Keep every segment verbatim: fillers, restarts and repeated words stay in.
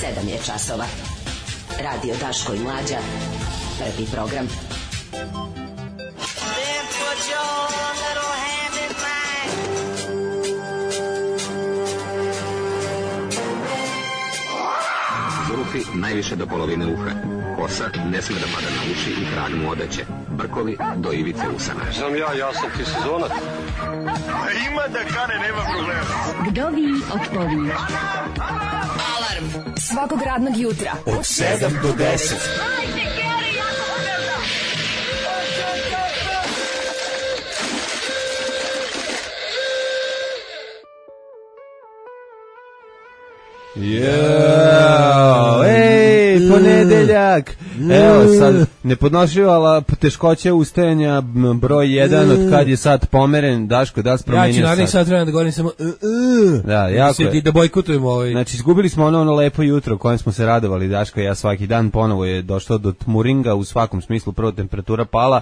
sedam je časova. Radio Daško i Mlađa. Prvi program. Zvuki najviše do polovine uha. Kosa ne sme da pada na uši i krag mu odeće. Brkovi do ivice usana. Znam ja, ja sam ti sezonac. Ima da kane, nema problema. Kdovi od povi. Alarm svakog radnog jutra od sedam do deset. Jao, ej, ponedeljak. Evo sad, nepodnošljivala teškoće ustajanja broj jedan od kad je sad pomeren. Daško, da li si promenio sad? Ja ću narednih sad vremena da govorim samo uh, uh, da, jako je. Da bojkotujemo ovaj. Znači, izgubili smo ono, ono lepo jutro u kojem smo se radovali, Daško i ja svaki dan. Ponovo je došlo do tmuringa u svakom smislu, prvo temperatura pala.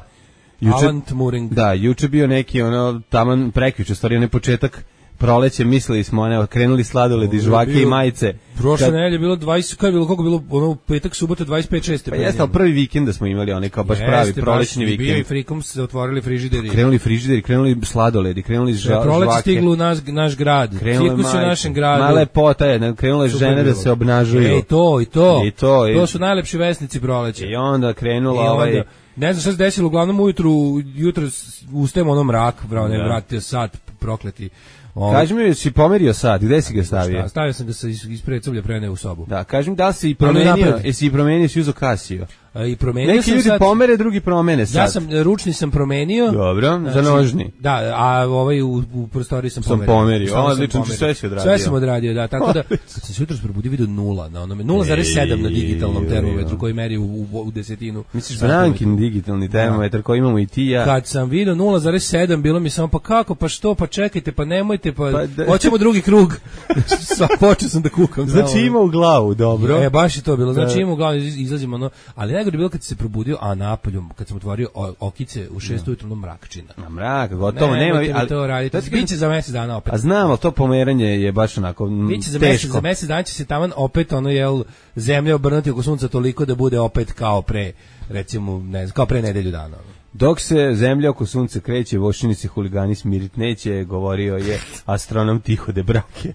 Juče, Alan Tmuring. Da, juče bio neki ono taman prekjuče, stvari onaj početak proleće, mislili smo, ne, krenuli sladoledi, žvake i majice. Prošle kad... nedelje bilo dvadeset, kako je bilo, koliko bilo, ono, petak, subota, dvadeset pet šest. Pa jeste, ali prvi vikend da smo imali, onaj kao baš pravi prolećni vikend. Bio i frikom se otvorili frižideri. Krenuli frižideri, krenuli sladoledi, krenuli žvake. Proleće stiglo u naš, naš grad, cirkus u našem gradu. Ma lepota je, krenule žene da se obnažuju. E, to, i to, I to, i... to su najlepši vesnici proleća. I onda krenula ovaj... Ne znam šta se desilo, uglavnom ujutru, jutro ustajemo ono mrak, bravo, ne vratio sat, prokleti. Kaži mi, si pomerio sad, gde si ga stavio? Šta, stavio sam da se ispred cublja prene u sobu. Da, kaži mi da li si i promenio, jesi i promenio, si uzo Casio? A, i promenio neki sam ljudi sad, pomere, drugi promene sad. Ja sam, ručni sam promenio. Dobro, znači, za nožni. Da, a ovaj u, u prostoriji sam, sam pomerio. pomerio. Ovo, odlično, sve si odradio. Sve sam odradio, da, tako da, kad sam se jutro probudio vidio nula, na onome, nula zarez sedam na digitalnom termometru koji meri u, u, u desetinu. Misliš Brankin digitalni termometar koji imamo i ti ja? Kad sam vidio nula zarez sedam, bilo mi samo, pa kako, pa što, pa čekajte, pa nemojte, pa, pa hoćemo drugi krug. Sva, počeo sam da kukam. Znači ima u glavu, dobro. E, baš je to bilo, znači ima u glavu, izlazimo, ono, ali najgore bilo kad se probudio, a napolju, kad sam otvorio okice u šest ujutro, no mrakčina. Na mrak, gotovo, nema. Ne, ali to radite, biće za mjesec dana opet. A znam, ali to pomeranje je baš onako teško. Biće za mjesec, za mjesec dana će se taman opet, ono, jel, zemlja obrnuti oko sunca toliko da bude opet kao pre, recimo, ne znam, kao pre nedelju dana. Dok se zemlja oko sunca kreće, voščinici huligani smirit neće, govorio je astronom Tihode Brake.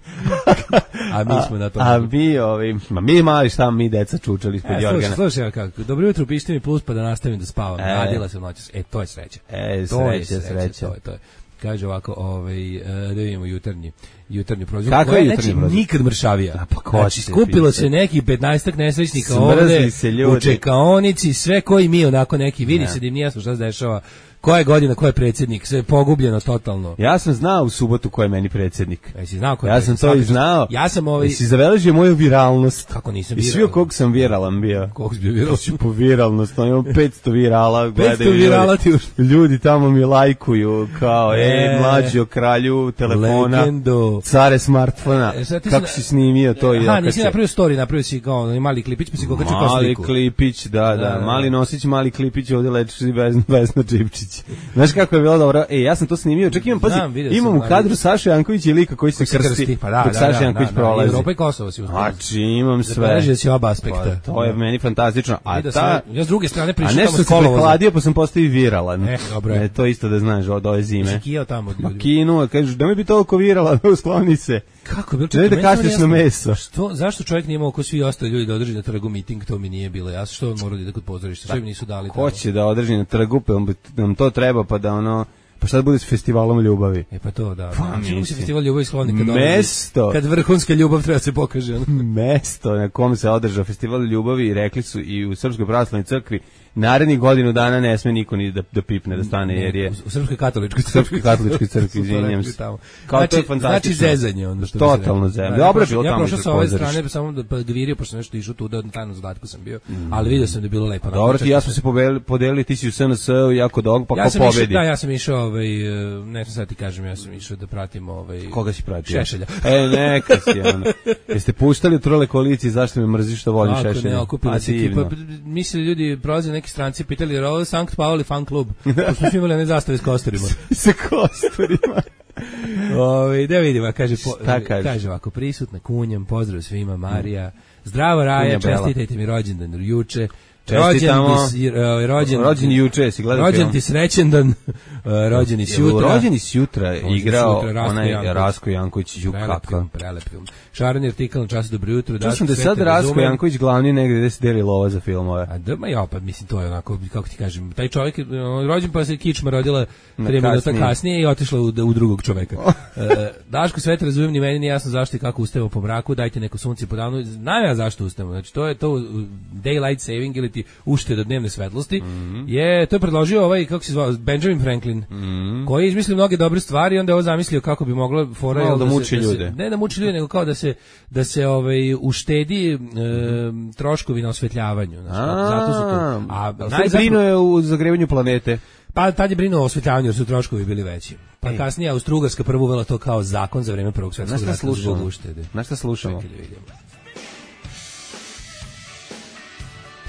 A mi smo na to. A, a mi, ovi, ma mi mali šta, mi deca čučali ispod e, Jorgana. Slušaj, slušaj, kako, dobro jutro, pišite mi plus pa da nastavim da spavam. E, Radila sam noćas. E, to je sreća. E, to sreća, je sreća, sreća. To je, to je. Kaže ovako, ovaj, da vidimo jutarnji, jutarnji prozor. Kako je jutarnji prozor? Nikad mršavija. A pa znači, skupilo se neki petnaestak nesrećnika ovde, u čekaonici, sve koji mi onako neki, vidi se da im nije jasno šta se dešava. Koja je godina, ko je predsjednik, sve je pogubljeno totalno. Ja sam znao u subotu ko je meni predsjednik. Jesi znao ko je Ja sam to i znao. Ja sam ovaj... Jesi zabeležio moju viralnost. Kako nisam viralan? I svi o kog sam viralan bio. Kog si bio viralan? Si po viralnost, on imam petsto virala. petsto virala ti už. Ljudi tamo mi lajkuju kao, e, e mlađi o kralju telefona. Legendo. Care smartfona. E, kako si snimio to? Aha, i nisi napravio story, napravio si kao mali klipić, pa si kokačio kao sliku. Mali klipić, da, da, da, mali nosić, mali klipić, ovdje lečiš i Vesna Čipčić. Znaš kako je bilo dobro? E, ja sam to snimio. Čak imam, pazi, Znam, imam u kadru Saša Janković i lika koji se krsti, krsti pa da, dok da, Saša da, Janković da, prolazi. Evropa i Kosovo si uzmano. Znači, imam sve. Zabeležio si oba aspekta. Pa, to je meni fantastično. A ta... Sve, ja s druge strane pričam tamo s kolovoza. A nešto se prehladio pa sam postao i viralan. E, dobro je. E, to isto da znaš od ove zime. Si kijao tamo od ljudi. Kinu, kažeš, da mi bi toliko viralan, uskloni se. Kako je bilo? Ne da kašlješ na meso. Što, zašto čovjek nije imao ko svi ostali ljudi da održi na trgu miting, to mi nije bilo jasno. Što on mora da ide kod pozorišta, što im nisu dali. Ko će da održi na trgu, pa nam to treba, pa da ono... Pa šta da bude s festivalom ljubavi? E pa to, da. Pa čemu se festival ljubavi skloni kad mesto, održi, kad vrhunska ljubav treba se pokaže. Mesto na kom se održao festival ljubavi i rekli su i u Srpskoj pravoslavnoj crkvi narednih godinu dana ne sme niko ni da, da pipne, da stane, jer je... U Srpskoj katoličkoj crkvi. Srpskoj katoličkoj crkvi, izvinjam se. Kao znači, to je fantastično. Znači zezanje. Ono što totalno zezanje. Dobro je bilo tamo. Ja prošao sa ove strane, samo da gvirio, pošto nešto išao tu, da na tajnom zadatku sam bio, mm. ali vidio sam da je bilo lepo. Dobro, ti ja smo se podelili, ti si u S N S jako dog, pa ja ko pobedi. Da, ja sam išao, ovaj, ne znam sad ti kažem, ja sam išao da pratim... Ovaj, koga si pratio? Šešelja. E, neka si, ono. Jeste puštali u Trole koaliciji, zašto me mrziš što volim Šešelja? Ne, okupili se ekipa, mislili ljudi, prolaze neki stranci, pitali, jer ovo je Sankt Pauli fan klub, pošto smo imali one zastave s kosturima. Sa kosturima. Ove, da vidimo, kaže, po, kaže? kaže ovako, prisutna kunjem, pozdrav svima, Marija, zdravo Raja, čestitajte mi rođendan juče, Čestitamo. Rođen, rođen, rođen juče, si gledao rođen ti srećendan, rođeni sutra. Rođeni sutra igrao onaj Rasko Janković, ju kako. Prelep film. Šareni artikal na času dobro jutro. Čuo sam da je sad Rasko Janković glavni negde gde se deli lova za filmove. A da, ma ja, pa mislim, to je onako, kako ti kažem, taj čovjek rođen pa se kičma rodila tri minuta kasnije i otišla u, u drugog čoveka. e, Daško, sve te razumijem, ni meni nije jasno zašto i kako ustajemo po mraku, dajte neko sunce po danu. Znam ja zašto ustajemo, znači to je to daylight saving ili ti ušteda dnevne svetlosti. Mm-hmm. Je, to je predložio ovaj, kako se zvao, Benjamin Franklin, mm-hmm. koji je izmislio mnoge dobre stvari i onda je ovo zamislio kako bi mogla fora no, da, da muči se, ljude. Da se, ne da muči ljude, nego kao da se da se ovaj uštedi e, troškovi na osvetljavanju, znači zato su to. A najbrinuo je u zagrevanju planete. Pa tad je brinuo o osvetljavanju jer su troškovi bili veći. Pa Ej. kasnije Austrougarska prvo uvela to kao zakon za vreme Prvog svjetskog rata zbog uštede. Na šta slušamo?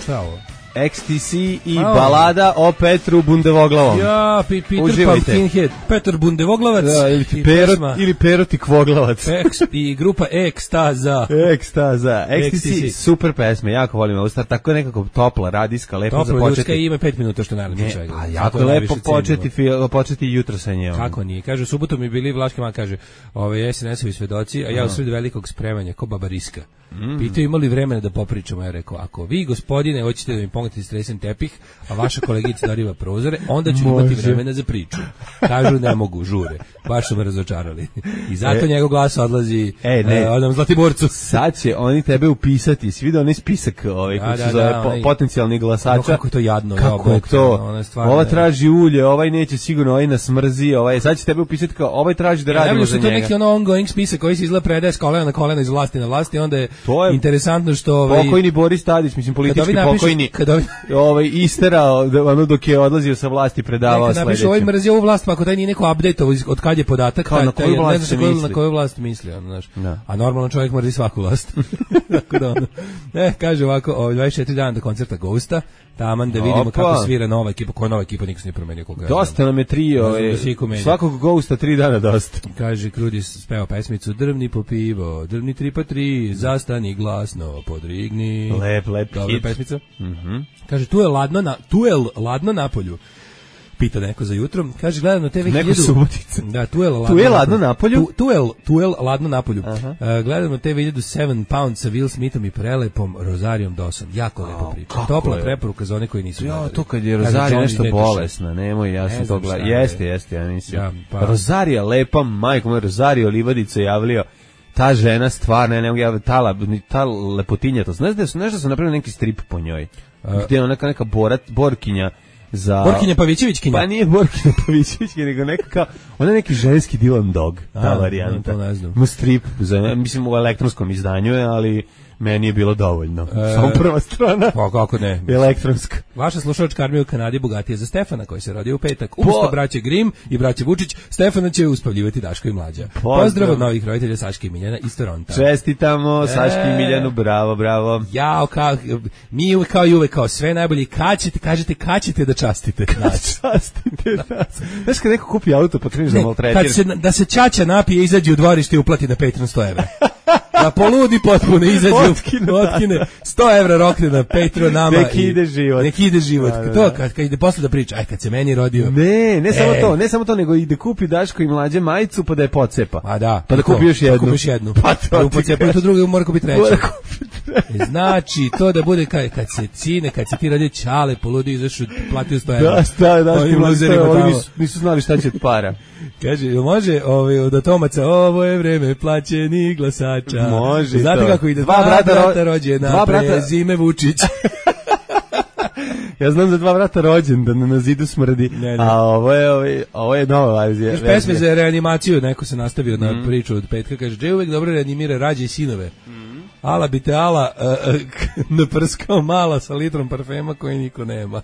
Šta je ovo? X T C i oh. balada o Petru Bundevoglavom. Ja, pi, Peter Pumpkinhead, Petar Bundevoglavac. Da, ili, Perot, ili Peroti Kvoglavac. X, I grupa Ekstaza. Ekstaza. X T C, super pesme, jako volim ovu stvar, tako nekako topla, radijska, lepo topla, za početi. Topla, ljudska i ima pet minuta što najlepše čega. A jako lepo početi, početi jutro sa njom. Kako nije? Kaže, u subotu mi bili Vlaški man, kaže, ove S N S-ovi svedoci, a ja u sred velikog spremanja, ko baba Riska. Mm. Pitao imali vremena da popričamo, ja rekao, ako vi gospodine hoćete da mi pomognete stresen tepih, a vaša kolegica dariva prozore, onda ću imati vremena za priču. Kažu ne mogu, žure. Baš su me razočarali. I zato e, njegov glas odlazi e, ne. Uh, onom Zlatiborcu. Sad će oni tebe upisati, svi vidio onaj spisak ovaj, koji da, se zove da, po, potencijalnih glasača. No, kako je to jadno. Kako je to? Ova traži ulje, ovaj neće sigurno, ovaj nas mrzi, ovaj, sad će tebe upisati kao, ovaj traži da radimo za njega. To je neki ono ongoing spisak koji se izgleda predaje s kolena na kolena iz vlasti na vlasti, onda je to je interesantno što ovaj pokojni Boris Tadić, mislim politički napišu, pokojni, kada ovi, ovaj isterao ono dok je odlazio sa vlasti predavao sledeće. Napišu ovaj mrzio ovu vlast, pa ako taj nije neko update-ovo od kad je podatak, kao taj, na koju vlast se misli. Na koju vlast misli, ono, znaš. Da. A normalno čovjek mrzi svaku vlast. Tako da ono. Ne, kaže ovako, ovaj dvadeset četiri dana do koncerta Ghosta, taman da vidimo Opa. kako svira nova ekipa, koja nova ekipa niko se ne promenio koliko. Dosta nam je trio, svakog Ghosta tri dana dosta. Kaže Krudis speva pesmicu Drvni po pivo, drvni tri pa tri, zastani glasno, podrigni. Lep, lep Dobra hit. pesmica. Mhm. Kaže tu je ladno na tu je ladno na polju. Pita neko za jutro. Kaže gledam na te ve hiljadu. Neko Subotica. Da, tu je ladno. Tu je ladno na polju. Tu, tu je tu je ladno na polju. Uh, gledam na te ve hiljadu sedam pound sa Will Smithom i prelepom Rosarijom Dawson. Jako lepa priča. Topla je preporuka za one koji nisu. Ja, to kad je Rozarija nešto bolesna, nemoj, ja sam to gledao. Jeste, jeste, ja mislim. Ja, pa. Rozarija lepa, majko moja, Rosario Livadica javlio. Ta žena stvarno, ne mogu ja, ta, ta lepotinja, to znaš da su nešto su napravili neki strip po njoj. Uh, gdje je neka neka borat, borkinja za Borkinja Pavićevićkinja. Pa nije Borkinja Pavićevićkinja, nego neka kao, ona je neki ženski Dylan Dog, ta A, varijanta. To ne znam. Ima strip, za, mislim u elektronskom izdanju je, ali meni je bilo dovoljno. E, Samo prva strana. Pa kako ne. Elektronska. Vaša slušalačka armija u Kanadi bogatija za Stefana, koji se rodio u petak. Umesto po... braće Grim i braće Vučić, Stefana će uspavljivati Daško i Mlađa. Pozdrav, Pozdrav od novih roditelja Saške i Miljana iz Toronta. Čestitamo Saški i Miljanu, bravo, bravo. Jao, kao, mi uvek kao i uvek, kao sve najbolje. Kad ćete, kažete, kad ćete da častite nas? Častite nas. Znaš kad neko kupi auto, pa kreneš da maltretiraš. Kad se, da se ćaća napije, izađe u dvorište i uplati na Patreon sto evra. Da poludi potpuno, izađe otkine, otkine sto evra rokne na Patreon nama. Nek ide život. Nek ide život. Da, da, to kad, kad ide posle da priča, aj kad se meni rodio. Ne, ne e. samo to, ne samo to, nego ide kupi Daško i Mlađe majicu pa da je pocepa. A da. Pa da kupi još jednu. Pa kupiš jednu. Pa to pocepa i to drugo mora kupiti treću. Znači, to da bude kad, kad se cine, kad se ti radi čale, poludi, izašu, platio sto evra. Da, sta, Daško i Mlađe, nisu, nisu znali šta će od para. Kaže, može ovaj, od Atomaca, ovo je vreme plaćenih glasača. Može. Znate to. kako ide? Dva, dva brata, brata rođena, dva brata prezime Vučić. Ja znam za dva brata rođendan na zidu smrdi, ne, ne. A ovo je, ovo je, ovo je nova verzija. Još pesme za reanimaciju, neko se nastavio mm. na priču od petka, kaže, Dže uvek dobro reanimira rađe i sinove. Mm. Ala bi te ala uh, uh, naprskao mala sa litrom parfema koji niko nema.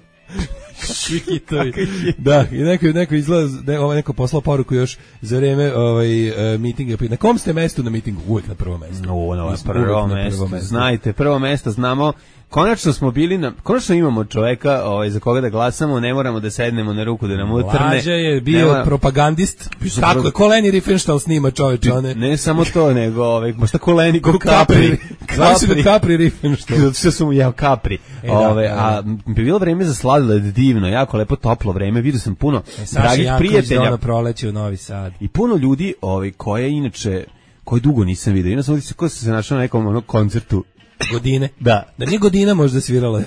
Svi hitovi. Da, i neko, neko izgleda, ne, ovaj neko poslao poruku još za vreme ovaj, uh, mitinga. Na kom ste mestu na mitingu? Uvijek na prvom mestu. No, na prvo mesto. Znajte, prvo mesto znamo konačno smo bili na, konačno imamo čoveka ovaj, za koga da glasamo, ne moramo da sednemo na ruku da nam utrne. Mlađa je bio mora... propagandist, tako je, ko Leni Riefenstahl snima čoveče, one. Ne samo to, nego ovaj, možda ko Leni, ko Capri. Capri, Capri Riefenstahl. Zato što su mu jeo Capri. E, ove, da, a bi bilo vreme za sladoled divno, jako lepo toplo vreme, vidio sam puno e, dragih prijatelja. Ono proleće u Novi Sad. I puno ljudi ovaj, koje inače, koje dugo nisam vidio. Inače sam ko se našao na nekom ono, koncertu. Godine? Da. Da nije Godina možda svirala.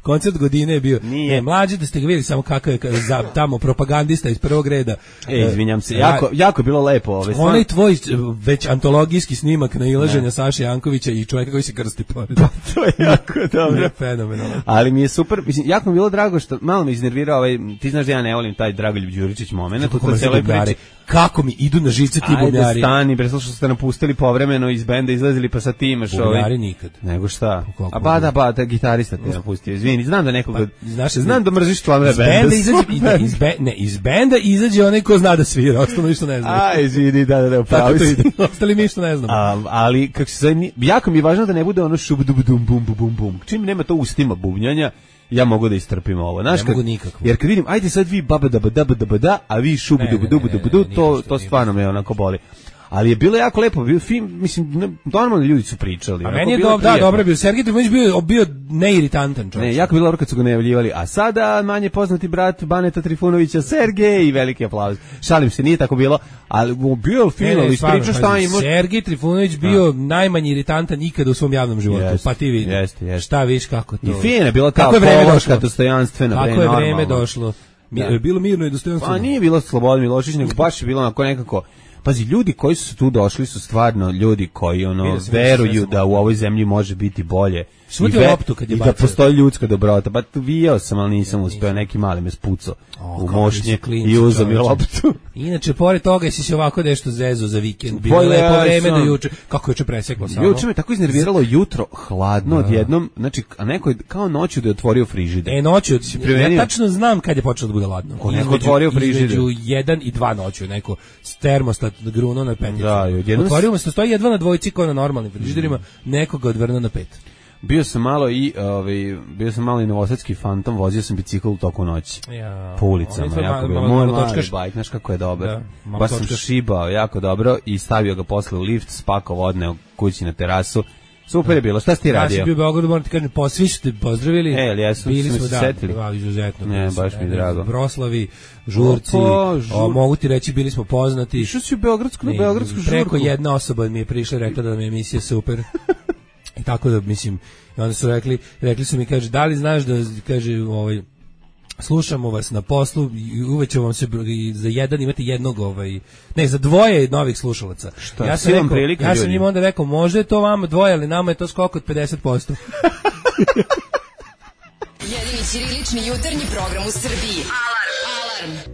Koncert Godine je bio. Nije. Ne, mlađi da ste ga vidjeli samo kakav je za, tamo propagandista iz prvog reda. E, izvinjam se, jako, jako je bilo lepo. Ove, onaj tvoj već antologijski snimak na ilaženja Saše Jankovića i čovjeka koji se krsti pored. Pa, to je jako dobro. Fenomenalno. Ali mi je super, mislim, jako mi je bilo drago što malo me iznervirao ovaj, ti znaš da ja ne volim taj Dragoljub Đuričić moment. Kako, kako mi idu na živce ti bubnjari. Ajde stani, preslo što ste napustili povremeno iz benda, izlazili pa sa ti imaš ovaj. Bubnjari nikad. Nego šta? A ba da, ba, da, gitarista te napustio. Izvini, znam da nekoga, pa, znaš, znam da mrziš članove benda. Benda izađe, iz, be, ne, iz benda izađe onaj ko zna da svira, ostalo ništa ne zna. A, izvini, da, da, da, upravo si. Ostali mi ništa ne znamo. A, ali, kako se zove, jako mi je važno da ne bude ono šub, dub, dum, bum, bum, bum, bum. Čim nema to ustima bubnjanja, ja mogu da istrpim ovo. Znaš, ne mogu nikako. Jer kad vidim, ajde sad vi baba da da da da, a vi šub dub dub dub, to to stvarno me onako boli. Ali je bilo jako lepo, bio film, mislim, normalno ljudi su pričali. A meni je dobro, da, dobro je bio. Sergej Trifunović bio, bio neiritantan čovjek. Ne, jako bilo dobro kad su ga najavljivali, a sada manje poznati brat Baneta Trifunovića, Sergej, i veliki aplauz. Šalim se, nije tako bilo, ali bio film, ali ispriča šta ima. Sergej Trifunović bio najmanje iritantan ikada u svom javnom životu, jest, pa ti vidi. Jeste, jeste. Šta viš kako to. I fina je bila ta pološka dostojanstvena. Kako je vreme došlo. Da. Bilo mirno i dostojanstveno. Pa nije bilo Slobodan Milošević, nego baš je bilo onako nekako. Pazi, ljudi koji su tu došli su stvarno ljudi koji ono veruju da u ovoj zemlji može biti bolje. I, ve, loptu kad je i da postoji ljudska dobrota. Pa vijao sam, ali nisam uspeo, neki mali me spucao u mošnje i uzeo mi loptu. Inače, pored toga si se ovako nešto zezo za vikend. Bilo je lepo vreme do juče. Kako juče preseklo samo? Juče me tako iznerviralo jutro, hladno odjednom, znači, a neko je kao noću da je otvorio frižider. E, noću, ja tačno znam kad je počelo da bude hladno. Ko neko otvorio frižider? Između jedan i dva noću, neko termostat gruno na peticu. Da, otvorio se, stoji jedva na dvojci kao na normalnim frižiderima, nekoga odvrno na pet. Bio sam malo i ovaj bio sam malo i novosadski fantom, vozio sam bicikl u toku noći. Ja, po ulicama, jako bilo. Moj mali bajk, znaš kako je dobar. Da, baš sam šibao jako dobro i stavio ga posle u lift, spakao odneo kući na terasu. Super je bilo. Šta si ti radio? Ja sam bio u Beogradu, moram ti kažem, po, svi su te pozdravili. E, ali jesu, bili smo, se da, setili. Da, izuzetno. Ne, baš mi je drago. Vroslavi, žurci, o, žur... o, mogu ti reći, bili smo poznati. Što si u Beogradsku, na Beogradsku žurku? Preko jedna osoba mi je prišla i rekla da mi je emisija super. I tako da, mislim, i onda su rekli, rekli su mi, kaže, da li znaš da, kaže, ovaj, slušamo vas na poslu i uveće vam se za jedan imate jednog, ovaj, ne, za dvoje novih slušalaca. Šta, ja sam, rekao, prilika, ja sam im onda rekao, možda je to vama dvoje, ali nama je to skok od pedeset posto. Jedini ćirilični jutarnji program u Srbiji. Alarm! Alarm!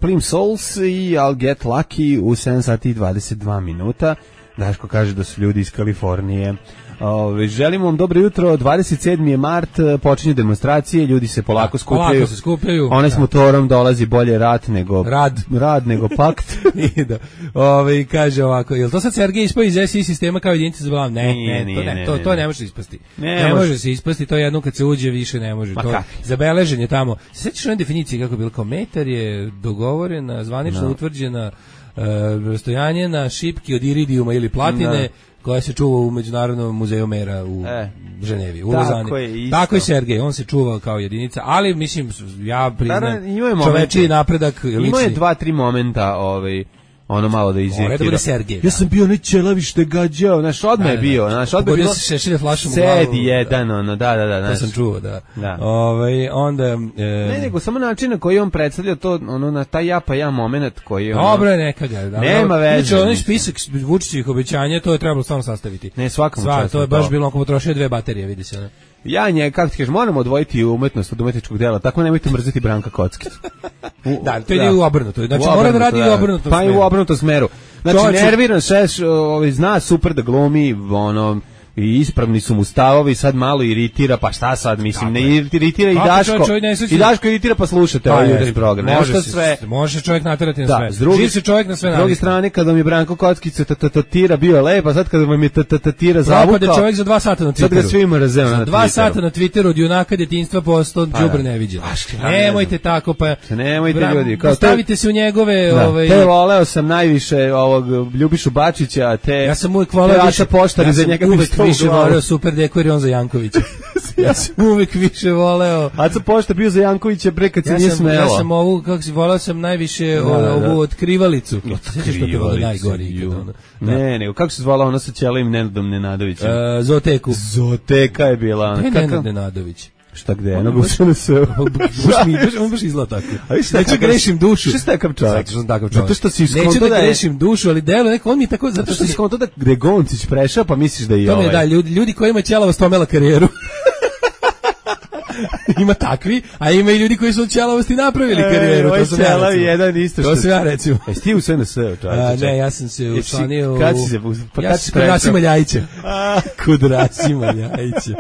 Plim Souls i I'll Get Lucky u sedam sati i dvadeset dva minuta. Daško kaže da su ljudi iz Kalifornije. Ove, želimo vam dobro jutro, dvadeset sedmi je mart, počinju demonstracije, ljudi se polako da, skupljaju. Polako se skupljaju. Onaj s motorom dolazi bolje rat nego rad, rad nego pakt. I da. Ove, kaže ovako, jel to sad Sergej ispao iz S I sistema kao jedinica za vlam? Ne, nije, ne, nije, to ne, ne, to, ne, to ne može se ispasti. Ne, ne može se ispasti, to jedno kad se uđe više ne može. Ma to kak? Zabeležen je tamo. Se sećaš one definicije kako je bilo, kao metar je dogovorena, zvanično no. utvrđena uh, rastojanje na šipki od iridijuma ili platine. No. koja se čuva u Međunarodnom muzeju mera u e, Ženevi, u Lozani. Tako je Sergej, on se čuva kao jedinica, ali mislim, ja priznam, čovečiji napredak. Imao je dva, tri momenta, ovaj, ono malo da izjekira. Da bude Sergej. Ja sam bio nećelavi što je gađao, znaš, odmah je bio, znaš, odmah je bilo. Šešelje flašom u glavu. Sedi jedan, ono, da, da, da. To sam čuo, da. da. Ovaj, onda... E, ne, nego samo način na koji on predstavlja to, ono, na taj ja pa ja moment koji je... Ono, dobro je neka ga. Nema veze. Znači, onaj spisak Vučićevih obećanja, to je trebalo stvarno sastaviti. Ne, svakom Sva, to je baš bilo, ako potrošio dve baterije, vidi se, ne. Ja nje, kako ti kažeš, moramo odvojiti umetnost od umetničkog dela, tako nemojte mrziti Branka Kockić. Da, to je u obrnuto. Znači, mora da radi u obrnutom smeru. Pa i u obrnutom smeru. Znači, nerviran šeš, ovaj, zna super da glumi, ono, i ispravni su mu stavovi, sad malo iritira, pa šta sad, mislim, ne iritira i Daško, i Daško iritira pa slušate ovaj jutarnji program. Može sve. Može čovjek naterati na da, sve. Živ se čovjek na sve. S druge strane, kada vam je Branko Kockica tatatira bio je lep, a sad kada vam je tatatira zavukao. Propade čovjek za dva sata na Twitteru. Sad ga svima razeo na Twitteru. Dva sata na Twitteru od junaka djetinjstva postao đubre neviđen. Nemojte tako, pa nemojte ljudi. Stavite se u njegove... Te voleo sam najviše ovog Ljubišu Bačića, te... Ja sam uvijek voleo više... Ja sam uvijek više voleo Super Deko jer on za Jankovića. Ja sam uvijek više voleo... Aca Pošta bio za Jankovića pre kad se nije smelo. Ja sam ovu, kako si, voleo sam najviše ovu otkrivalicu. Otkrivalicu. Ne, nego, kako se zvala ona sa Ćelim Nenadom Nenadovićem? Zooteku. Zooteka je bila. To je Nenad Nenadović. Šta gde? Ono gušano se. On baš izgleda tako. Neću grešim dušu. Šta je takav čovjek? Zato što sam takav čovjek. Zato što si iskonto da... Neću da grešim dušu, ali delo neko, on mi je tako... Zato što si iskonto da gde Goncić prešao, pa misliš da je ovaj. To me da, ljudi, ljudi koji imaju ćelavost omela karijeru. Ima takvi, a ima i ljudi koji su od ćelavosti napravili karijeru. E, to sam ja recimo. Jedan isto što... To sam ja recimo. Jesi ti u S N S? Ne, ja sam se učlanio u... Kad si se... Pa ja sam kod Rasima Ljajića. Kod Rasima Ljajića.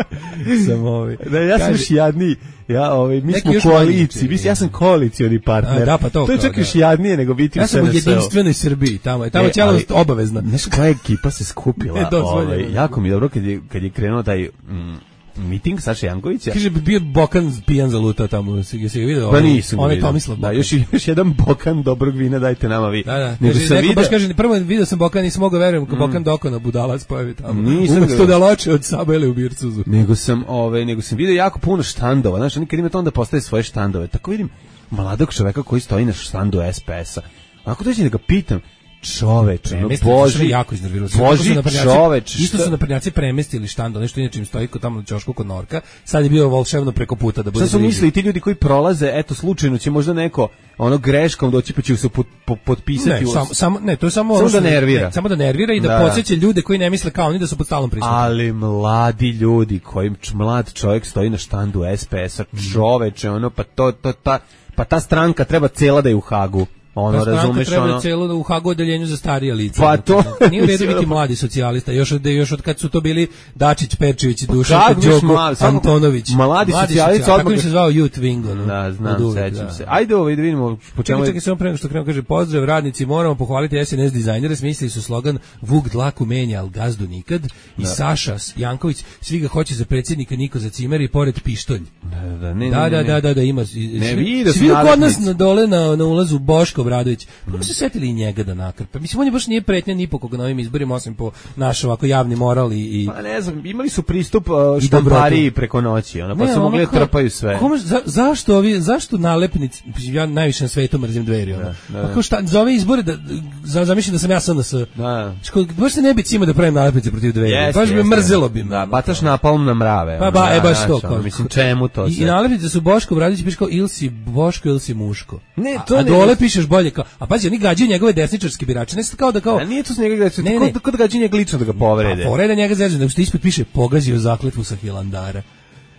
Sam ovi. Ne, ja sam još jadniji. Ja, ovaj, mi smo u koaliciji, mi, ja sam koalicioni partner. A, da, pa to, to je čak još jadnije nego biti ja u S N S-u. Ja sam u jedinstvenoj Srbiji, tamo je, tamo je ćelavost obavezna. Znaš koja ekipa se skupila? ovaj, jako mi je dobro kad je, kad je krenuo taj... Mm, miting Saša Jankovića. Kaže bi bio Bokan pijan zalutao tamo, se se video. Pa nisam. On je Tomislav. Da, još još jedan Bokan dobrog vina dajte nama vi. Da, da. Nego sam video, baš kaže prvo video sam Bokan i smogao verujem kako mm. Bokan dokona budalac pojavi tamo. Nisam to da loče od Sabele u Bircuzu. Nego sam, ove, nego sam video jako puno štandova, znači oni kad ima to onda postaje svoje štandove. Tako vidim mladog čoveka koji stoji na štandu S P S-a. Ako dođe da ga pitam, čoveč, no boži, jako iznervirao. Boži čoveč. Isto su naprednjaci premestili štand, nešto inače im stoji kod tamo na ćošku kod Norka. Sad je bio volšebno preko puta da bude. Šta su mislili ti ljudi koji prolaze, eto slučajno će možda neko ono greškom doći pa će se pot, pot, potpisati. Ne, samo samo ne, to je samo samo da nervira. Ne, samo da nervira i da, da podseća ljude koji ne misle kao oni da su pod stalnom prisutnim. Ali mladi ljudi kojim mlad čovjek stoji na štandu S P S-a, čoveče, ono pa to to ta pa ta stranka treba cela da je u Hagu. Ono, pa razumeš, treba ono... celo u Hagu odeljenju za starija lica. Pa to... Nije u redu biti mladi socijalista, još od, još od kad su to bili Dačić, Perčević, Dušan, Đoko, mlad, Antonović. Mladi, mladi socijalista... Tako mi se zvao Youth Wing, ono. Da, znam, uvijek, sećam da. se. Ajde ovo, da vidimo... Po čemu... Čekaj, čekaj, samo prema što krenu, kaže, pozdrav, radnici, moramo pohvaliti S N S dizajnere, smislili su slogan Vuk dlaku menja, al gazdu nikad, i da. Saša Janković, svi ga hoće za predsjednika, niko za cimer i pored pištolj. Da, da, ne, da, ne, da, ne. da, da, da, ima... Ne, vidi, svi kod nas na dole na, na ulazu Boško Obradović. Pa se setili i njega da nakrpe. Mislim, on je baš nije pretnja ni po koga na ovim izborima, osim po naš ovako javni moral i... i pa ne znam, imali su pristup uh, štampariji preko noći, ono, pa ne, su mogli da trpaju sve. Kome, za, zašto ovi, zašto nalepnici, ja najviše na svetu mrzim Dveri, ono. Da, da. Pa kao šta, za ove izbore, da, za, zamišljam da sam ja S N S. Da. Ško, baš se ne bi cimo da pravim nalepnice protiv Dveri. Yes, baš bi mrzelo bi me. Da, bataš napalm na mrave. Pa ba, e, baš to. Ono, mislim, čemu to I, i nalepnice su Boško Obradović, piše kao, ili si Boško, ili si muško. Ne, to a, ne. A dole pišeš bolje kao, a pazi, oni gađaju njegove desničarske birače, ne kao da kao... A nije to s njega desničarske, ne, ne. Kod gađaju njega lično da ga povrede. A povrede njega zezno, nego što ispod piše, pogazio zakletvu sa Hilandara.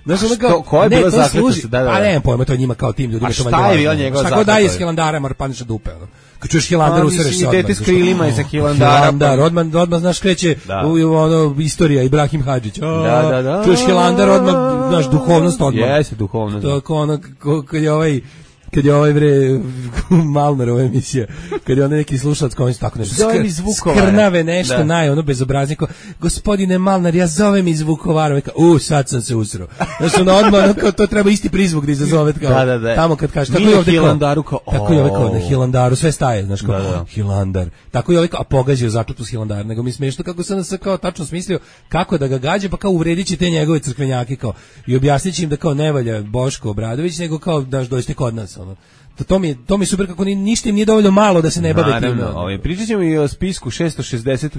Znaš, ono kao, ko je bila zakletva? Da, da, da. A ne, pojma, to je njima kao tim ljudima. A šta je bila njegova zakletva? Šta daje s Hilandara, mar paniša dupe, ono. Kad čuješ Hilandar, usereš se odmah. Dete s krilima i sa Hilandara. Hilandar, odmah, odmah, znaš, kreće u, ono, istorija, Ibrahim Hadžić. Da, da, da. Čuješ Hilandar, odmah, znaš, duhovnost odmah. Jeste, duhovnost. To je kao ono, kad je ovaj... kad je ovaj bre Malmerova emisija, kad je on neki slušalac koji tako nešto skr, skrnave nešto, da. Naj, ono bezobraznico, gospodine Malnar, ja zovem iz Vukovara, veka, u, sad sam se usro. Znači, ono odmah, ono, kao, to treba isti prizvuk da izazove, kao, da, da, da. Tamo kad kaže, tako je ovdje Hilandaru, kao, tako je ovaj kao, na Hilandaru, sve staje, znaš, kao, da, da. Hilandar, tako je ovaj kao, a pogazio zakletvu s Hilandara, nego mi smiješno kako sam se kao tačno smislio kako da ga gađe, pa kao uvredit će te njegove crkvenjake, kao, i objasnit će im da kao ne valja Boško Obradović, nego kao, daš, dođite kod nas, ono. To, to, mi je, to mi je super kako ni, ništa im nije dovoljno malo da se ne bave time. Ovaj, pričat ćemo i o spisku šesto šezdeset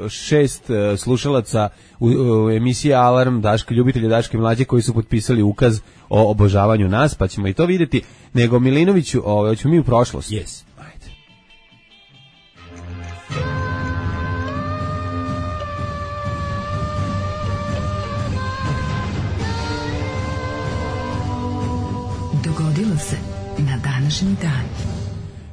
šest slušalaca u, u emisiji Alarm Daška, ljubitelja Daške mlađe koji su potpisali ukaz o obožavanju nas, pa ćemo i to vidjeti. Nego Milinoviću, ovaj, hoćemo mi u prošlost. Yes. Ajde. Dogodilo se na današnji dan.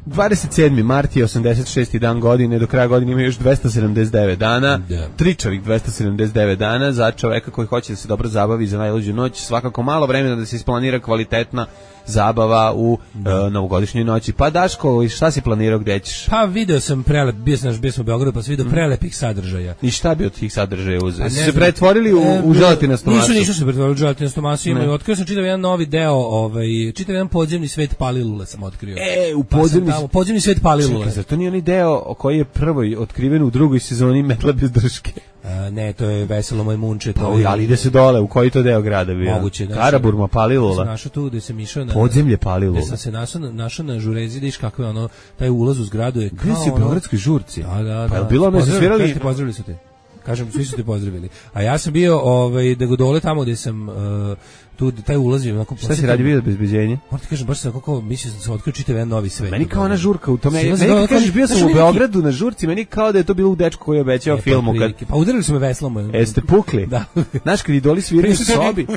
dvadeset sedmi mart je osamdeset šesti dan godine, do kraja godine ima još dvesta sedamdeset devet dana, yeah. tričavih dvesta sedamdeset devet dana za čoveka koji hoće da se dobro zabavi za najluđu noć, svakako malo vremena da se isplanira kvalitetna zabava u da. uh, novogodišnjoj noći. Pa Daško, šta si planirao, gde ćeš? Pa video sam prelep, bio sam, bio sam u Beogradu, pa sam video mm. prelepih sadržaja. I šta bi od tih sadržaja uzeo? Su se pretvorili u, e, u želatinastu masu? Nisu, nisu se pretvorili u želatinastu masu, imaju. Otkrio sam čitav jedan novi deo, ovaj, čitav jedan podzemni svet Palilule sam otkrio. E, u podzemni, pa tamo, podzemni svet Palilule. Čekaj, zar to nije onaj deo koji je prvoj otkriven u drugoj sezoni Metla bez drške? A, ne, to je Veselo Majmunče. To pa, je, ali ide se dole, u koji to deo grada bio? Moguće. Znači, Karaburma, Palilula. Da sam našao tu gde sam išao na... Podzemlje Palilula. Gde sam se našao, našao na žurezi, da iš kako je ono, taj ulaz u zgradu je kao... Gde si u Beogradskoj žurci? Da, da, pa je da. bilo me se svirali... Pozdravili su te. Kažem, svi su te pozdravili. A ja sam bio ovaj, da go dole tamo gde sam... Uh, tu taj ulazio onako. Šta si radi bio obezbeđenje? Moram ti kažem, baš sam kako mislim da se otkrio čitav jedan novi svet. Meni kao ona žurka u tome. Meni kad kažeš bio sam u Beogradu na žurci, meni kao da je to bilo u dečku koji je obećao e, filmu kad pa udarili su me veslom. Jeste pukli? Da. Znaš kad idoli sviraju u sobi.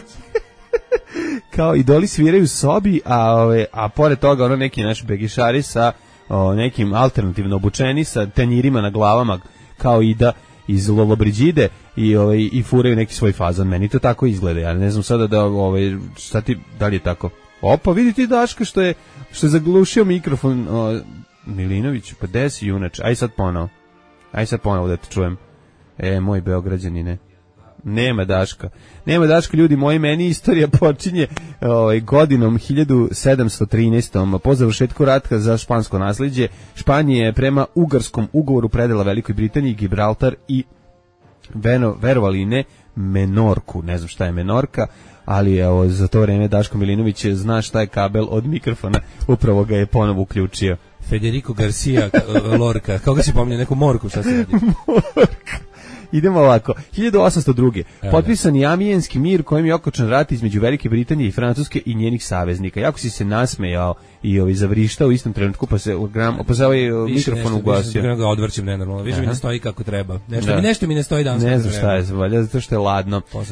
Kao idoli sviraju u sobi, a ove, a pored toga ono neki naš begišari sa o, nekim alternativno obučeni sa tanjirima na glavama kao Ida iz Lollobrigide i ovaj i furaju neki svoj fazon. Meni to tako izgleda. Ja ne znam sada da ovaj šta ti da li je tako. Opa, vidi ti Daška što je što je zaglušio mikrofon o, Milinović, pa desi junač. Aj sad ponovo. Aj sad ponovo da te čujem. E, moj Beograđanine. Nema Daška. Nema Daška, ljudi moji, meni istorija počinje ovaj, godinom hiljadu sedamsto trinaeste. Po završetku rata za špansko naslijeđe, Španija je prema Ugarskom ugovoru predala Velikoj Britaniji Gibraltar i Veno, verovali ne, Menorku. Ne znam šta je Menorka, ali evo, za to vreme Daško Milinović zna šta je kabel od mikrofona, upravo ga je ponovo uključio. Federico Garcia Lorca, kako si pominje, neku morku, šta se radi? Morka. Idemo ovako, hiljadu osamsto druge. Potpisan je Amijenski mir kojim je okončan rat između Velike Britanije i Francuske i njenih saveznika. Jako si se nasmejao i ovaj zavrištao u istom trenutku, pa se gram, pa se ovaj mikrofon ugasio. Više ga odvrćem nenormalno. Više mi ne stoji kako treba. Nešto, da. mi, nešto mi ne stoji danas. Ne znam šta je, valjda zato što je ladno. Uh,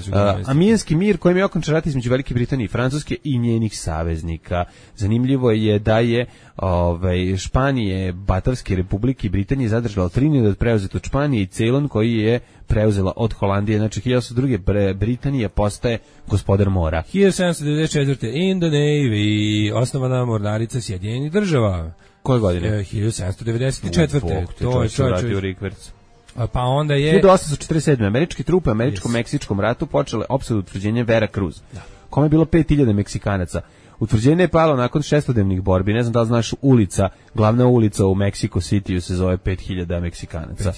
Amijenski mir kojim je okončan rat između Velike Britanije i Francuske i njenih saveznika. Zanimljivo je da je ovaj Španije, Batavske republike i Britanije zadržala Trinidad preuzet od Španije i Ceylon koji je preuzela od Holandije. Znači hiljadu osamsto druge Britanija postaje gospodar mora. hiljadu sedamsto devedeset četvrte in the Navy osnovana mornarica Sjedinjenih država. Koje godine? hiljadu sedamsto devedeset četvrte To je čovjek. Pa onda je hiljadu osamsto četrdeset sedme američke trupe u američko-meksičkom ratu počele opsadu utvrđenja Vera Cruz. Da. Kome je bilo pet hiljada Meksikanaca. Utvrđenje je palo nakon šestodnevnih borbi. Ne znam da li znaš, ulica, glavna ulica u Mexico City se zove pet hiljada Meksikanaca.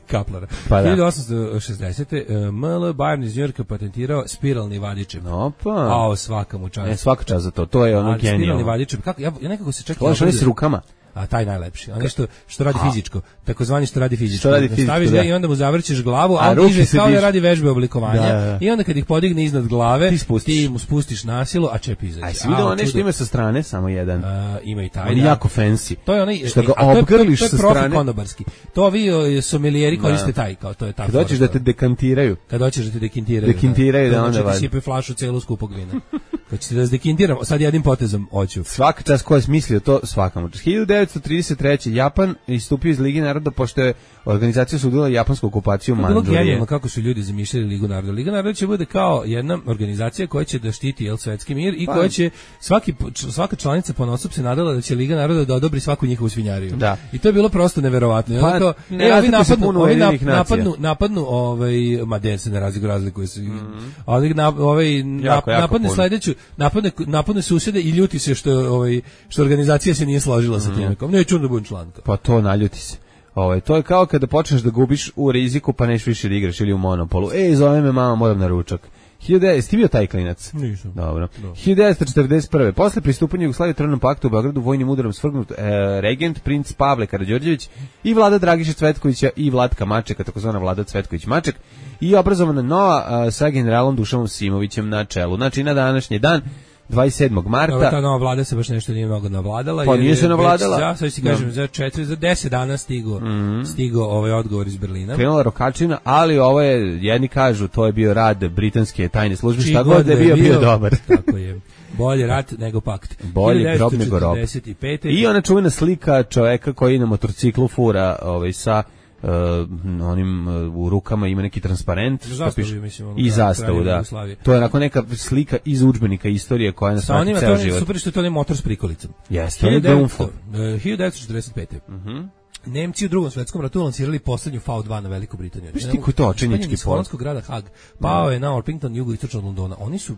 Kaplara. Pa da. hiljadu osamsto šesdesete M L Bayern iz Njujorka patentirao spiralni vadičev. Opa. Ao, svaka mu čast. Ne, svaka čast za to. To je ono genijalno. Spiralni vadičev. Kako, ja, ja nekako se čekam. To je s rukama. A taj najlepši. Onaj što što radi fizičko, takozvani što radi fizičko. Što radi fizičko, staviš da. I onda mu zavrćeš glavu, a, a on diže kao da radi vežbe oblikovanja. Da, da. I onda kad ih podigne iznad glave, ti, ti mu spustiš nasilu, a čep izađe. Aj, si vidio onaj što ima sa strane, samo jedan. A, ima i taj. On je da. Jako fancy. To je onaj što ga obgrliš sa strane. To je konobarski. To vi sommelieri koriste taj, kao to je tako. Kad hoćeš da te dekantiraju. Kad hoćeš da te dekintiraju. Dekintiraju da onda vadi. Sipe flašu celu skupog vina. Kad ćete da dekintiramo, sad jednim potezom hoću. Svaka čast ko je smislio to, svakamo. hiljadu devetsto trideset treće Japan istupio iz Lige naroda pošto je organizacija sudila japansku okupaciju Mandžurije. Bilo genijalno kako su ljudi zamišljali Ligu naroda. Liga naroda će bude kao jedna organizacija koja će da štiti jel svetski mir i pa. koja će svaki svaka članica ponosob se nadala da će Liga naroda da odobri svaku njihovu svinjariju. Da. I to je bilo prosto neverovatno. Pa, to, ne, e, ovi napadnu, ovi napadnu, napadnu, ovaj Maden se ne razlikuju, razlikuju se. Mm. Ali na, ovaj nap, jako, jako napadne sledeću, napadne napadne susede i ljuti se što ovaj što organizacija se nije složila mm. sa tim. Kao neću da budem član. Pa to naljuti se. Ovaj to je kao kada počneš da gubiš u riziku pa neš više da igraš ili u monopolu. Ej, zove me mama, moram na ručak. hiljadu devetsto Jesi ti bio taj klinac? Nisam. Dobro. No. hiljadu devetsto četrdeset prve Posle pristupanja Jugoslavije Trojnom paktu u Beogradu vojnim udarom svrgnut e, regent princ Pavle Karađorđević i Vlada Dragiša Cvetkovića i Vlatka Mačeka, takozvana Vlada Cvetković Maček, i obrazovana nova a, sa generalom Dušanom Simovićem na čelu. Znači na današnji dan dvadeset sedmog marta. Ova ta nova vlada se baš nešto nije mnogo navladala. Pa nije se navladala. Ja sad ti kažem, za četiri, za deset dana stigo, mm-hmm. stigo ovaj odgovor iz Berlina. Krenula rokačina, ali ovo je, jedni kažu, to je bio rad britanske tajne službe, šta god da je bio, bio dobar. Tako je. Bolje rat nego pakt. Bolje grob nego rob. I ona čuvena slika čoveka koji na motorciklu fura ovaj, sa Uh, onim uh, u rukama ima neki transparent zastavu, mislim, i zastavu, da. To je onako neka slika iz udžbenika istorije koja nas prati ceo život. To je super što je to motor s prikolicom. Jeste, on je Grunfo. hiljadu devetsto četrdeset pete. Mhm. Nemci u Drugom svetskom ratu lansirali poslednju V dva na Veliku Britaniju. Viš ti koji to očenjički pol? Iz holandskog grada Hag. Pao je na Orpington, jugoistočno od Londona. Oni su,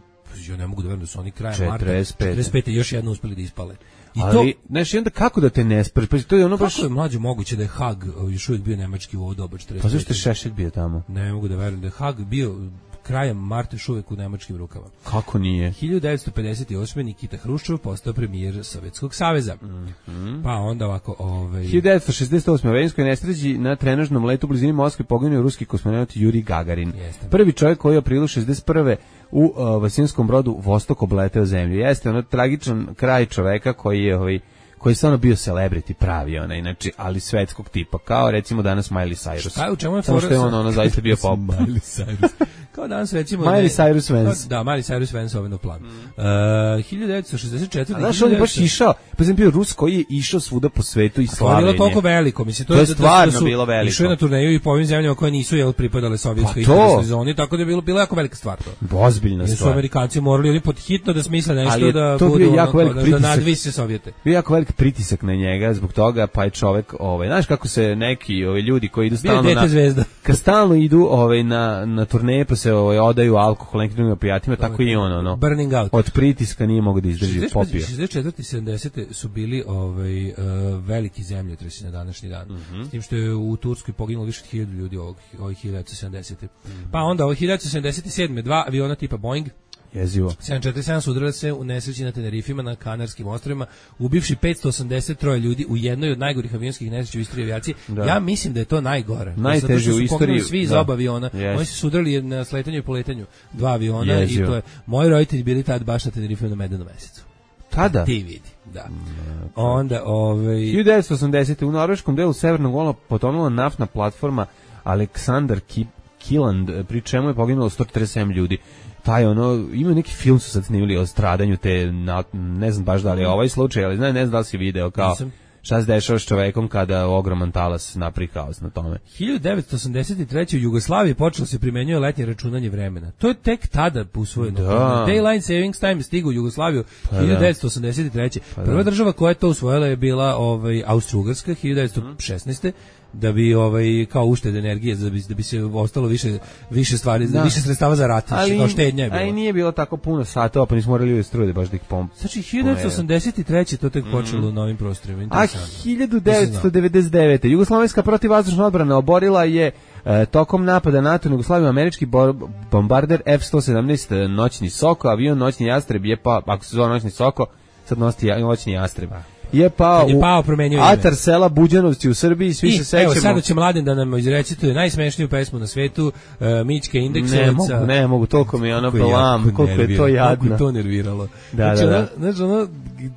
ja ne mogu da verujem da su oni krajem marta četrdeset pete još jedno uspeli da ispale. I ali, to, znaš, i onda kako da te ne spreš? Pa to je ono baš... Kako je mlađe moguće da je Hag još uvijek bio nemački u ovo doba četrdeset pete? Pa zašto je Šešelj bio tamo? Ne mogu da verujem da je Hag bio krajem marta još uvijek u nemačkim rukama. Kako nije? hiljadu devetsto pedeset osme Nikita Hruščov postao premijer Sovjetskog saveza. Mm-hmm. Pa onda ovako... Ovaj... hiljadu devetsto šezdeset osme u Veninskoj nesreći na trenažnom letu u blizini Moskve poginuo ruski kosmonaut Juri Gagarin. Jeste. Prvi čovjek koji je u aprilu šezdeset prve u uh, Vasinskom brodu Vostok obleteo zemlju. Jeste ono tragičan kraj čoveka koji je ovaj koji je stvarno bio celebrity pravi ona, inače, ali svetskog tipa, kao recimo danas Miley Cyrus. Šta je, u čemu je Samo što je on ono zaista bio pop. Miley Cyrus. Kao danas recimo... Miley Cyrus Vance. Da, Miley Cyrus Vance ovaj na plan. Mm. Uh, hiljadu devetsto šezdeset četvrte. A znaš, on je baš išao, pa sam bio Rus koji je išao svuda po svetu i slavljenje. To je bilo toliko veliko, mislim. To, to je da, stvarno da su bilo veliko. Išao je na turneju i po ovim zemljama koje nisu jel, pripadale sovjetskoj pa interesnoj zoni, tako da je bilo, bilo jako velika stvar to. Ozbiljna stvar. Jer su Amerikanci morali oni pod hitno da smisle nešto da budu ono, da, da nadvise Sovjete. Bio jako velik pritisak na njega zbog toga, pa je čovek, ovaj, znaš kako se neki ovaj ljudi koji idu stalno na zvezda. Kad stalno idu ovaj na na turneje pa se ovaj odaju alkohol nekim drugim opijatima, tako i on ono. Burning out. Od pritiska nije mogao da izdrži popio. šezdeset četvrte i sedamdesete su bili ovaj uh, veliki zemljotresi na današnji dan. Mm-hmm. S tim što je u Turskoj poginulo više od hiljadu ljudi ovog ovih hiljadu devetsto sedamdesete. Mm-hmm. Pa onda ovih hiljadu devetsto sedamdeset sedme dva aviona tipa Boeing jezivo. sedam četrdeset sedam su udarili se u nesreći na Tenerifima na Kanarskim ostrvima, ubivši petsto osamdeset tri ljudi u jednoj od najgorih avionskih nesreća u istoriji avijacije. Da. Ja mislim da je to najgore. Najteže u istoriji. Svi iz oba aviona. Yes. Oni su se udarili na sletanju i poletanju dva aviona jezivo. I to je moji roditelji bili tad baš na Tenerifima na Medenom mesecu. Tada? Ti vidi, da. Onda, ovaj... hiljadu devetsto osamdesete u norveškom delu Severnog Gola potonula naftna platforma Aleksandar Kiland, pri čemu je poginulo sto četrdeset sedam ljudi. Taj ono, ima neki film su sad snimili o stradanju te, na, ne znam baš da li je ovaj slučaj, ali ne, ne znam da li si video kao Nisam. Šta se dešava s čovekom kada ogroman talas napravi haos na tome. hiljadu devetsto osamdeset treće u Jugoslaviji počelo se primenjuje letnje računanje vremena. To je tek tada usvojeno. Da. Daylight Savings Time stigao u Jugoslaviju pa hiljadu devetsto osamdeset treće Pa Prva da. država koja je to usvojila je bila ovaj, Austro-Ugarska hiljadu devetsto šesnaeste da bi ovaj kao uštede energije da bi da bi se ostalo više više stvari da. više sredstava za rat, kao štednja je bilo. Ali nije bilo tako puno satova, pa nismo morali struje baš da ih pomp. Znači hiljadu devetsto osamdeset treće to tek počelo mm. na ovim prostorima. A hiljadu devetsto devedeset devete Jugoslovenska protivvazdušna odbrana oborila je e, tokom napada NATO na Jugoslaviju američki bombarder F sto sedamnaest noćni Soko, avion noćni Jastreb je pa ako se zove noćni Soko, sad nosi noćni Jastreb. Je pao, je pao u atar sela Buđanovci u Srbiji, svi I, se sećamo. Evo, sada će Mladen da nam izrecituje najsmešniju pesmu na svetu, uh, Mićke Indeksovica. Ne mogu, ne mogu, toliko mi je ono blam, koliko je to jadno. Koliko je to nerviralo. Da, znači, da, da. Znači, ono,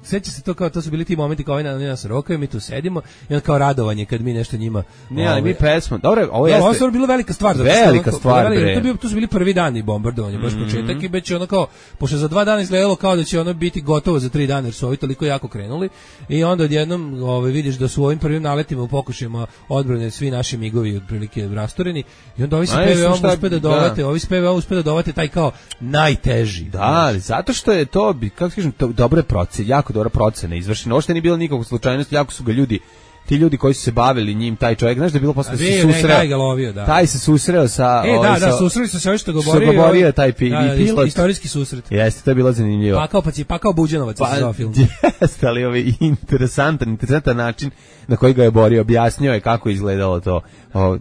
seća se to kao, to su bili ti momenti kao oni nas rokaju, mi tu sedimo, i onda kao radovanje kad mi nešto njima... Ne, ali mi pesmu, dobro, ovo jeste... Ovo je bilo velika stvar. Velika stvar, bre. To, bio, to su bili prvi dani bombardovanja, baš mm-hmm. početak, i već ono kao, pošto za dva dana izgledalo kao da će ono biti gotovo za tri dana, jer su ovi toliko jako krenuli, i onda odjednom Ove, vidiš da su u ovim prvim naletima u pokušajima odbrane svi naši migovi otprilike rastoreni i onda ovi se P V O uspe da dovate, da. ovi se P V O uspe da dovate taj kao najteži. Da, ali zato što je to, kako kažem, to dobre procene, jako dobra procena izvršena. Ovo što nije bilo nikakve slučajnosti, jako su ga ljudi ti ljudi koji su se bavili njim, taj čovjek, znaš da je bilo posle se susreo. Taj, lovio, da. taj se susreo sa... E, da, da, sa, susreli su se ovi što govorio. Što govorio taj pi, da, i pilot. Istorijski susret. Jeste, to je bilo zanimljivo. Pakao, pa ci, pakao Buđanovac pa, se zove film. Jeste, ali ovaj interesantan, interesantan način na koji ga je borio, objasnio je kako je izgledalo to. O,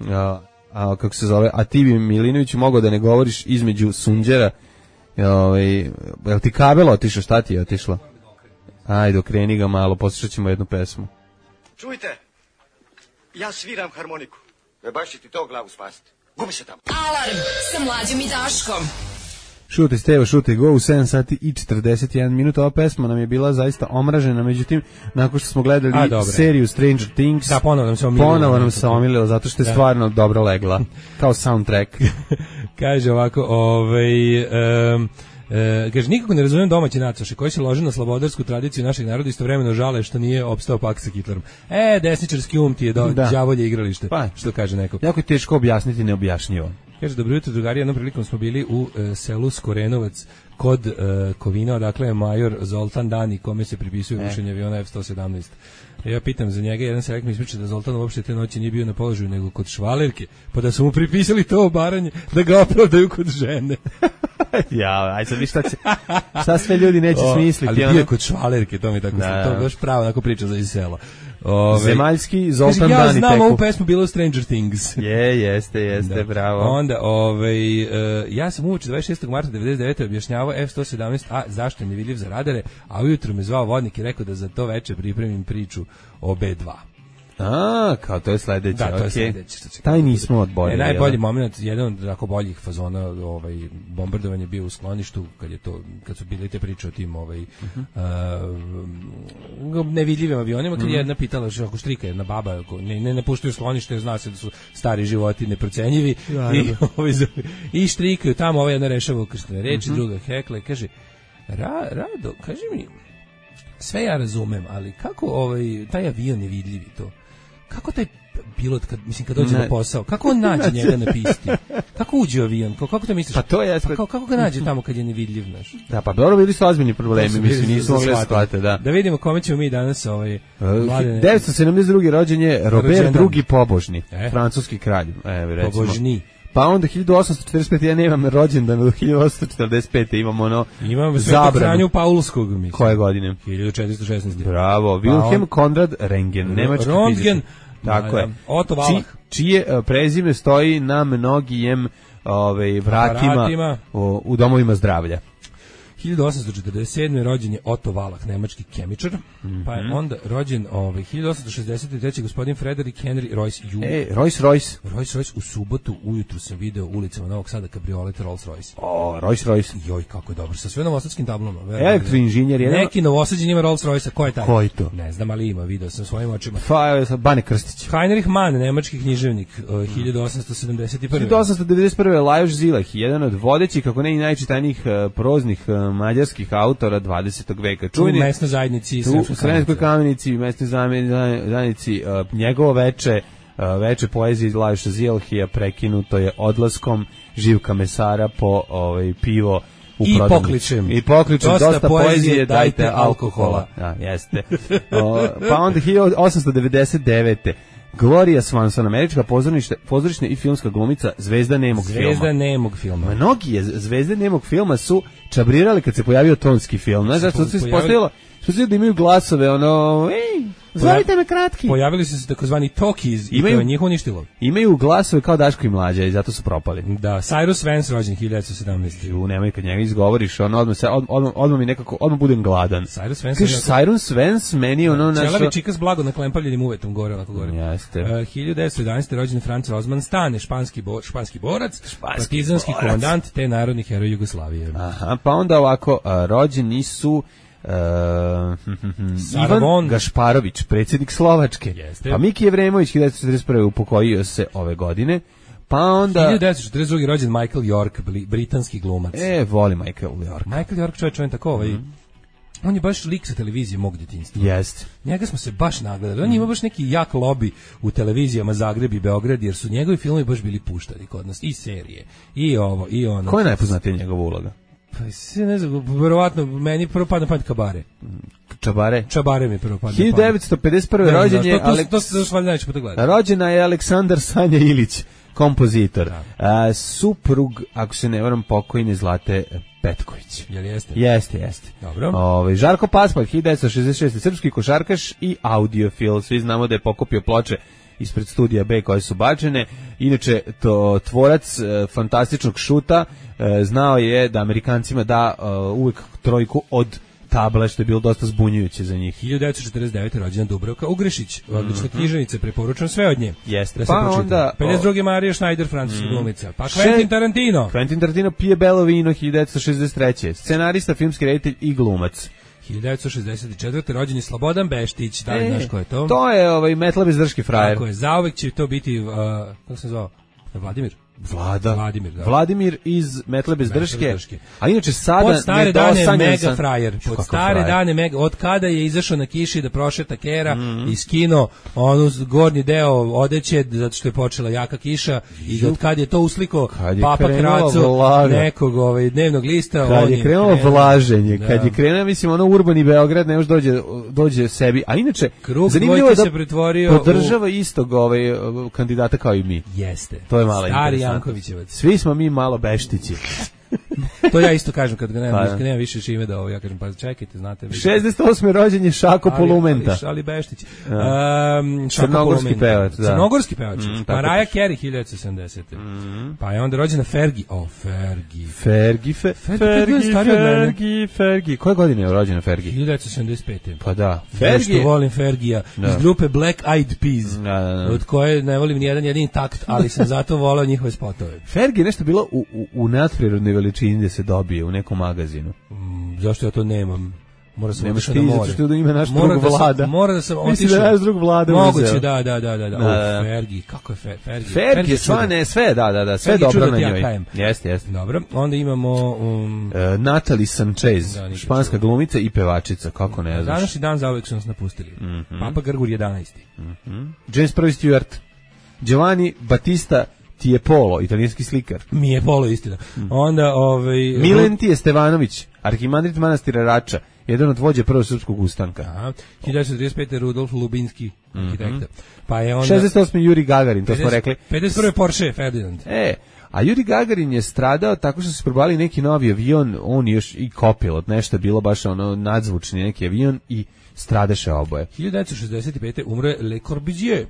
a, a, kako se zove, a ti bi Milinović mogao da ne govoriš između sunđera. Ovaj, jel ti kabel otišao, šta ti je otišlo? Ajde, okreni ga malo, poslušat ćemo jednu pesmu. Čujte, ja sviram harmoniku. Ne baš će ti to glavu spasiti. Gubi se tamo. Alarm sa Mlađom i Daškom. Šute Stevo, šute go u sedam sati i četrdeset jedan minuta. Ova pesma nam je bila zaista omražena, međutim, nakon što smo gledali A, seriju Stranger Things, da, ponovo nam se omililo. Ponovo nam se omililo, zato što je da. stvarno dobro legla, kao soundtrack. Kaže ovako, ovaj... Um, E, kaže, nikako ne razumijem domaće nacoše koji se lože na slobodarsku tradiciju našeg naroda, istovremeno žale što nije opstao pakt sa Hitlerom. E, desničarski um ti je do, da. đavolje igralište, pa, što kaže neko. Jako je teško objasniti neobjašnjivo. Kaže, dobro jutro, drugari, jednom prilikom smo bili u e, selu Skorenovac kod e, Kovina, odakle je major Zoltan Dani, kome se pripisuje rušenje aviona F sto sedamnaest. Ja pitam za njega, jedan selek mi ispriča da Zoltan uopšte te noći nije bio na položaju nego kod švalerke, pa da su mu pripisali to obaranje da ga opravdaju kod žene. Ja, aj sad vi šta, će, šta sve ljudi neće o, smisliti. Ali bio je kod švalerke, to mi tako da, to baš pravo onako priča za iz sela. Ove, Zemaljski Zoltan ja Dani. Ja znam ovu pesmu bilo Stranger Things. Je, jeste, jeste, da. bravo. Onda, ovaj, uh, ja sam uoči dvadeset šestog marta devedeset devete objašnjavao F sto sedamnaest A zašto je nevidljiv za radare, a ujutro me zvao vodnik i rekao da za to veče pripremim priču o B dva. A, kao to je sledeće, da, to je okay. sledeće. Taj nismo odborili. E, najbolji moment, jedan od tako boljih fazona, ovaj bombardovanje bio u skloništu kad je to kad su bile te priče o tim ovaj uh-huh. uh, nevidljivim avionima, kad uh-huh. je jedna pitala što ako štrika jedna baba, ne ne napuštaju sklonište, jer zna se da su stari životi neprocenjivi ja, i ovaj i štrikaju tamo, ovaj jedna rešava krstne reči, uh-huh. druga hekle, kaže Ra, Rado, kaži mi, sve ja razumem, ali kako ovaj taj avion je vidljiv i to? Kako taj pilot, kad, mislim, kad dođe ne. na posao, kako on nađe njega na pisti? Kako uđe u avion? Kako, kako to misliš? Pa to je... Pa kako, kako ga nađe tamo kad je nevidljiv, znaš? Da, pa dobro, bili su ozbiljni problemi, mislim, nisu mogli shvatiti, da. Da vidimo kome ćemo mi danas ovaj... Mladene... devetsto sedamdeset drugi rođen je Robert drugi Pobožni, e? francuski kralj. Evo, recimo. Pobožni. Pa onda hiljadu osamsto četrdeset pete ja nemam rođendan do hiljadu osamsto četrdeset pete imamo ono imamo zabranu Franju Paulskog, mislim. Koje godine? hiljadu četiristo šesnaeste. Bravo, Wilhelm pa Konrad Röntgen, nemački fizičar. Tako je. Otto Wallach. Či, čije uh, prezime stoji na mnogijem ovaj vratima u, u domovima zdravlja. hiljadu osamsto četrdeset sedme rođen je Otto Wallach, nemački kemičar, mm-hmm. pa je onda rođen ovaj hiljadu osamsto šezdeset treće gospodin Frederick Henry Royce Junior E, Royce Royce. Royce Royce u subotu ujutru sam video ulicama Novog Sada kabriolet Rolls Royce. O, Royce Royce. Joj, kako je dobro, sa sve novosadskim tablama. Elektroinženjer je. Neki novosađen ima Rolls Royce, ko je taj? Ko je to? Ne znam, ali ima, video sam svojim očima. Pa, evo, Bane Krstić. Heinrich Mann, nemački književnik, uh, hiljadu osamsto sedamdeset prve. hiljadu osamsto devedeset prve Lajos Zilah, jedan od vodećih, kako ne i najčitanijih uh, proznih uh, mađarskih autora dvadesetog veka. Čuveni u mesnoj zajednici, u Sremskoj Kamenici, u mesnoj zajednici, uh, njegovo veče, uh, veče poezije iz Lajoša Zilahija prekinuto je odlaskom Živka Mesara po ovaj, pivo u I pokličem. I pokličem, dosta, dosta poezije, dajte, dajte alkohola. Da, jeste. O, pa onda hiljadu osamsto devedeset devete Gloria Swanson, američka pozorišna i filmska glumica, zvezda nemog zvezda filma. Zvezda nemog filma. Mnogi je zvezde nemog filma su čabrirali kad se pojavio tonski film. Znaš, zato se ispostavilo, što se da imaju glasove, ono, ej, zovite me kratki. Pojavili su se takozvani talkies i to je njih uništilo. Imaju glasove kao Daško i Mlađa i zato su propali. Da, Cyrus Vance rođen hiljadu devetsto sedamnaeste. Ju, nemoj kad njega izgovoriš, ono, odmah, se, odmah, odmah mi nekako, odmah budem gladan. Cyrus Vance. Kažeš, Cyrus Vance, meni ono našo... Čelavi čika s blago naklempavljenim uvetom gore, onako gore. Jeste. Uh, hiljadu devetsto jedanaeste. rođen Franz Rosman Stane, španski, bo, španski borac, španski partizanski borac. Komandant te narodni heroj Jugoslavije. Aha, pa onda ovako, a, rođeni su... Uh, Ivan Gašparović, predsjednik Slovačke. Jeste. Pa Miki Jevremović hiljadu devetsto četrdeset prve upokojio se ove godine. Pa onda hiljadu devetsto četrdeset druge. rođen Michael York, britanski glumac. E, voli Michael York. Michael York, čovjek, čovjek tako ovaj. Mm. On je baš lik sa televizije mog djetinjstva. Jeste. Njega smo se baš nagledali. On ima baš neki jak lobby u televizijama Zagreb i Beograd, jer su njegovi filmovi baš bili puštani kod nas. I serije, i ovo, i ono. Ko je najpoznatija njegova uloga? Pa se ne znam, verovatno meni prvo pada na pamet Kabare. Čabare? Čabare mi prvo pada na pamet. hiljadu devetsto pedeset prve. rođen je... To, to, to, to, to se valjda neće puta gledati. Rođena je Aleksandar Sanja Ilić, kompozitor. A, suprug, ako se ne varam, pokojne Zlate Petković. Jel jeste? Jeste, jeste. Dobro. Ove, Žarko Paspalj, hiljadu devetsto šezdeset šeste. srpski košarkaš i audiofil. Svi znamo da je pokupio ploče ispred studija B koje su bačene. Inače, to tvorac e, fantastičnog šuta e, znao je da Amerikancima da e, uvek trojku od table, što je bilo dosta zbunjujuće za njih. hiljadu devetsto četrdeset devete rođena Dubravka Ugrešić, odlična mm-hmm. književnica, preporučujem sve od nje. Jeste. Da se pa pročita. onda pedeset druge Marija Schneider, francuska mm. glumica. Pa Quentin Tarantino. Quentin Tarantino pije belo vino hiljadu devetsto šezdeset treće Scenarista, filmski reditelj i glumac. hiljadu devetsto šezdeset četvrte rođen je Slobodan Beštić. Da li e, znaš ko je to? To je ovaj metla bez drške frajer. Tako je, zauvek će to biti, uh, kako se zvao? Vladimir? Vlada. Vladimir, da. Vladimir iz Metle bez drške. A inače sada pod stare dane mega sam... frajer. Pod stare frajer. dane mega, od kada je izašao na kiši da prošeta kera mm-hmm. i skino onu gornji deo odeće zato što je počela jaka kiša i od kada je to usliko je Papa Kraco nekog ovaj dnevnog lista, kad on je krenulo krenuo vlaženje, da. Kad je krenuo mislim ono urbani Beograd, ne još dođe dođe sebi. A inače krug zanimljivo da se pretvorio podržava u... istog ovaj kandidata kao i mi. Jeste. To je malo Stari Jankovićevac. Svi smo mi malo beštići. To ja isto kažem kad ga nemam, pa, kad nemam više šime da ovo, ja kažem pa čekajte, znate. šezdeset osme rođen je Šako ali, Polumenta. Ali, ali Beštić. Um, Crnogorski pevač, da. Crnogorski pevač. Mm, Mariah Carey hiljadu devetsto sedamdesete Mm. Pa je onda rođena Fergie. O, Fergie. Fergie, fe, Fergie, Fergie, Fergie. Koje godine je rođena Fergie? hiljadu devetsto sedamdeset pete Pa da. Fergie. Što volim Fergija. Da. Iz grupe Black Eyed Peas. Da, da, da. Od koje ne volim ni jedan jedini takt, ali sam zato voleo njihove spotove. Fergie je nešto bilo u, u, u nadprirodnoj veličini da se dobije u nekom magazinu. Mm, zašto ja to nemam? Mora sam otišao na more. Zato što ima naš mora drug da vlada. Sam, mora da sam otišao. Mislim da je naš drug vlada. Moguće, da, da, da, da. da. O, Fergie, kako je Fer, Fergie? Fergie, sva ne, sve, da, da, da, sve dobro na njoj. Jeste, jeste. Dobro, onda imamo... Um, e, Natalie Sanchez, da, španska glumica i pevačica, kako ne znaš. Današnji dan zauvek su nas napustili. Mm-hmm. Papa Grgur jedanaesti Mm-hmm. James prvi Stewart, Giovanni Battista Tiepolo, italijanski slikar. Mi je Polo, istina. Mm. Onda, ovaj... Milentije Stevanović, arhimandrit manastira Rača, jedan od vođe prvog srpskog ustanka. Aha. hiljadu devetsto trideset pete Rudolf Lubinski, arhitekta. Mm-hmm. Pa je onda... šezdeset osme Juri Gagarin, to smo rekli. pedeset prve Porsche Ferdinand. E, a Juri Gagarin je stradao tako što su probali neki novi avion, on još i kopilot, nešto je bilo baš ono nadzvučni neki avion i stradaše oboje. hiljadu devetsto šezdeset pete umre Le Corbusier.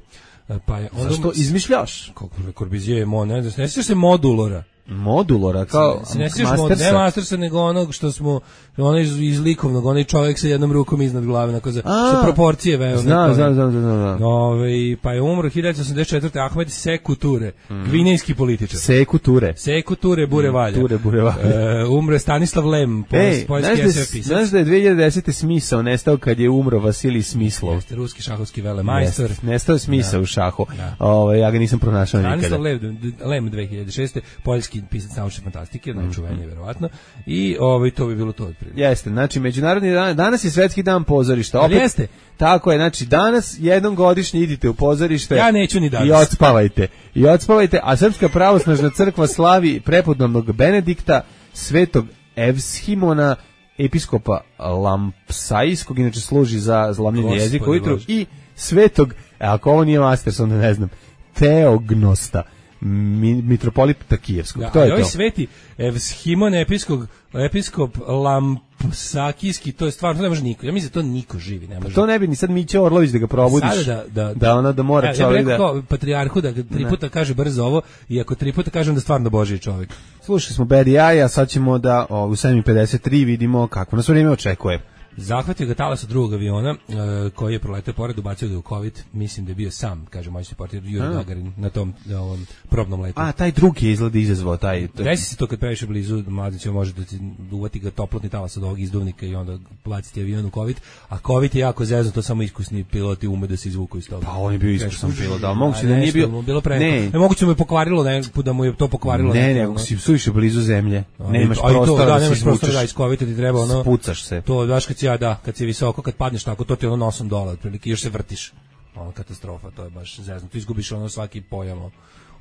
Pa je onda zašto izmišljaš? Kako Le Corbusier je mo, ne znam, ne sjećaš se Modulora. Modulora, kao se ne sjećaš mod, ne Mastersa, nego onog što smo, onaj iz, iz likovnog, onaj čovjek sa jednom rukom iznad glave, onako za, sa proporcije veo. Zna, zna, zna, zna. Ove, pa je umro hiljadu devetsto osamdeset četvrte Ahmed Sekou Toure, mm. gvinejski političar. Sekou Toure. Sekou Toure, Bure Valja. Toure, Bure Valja. E, umro je Stanislav Lem, poljski es ef pisac. Znaš da je dve hiljade desete smisao nestao kad je umro Vasilij Smislov. Jeste, ruski šahovski velemajstor. Nestao je smisao u šahu. Ove, ja ga nisam pronašao nikada. Stanislav Lem, Lem dve hiljade šeste poljski pisac naučne fantastike, najčuveniji mm-hmm. verovatno. I ovaj to bi bilo to otprilike. Jeste, znači međunarodni dan, danas je svetski dan pozorišta. Opet jeste. Tako je, znači danas jednom godišnje idite u pozorište. Ja neću ni danas. I odspavajte. I odspavajte, a Srpska pravoslavna crkva slavi prepodobnog Benedikta, svetog Evshimona, episkopa Lampsajskog, inače služi za zlomljenje jezika ujutru, i svetog, ako ovo nije Masters, onda ne znam, Teognosta, mitropolita Kijevskog. Da, to je ovaj to. sveti Evshimon episkop, episkop Lampsakijski, to je stvarno, to ne može niko. Ja mislim da to niko živi ne može. To ne bi ni sad Mića Orlović da ga probudiš. Sada da, da, da ona da mora ja, čovjek da... Ja bih rekao da... patrijarhu da tri puta kaže brzo ovo, i ako tri puta kažem da stvarno Božji čovjek. Slušali smo Bad Eye, a sad ćemo da o, u sedam i pedeset tri vidimo kako nas vrijeme očekuje. Zahvatio ga talas od drugog aviona uh, koji je proletao pored, ubacio ga u COVID, mislim da je bio sam, kaže moj reporter Juri Gagarin na tom na ovom probnom letu. A taj drugi je izgleda izazvao taj. Desi se to kad previše blizu, mladić može da ti uvati ga toplotni talas od ovog izduvnika i onda baciti avion u COVID, a COVID je jako zezno, to samo iskusni piloti ume da se izvuku iz toga. Pa on je bio iskusan pilot, da moguće da nije bio, bilo pre. Ne, ne moguće mu je pokvarilo, ne, da mu je to pokvarilo. Ne, ne, ako si suviše blizu zemlje, nemaš prostora da, da nemaš prostora da iz COVID ti treba ono. Spucaš se. To baš kad ja da, kad si visoko, kad padneš tako, to ti ono nosom dole, otprilike, još se vrtiš. Ono, katastrofa, to je baš zezno. Tu izgubiš ono svaki pojam o,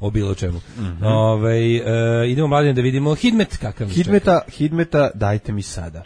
o bilo čemu. Mm-hmm. Ove, e, idemo mladine da vidimo Hidmet, kakav Hidmeta, Hidmeta, dajte mi sada.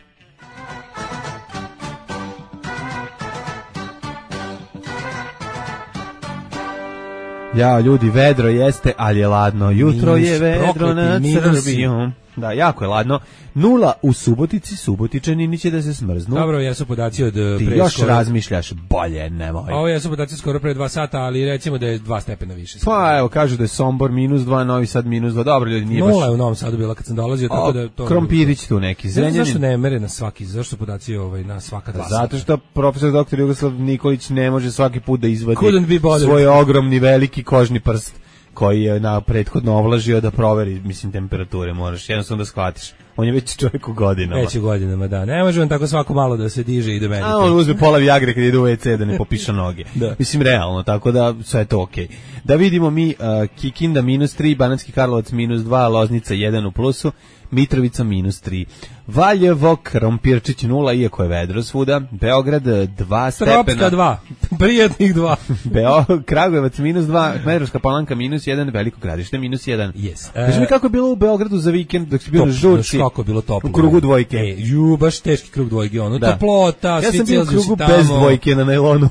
Ja, ljudi, vedro jeste, ali je ladno. Jutro minus, je vedro nad Srbijom. Da, jako je ladno. Nula u Subotici, Subotičani će da se smrznu. Dobro, jesu podaci od pre. Ti još skoro... razmišljaš, bolje, nemoj. Ovo jesu podaci skoro pre dva sata, ali recimo da je dva stepena više. Pa evo, kažu da je Sombor minus dva, Novi Sad minus dva, dobro ljudi, nije baš... Nula je u Novom Sadu bila kad sam dolazio, o, tako da... To... Krompirić tu neki, Zrenjanin. Zašto ne mere na svaki, zašto podaci ovaj, na svaka dva Zato što profesor doktor Jugoslav Nikolić ne može svaki put da izvadi svoj svoj ogromni veliki kožni prst koji je na prethodno ovlažio da proveri, mislim, temperature, moraš jednostavno da shvatiš. On je već čovjek u godinama. Već u godinama, da. Ne može on tako svako malo da se diže i da medituje. A on uzme pola Viagre kad ide u ve ce da ne popiša noge. Da. Mislim, realno, tako da sve je to okej. Okay. Da vidimo mi uh, Kikinda minus tri, Banatski Karlovac minus dva, Loznica jedan u plusu, Mitrovica minus tri. Valjevo, Krompirčić nula, iako je vedro svuda. Beograd dva stepena. Stropska dva, prijatnih dva. Beo, Kragujevac minus dva, Smederevska Palanka minus jedan, Veliko Gradište minus jedan. Yes. Kaži uh, mi kako je bilo u Beogradu za vikend dok si bio na žurci. Kako je bilo toplo. U krugu dvojke. E, ju, baš teški krug dvojke. Ono, da. Toplota, ja svi sam bio u krugu tamo. Bez dvojke na najlonu.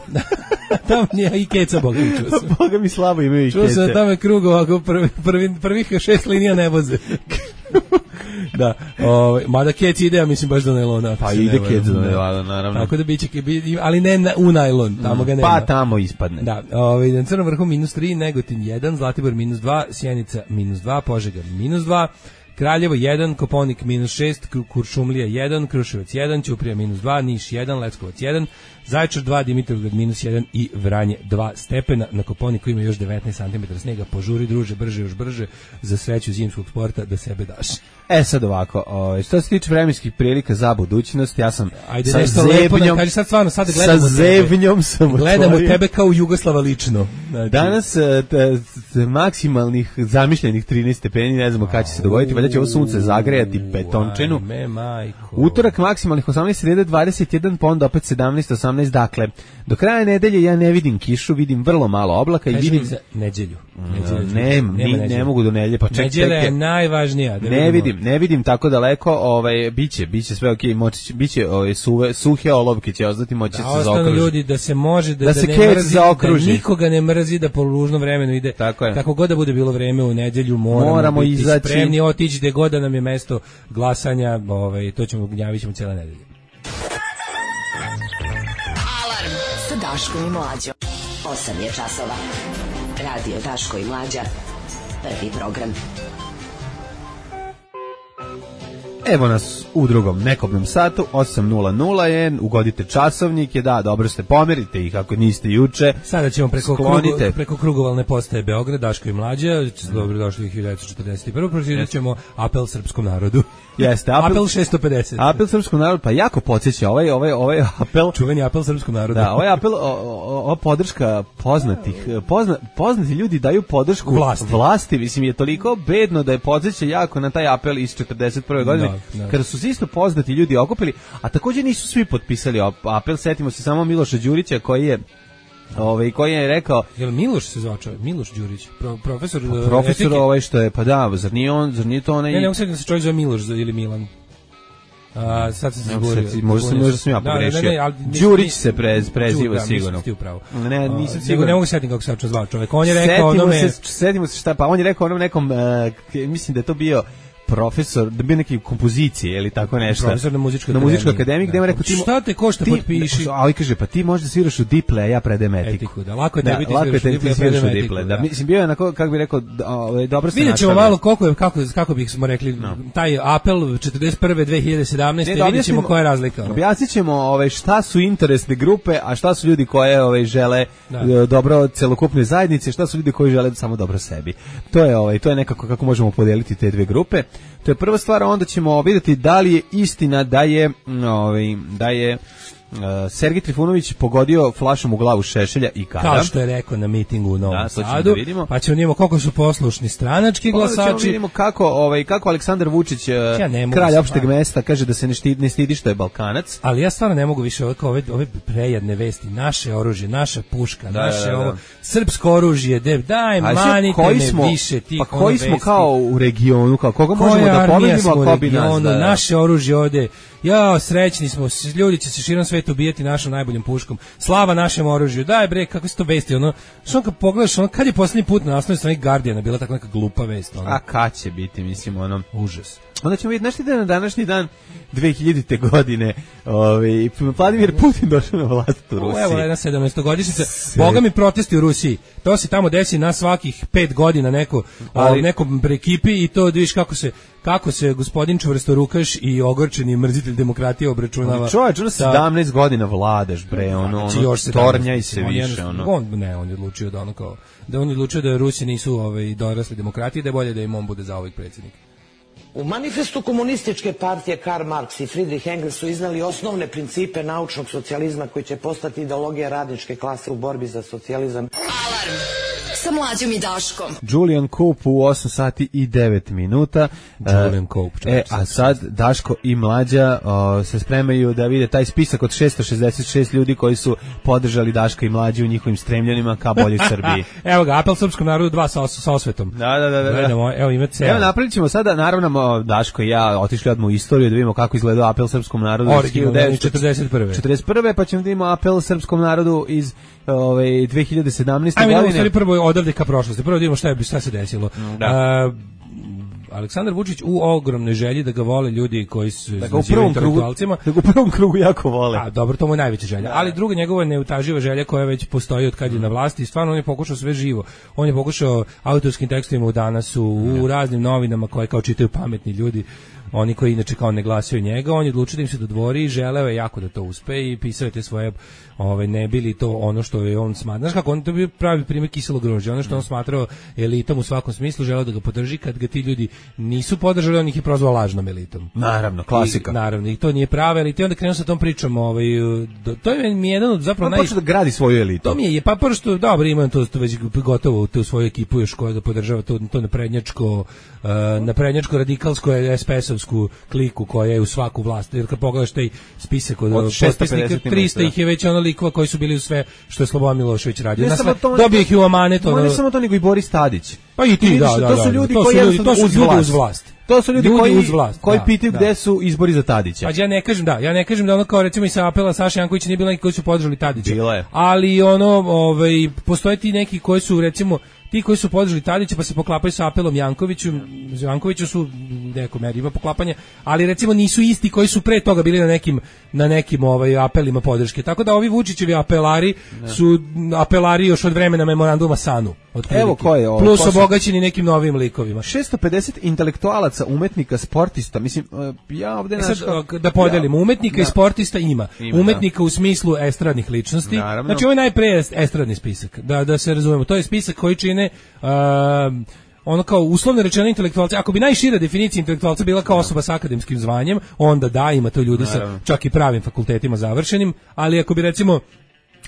Tamo nije i keca, Boga mi čuo sam. Boga mi slabo imaju i keca. Čuo sam tamo je krug ovako, prvi, prvi, prvih šest linija ne voze. Da, ovaj mada kec ide, ja mislim baš do najlona. Pa ide kec do najlona, naravno. Tako da biće, ali ne na, u najlon, tamo ga nema. Pa tamo ispadne. Da, ovaj na Crnom vrhu minus tri, Negotin jedan, Zlatibor minus dva, Sjenica minus dva, Požega minus dva, Kraljevo jedan, Koponik minus šest, Kuršumlija jedan, Kruševac jedan, Ćuprija minus dva, Niš jedan, Leskovac jedan, Zaječar dva, Dimitrovgrad minus jedan i Vranje dva stepena. Na Koponiku ima još devetnaest centimetara snega. Požuri, druže, brže, još brže, za sreću zimskog sporta da sebe daš. E sad ovako, o, što se tiče vremenskih prilika za budućnost, ja sam Ajde, sa zebnjom, kaži sad stvarno, sad gledamo sa zebnjom sam gledamo otvorio. Tebe kao Jugoslava lično. Znači. Danas t, t, maksimalnih zamišljenih trinaest stepeni, ne znamo kada će se dogoditi, valjda će ovo sunce zagrejati betončenu. Ajme, majko. Utorak maksimalnih osamnaest, sreda dvadeset jedan, pa onda opet sedamnaest, osamnaest, dakle, do kraja nedelje ja ne vidim kišu, vidim vrlo malo oblaka i Kaži vidim... za neđelju. neđelju. Ne, ni, ne mogu do nedelje, pa ček, neđelja je najvažnija. Da ne vidim, ne vidim tako daleko, ovaj, biće, biće sve okej, moći, biće ovaj, suve, suhe olovke će ostati, moći da se zaokruži. Ljudi, da se može, da, da, da se ne mrzi, zaokruži. Da nikoga ne mrzi, da po ružnom vremenu ide. Kako god da bude bilo vreme u nedelju, moramo, moramo biti izaći. Spremni, otići gde god da nam je mesto glasanja, ovaj, to ćemo, gnjavit ćemo cijela nedelja. Alarm sa Daškom i Mlađom. osam je časova. Radio Daško i Mlađa. Prvi program. Evo nas u drugom nekobnom satu, osam nula nula je, ugodite časovnike, da, dobro ste, pomerite ih ako niste juče. Sada ćemo preko, krugu, preko krugovalne postaje Beograd, Daško i Mlađa, dobro došli u hiljadu devetsto četrdeset prve. Pročitat ćemo apel srpskom narodu. Jeste, apel, apel šesto pedeset. Apel srpskom narodu, pa jako podsjeća, ovaj, ovaj, ovaj apel... Čuveni apel srpskom narodu. Da, ovaj apel, ova podrška poznatih, pozna, poznati ljudi daju podršku vlasti. vlasti, mislim, je toliko bedno da je podsjeća jako na taj apel iz četrdeset prve godine. Da, da. Kada su se isto poznati ljudi okupili, a također nisu svi potpisali apel, setimo se samo Miloša Đurića koji je ovaj koji je rekao, jel Miloš se zvao čovjek, Miloš Đurić, pro, profesor pa, profesor etike. Ovaj što je, pa da, zar nije on, zar nije to onaj... Ne, ne, ne, se čovjek zove Miloš ili Milan. A, sad se zborio. Možda sam, možda sam ja pogrešio. Đurić se prez, preziva da, sigurno. Ne, nisam sigurno. Ne mogu setiti kako se uopće zvao čovjek. On je rekao onome... Setimo se šta, pa on je rekao onom nekom, uh, mislim da je to bio profesor, da bi neke kompozicije ili tako nešto. Profesor na muzičkoj na muzičkoj akademiji, gde mu rekao ti šta te košta potpiši. Ali kaže pa ti možda sviraš u diple, a ja predajem etiku. etiku da, lako je da, biti lako sviraš, te sviraš u diple. Da, mislim bio je onako kako bih rekao, ovaj dobro se našao. Vidjećemo malo koliko je kako kako bih smo rekli no. taj apel četrdeset prve dve hiljade sedamnaeste ne, vidjećemo koja je razlika. Objasnićemo ovaj šta su interesne grupe, a šta su ljudi koje ovaj žele da. dobro celokupne zajednice, šta su ljudi koji žele samo dobro sebi. To je ovaj to je nekako kako možemo podeliti te dve grupe. To je prva stvar, onda ćemo vidjeti da li je istina da je, ovaj, da je uh, Sergej Trifunović pogodio flašom u glavu Šešelja i kada. Kao što je rekao na mitingu u Novom da, Sadu, da pa ćemo vidimo koliko su poslušni stranački glasači. Pa vidimo kako, ovaj, kako Aleksandar Vučić, ja kralj opšteg mesta, kaže da se ne stidi, ne stidi što je Balkanac. Ali ja stvarno ne mogu više ove, ove, ove prejedne vesti, naše oružje, naša puška, da, naše da, da, da. ovo, srpsko oružje, de, daj, manite me smo, više tih pa koji smo vesti. Kao u regionu, kao koga Koja možemo da pobedimo, ako bi nas. Da, da. Naše oružje ovde, ja, srećni smo, ljudi će se širom sveta ubijati našom najboljom puškom. Slava našem oružju. Daj bre, kako se to vesti, ono. Što kad pogledaš, ono, kad je poslednji put na naslovnoj strani Guardiana bila tako neka glupa vest, ono. A kad će biti, mislim, ono, užas. onda ćemo vidjeti, znaš ti da na današnji dan dve hiljadite godine ovaj, Vladimir Putin došao na vlast u Rusiji. Evo jedna sedamnaestogodišnjica. Boga mi protesti u Rusiji. To se tamo desi na svakih pet godina neko, ali, nekom ekipi i to vidiš kako se kako se gospodin čvrstorukaš i ogorčeni mrzitelj demokratije obračunava. Čovječ, ono sedamnaest godina vladaš, bre, ono, ono još tornjaj se on više. Je, ono. On, ne, on je odlučio da ono kao, da on je odlučio da Rusi nisu ovaj, dorasli demokratiji, da je bolje da im on bude za ovih predsjednik. U manifestu komunističke partije Karl Marx i Friedrich Engels su iznali osnovne principe naučnog socijalizma koji će postati ideologija radničke klase u borbi za socijalizam. Alarm sa Mlađom i Daškom. Julian Cope u osam sati i devet minuta. Julian Cope. E, a sad Daško i Mlađa o, se spremaju da vide taj spisak od šessto šezdeset šest ljudi koji su podržali Daška i Mlađu u njihovim stremljenima ka boljoj Srbiji. Evo ga, apel srpskom narodu dva sa, sa osvetom. Da, da, da. da. Gledamo, evo ima ceo. Evo napravit ćemo sada, naravno, Daško i ja otišli odmah u istoriju da vidimo kako izgledao apel srpskom narodu iz hiljadu devetsto četrdeset prve. četrdeset prve, pa ćemo da vidimo apel srpskom narodu iz ove, dve hiljade sedamnaeste. Ajme, godine. Ajme, prvo odavde ka prošlosti. Prvo da vidimo šta, je, šta se desilo. Da. Uh, Aleksandar Vučić u ogromnoj želji da ga vole ljudi koji su da ga u prvom krugu, da ga u prvom krugu jako vole. A dobro, to mu je najveća želja. Da. Ali druga njegova neutaživa želja koja već postoji od kad je na vlasti, stvarno on je pokušao sve živo. On je pokušao autorskim tekstovima u Danasu, u raznim novinama koje kao čitaju pametni ljudi, oni koji inače kao ne glasaju njega, on je odlučio da im se dodvori i želeo je jako da to uspe i pisao je te svoje, ovaj, ne bili to ono što je on smatrao. Znaš kako, on to bio pravi primjer kiselog grožđa, ono što on smatrao elitom u svakom smislu, želeo da ga podrži, kad ga ti ljudi nisu podržali, on ih je prozvao lažnom elitom. Naravno, klasika. I, naravno, i to nije prava elita, i onda krenuo sa tom pričom, ovaj, do, to je mi jedan od zapravo... On naj... počeo da gradi svoju elitu. To mi je, pa prvo što, dobro, imam to, to već gotovo, tu svoju ekipu još koja da podržava to, to naprednjačko, uh, naprednjačko radikalsko es pe es-ovsku kliku koja je u svaku vlast, jer kad pogledaš taj spisak od, od potpisnika, trista ih je već ono likova koji su bili u sve što je Slobodan Milošević radio. Sve, to, dobio ih i u amanet. Ono, ne samo to, nego i Boris Tadić. Pa i ti, da, da, to su ljudi koji ljudi, to su uz ljudi vlast. uz vlast. To su ljudi, ljudi koji, uz vlast, koji da, pitaju da. Gde su izbori za Tadića. Pa ja ne kažem da, ja ne kažem da ono kao recimo i sa apela Saša Jankovića nije bilo neki koji su podržali Tadića. Bilo je. Ali ono, ovaj, postoje ti neki koji su recimo ti koji su podržali Tadića pa se poklapaju sa apelom Jankoviću, Jankoviću su neko meri ima poklapanje, ali recimo nisu isti koji su pre toga bili na nekim na nekim ovaj apelima podrške. Tako da ovi Vučićevi apelari ne. su apelari još od vremena memoranduma Sanu. Evo ko je ovo, plus obogaćeni nekim novim likovima. šesto pedeset intelektualaca, umetnika, sportista. Mislim, ja ovde e sad, da podelimo, ja, umetnika da. i sportista ima. ima umetnika da. u smislu estradnih ličnosti. Naravno. Znači ovo je najpre estradni spisak. Da da se razumemo. To je spisak koji čine uh, ono kao uslovno rečeno intelektualci. Ako bi najšira definicija intelektualca bila kao osoba sa akademskim zvanjem, onda da, ima to ljudi Naravno. sa čak i pravim fakultetima završenim, ali ako bi recimo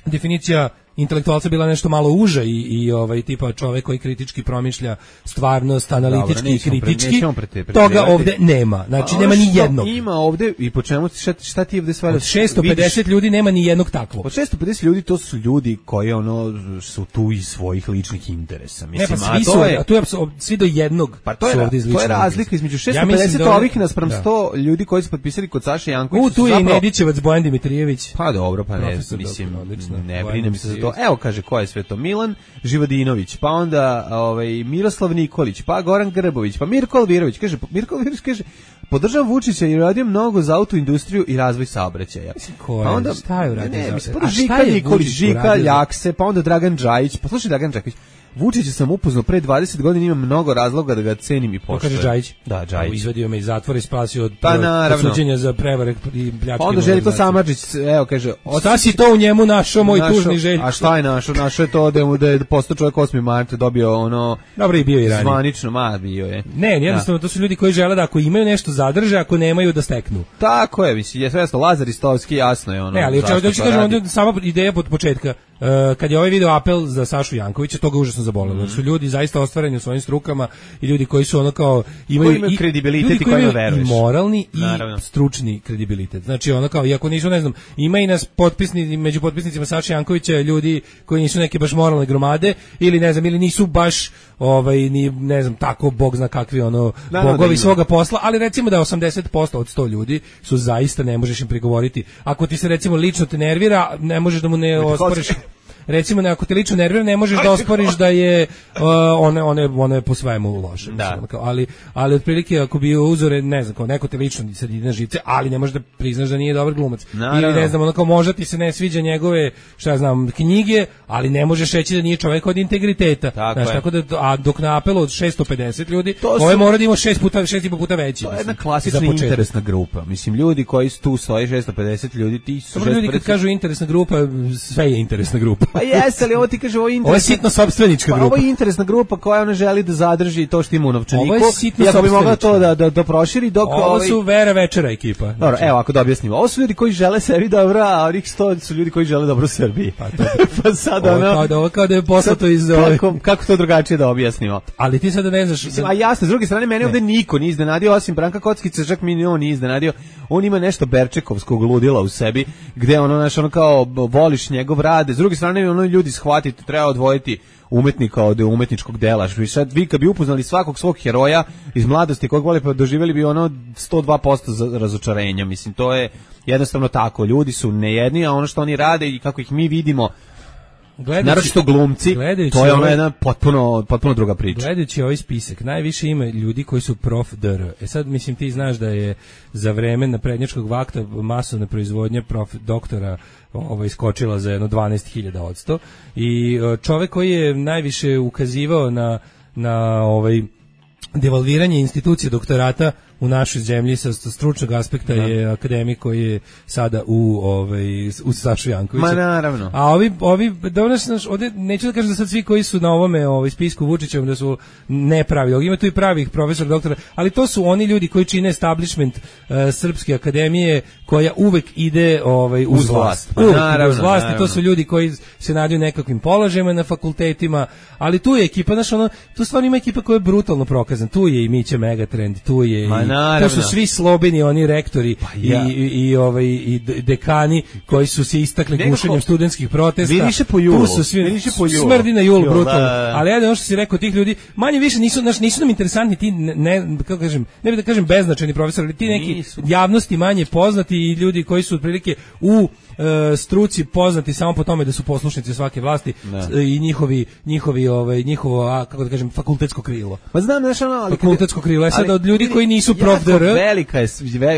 definicija intelektualca bila nešto malo uža i, i ovaj tipa čovjek koji kritički promišlja stvarnost, analitički i kritički, pre, pre, pre, toga ovde nema. Znači, nema ni jednog. Ima ovde, i po čemu, šta, šta ti ovde stvari? Od šesto pedeset vidiš, ljudi nema ni jednog takvog. Od šesto pedeset ljudi to su ljudi koji ono su tu iz svojih ličnih interesa. Mislim, ne, pa svi su, a to je svi do jednog pa to je, su ovde iz to je razlika između šesto pedeset ja da ovih naspram da. sto ljudi koji su potpisali kod Saše Jankovića. U, tu je i Nedićevac, Bojan Dimitrijević. Pa dobro, pa ne, mislim, ne brinem se za to. Evo, kaže, ko je sve to? Milan Živodinović, pa onda ovaj, Miroslav Nikolić, pa Goran Grbović, pa Mirko Alvirović. Kaže, Mirko Alvirović kaže, podržavam Vučića i radio mnogo za autoindustriju i razvoj saobraćaja. Pa onda, šta je uradio? Ne, mislim, Žika Nikolić, Žika Ljakse, pa onda Dragan Džajić, pa slušaj Dragan Džajić. Vučića sam upoznao pre dvadeset godina, ima mnogo razloga da ga cenim i poštujem. Kaže Džajić. Da, Džajić. Izvadio me iz zatvora i spasio od pa, suđenja za prevare i pljačke. Pa onda Željko Samardžić, evo kaže, šta si to u njemu našao, moj našo, tužni Željko? A šta je našao? Našao je to da mu da je postao čovjek osmi marta dobio ono. Dobro, i bio i ranije. Zvanično, ma bio je. Ne, jednostavno to su ljudi koji žele da ako imaju nešto zadrže, ako nemaju da steknu. Tako je, mislim, je svesno Lazar Istovski, jasno je ono. Ne, ali hoćeš kažem onda sama ideja od početka. Uh, kad je ovaj video apel za Sašu Jankovića, to ga užasno zabolelo. Mm. Su ljudi zaista ostvareni u svojim strukama i ljudi koji su ono kao imaju, imaju i, kredibilitet i kojima veruješ. I moralni Naravno. i stručni kredibilitet. Znači ono kao, iako nisu, ne znam, ima i nas potpisni, među potpisnicima Saše Jankovića ljudi koji nisu neke baš moralne gromade ili ne znam, ili nisu baš ovaj, ni, ne znam, tako bog zna kakvi ono da, bogovi da svoga posla, ali recimo da osamdeset posto od sto ljudi su zaista, ne možeš im prigovoriti. Ako ti se recimo lično te nervira, ne možeš da mu ne osporiš recimo ako te lično nervira ne možeš da osporiš da je uh, one one one po svemu loše. Da. Kao, ali ali otprilike ako bi uzore ne znam kao neko te lično sad ide na živce, ali ne možeš da priznaš da nije dobar glumac. Naravno. Ili ne znam ono kao možda ti se ne sviđa njegove šta ja znam knjige, ali ne možeš reći da nije čovjek od integriteta. Tako, znaš, tako da a dok na apelu od šesto pedeset ljudi, su, ovaj mora da ima šest puta šest i po puta veći. To je jedna klasična interesna grupa. Mislim ljudi koji su tu stoje šesto pedeset ljudi, ti su Dobro, ljudi kad kažu interesna grupa, sve je interesna grupa. Pa jeste, ali ovo ti kaže ovo je interesna. Ovo je sitno sopstvenička grupa. Ovo je interesna grupa koja ona želi da zadrži to što ima u novčaniku. Ovo je sitno i ako bi mogla to da da da proširi dok ovo ovaj... su Vera Večera ekipa. Znači. Dobro, evo ako da objasnimo. Ovo su ljudi koji žele sebi dobro, a onih sto su ljudi koji žele dobro Srbiji. Pa to. Pa sad ovo, ono. Kao da ovo kao da je poslato iz ove... kako, kako to drugačije da objasnimo? Ali ti sada ne znaš. Mislim, a jasno, s druge strane mene ovde niko nije iznenadio osim Branka Kockice, čak mi on nije iznenadio. On ima nešto Berčekovskog ludila u sebi, gde ono naš ono kao voliš njegov rad, s druge strane ono ljudi shvatiti, treba odvojiti umetnika od umetničkog dela. I sad vi kad bi upoznali svakog svog heroja iz mladosti kojeg voli, pa doživjeli bi ono sto dva posto razočarenja. Mislim, to je jednostavno tako. Ljudi su nejedni, a ono što oni rade i kako ih mi vidimo, naročito glumci, to je ono jedna potpuno, potpuno druga priča. Gledajući ovaj spisak, najviše ima ljudi koji su prof dr. E sad, mislim, ti znaš da je za vreme naprednjačkog vakta masovna proizvodnja prof doktora ovaj, skočila za jedno dvanaest hiljada odsto i čovek koji je najviše ukazivao na, na ovaj devalviranje institucije doktorata u našoj zemlji sa stručnog aspekta da. Je akademik koji je sada u ovaj u Sašu Jankovića. Ma naravno. A ovi ovi dobro znaš, ovde neću da kažem da sad svi koji su na ovome ovaj spisku Vučićevom da su nepravi. Ima tu i pravih profesora, doktora, ali to su oni ljudi koji čine establishment uh, Srpske akademije koja uvek ide ovaj uz vlast. Pa naravno, uz vlast naravno. I to su ljudi koji se nadaju nekakvim položajima na fakultetima, ali tu je ekipa, znaš, ono, tu stvarno ima ekipa koja je brutalno prokazana. Tu je i Mića Megatrend, tu je Ma, i to su svi slobeni oni rektori pa ja. i, i, i, ovaj, i dekani koji su se istakli gušenjem studentskih protesta. Više po julu. Tu su svi, više po julu. Smrdi na jul, jul brutalno. Da, da. Ali jedno što si rekao, tih ljudi, manje više nisu, naš, nisu nam interesantni ti, ne, ne, kako kažem, ne bih da kažem beznačajni profesori, ali ti neki nisu. Javnosti manje poznati i ljudi koji su otprilike u e, struci poznati samo po tome da su poslušnici svake vlasti ne. I njihovi, njihovi, ovaj, njihovo, a, kako da kažem, fakultetsko krilo. Ma znam, znaš ono, ali... Fakultetsko krilo, je sad od ljudi koji nisu prof dr. Velika je,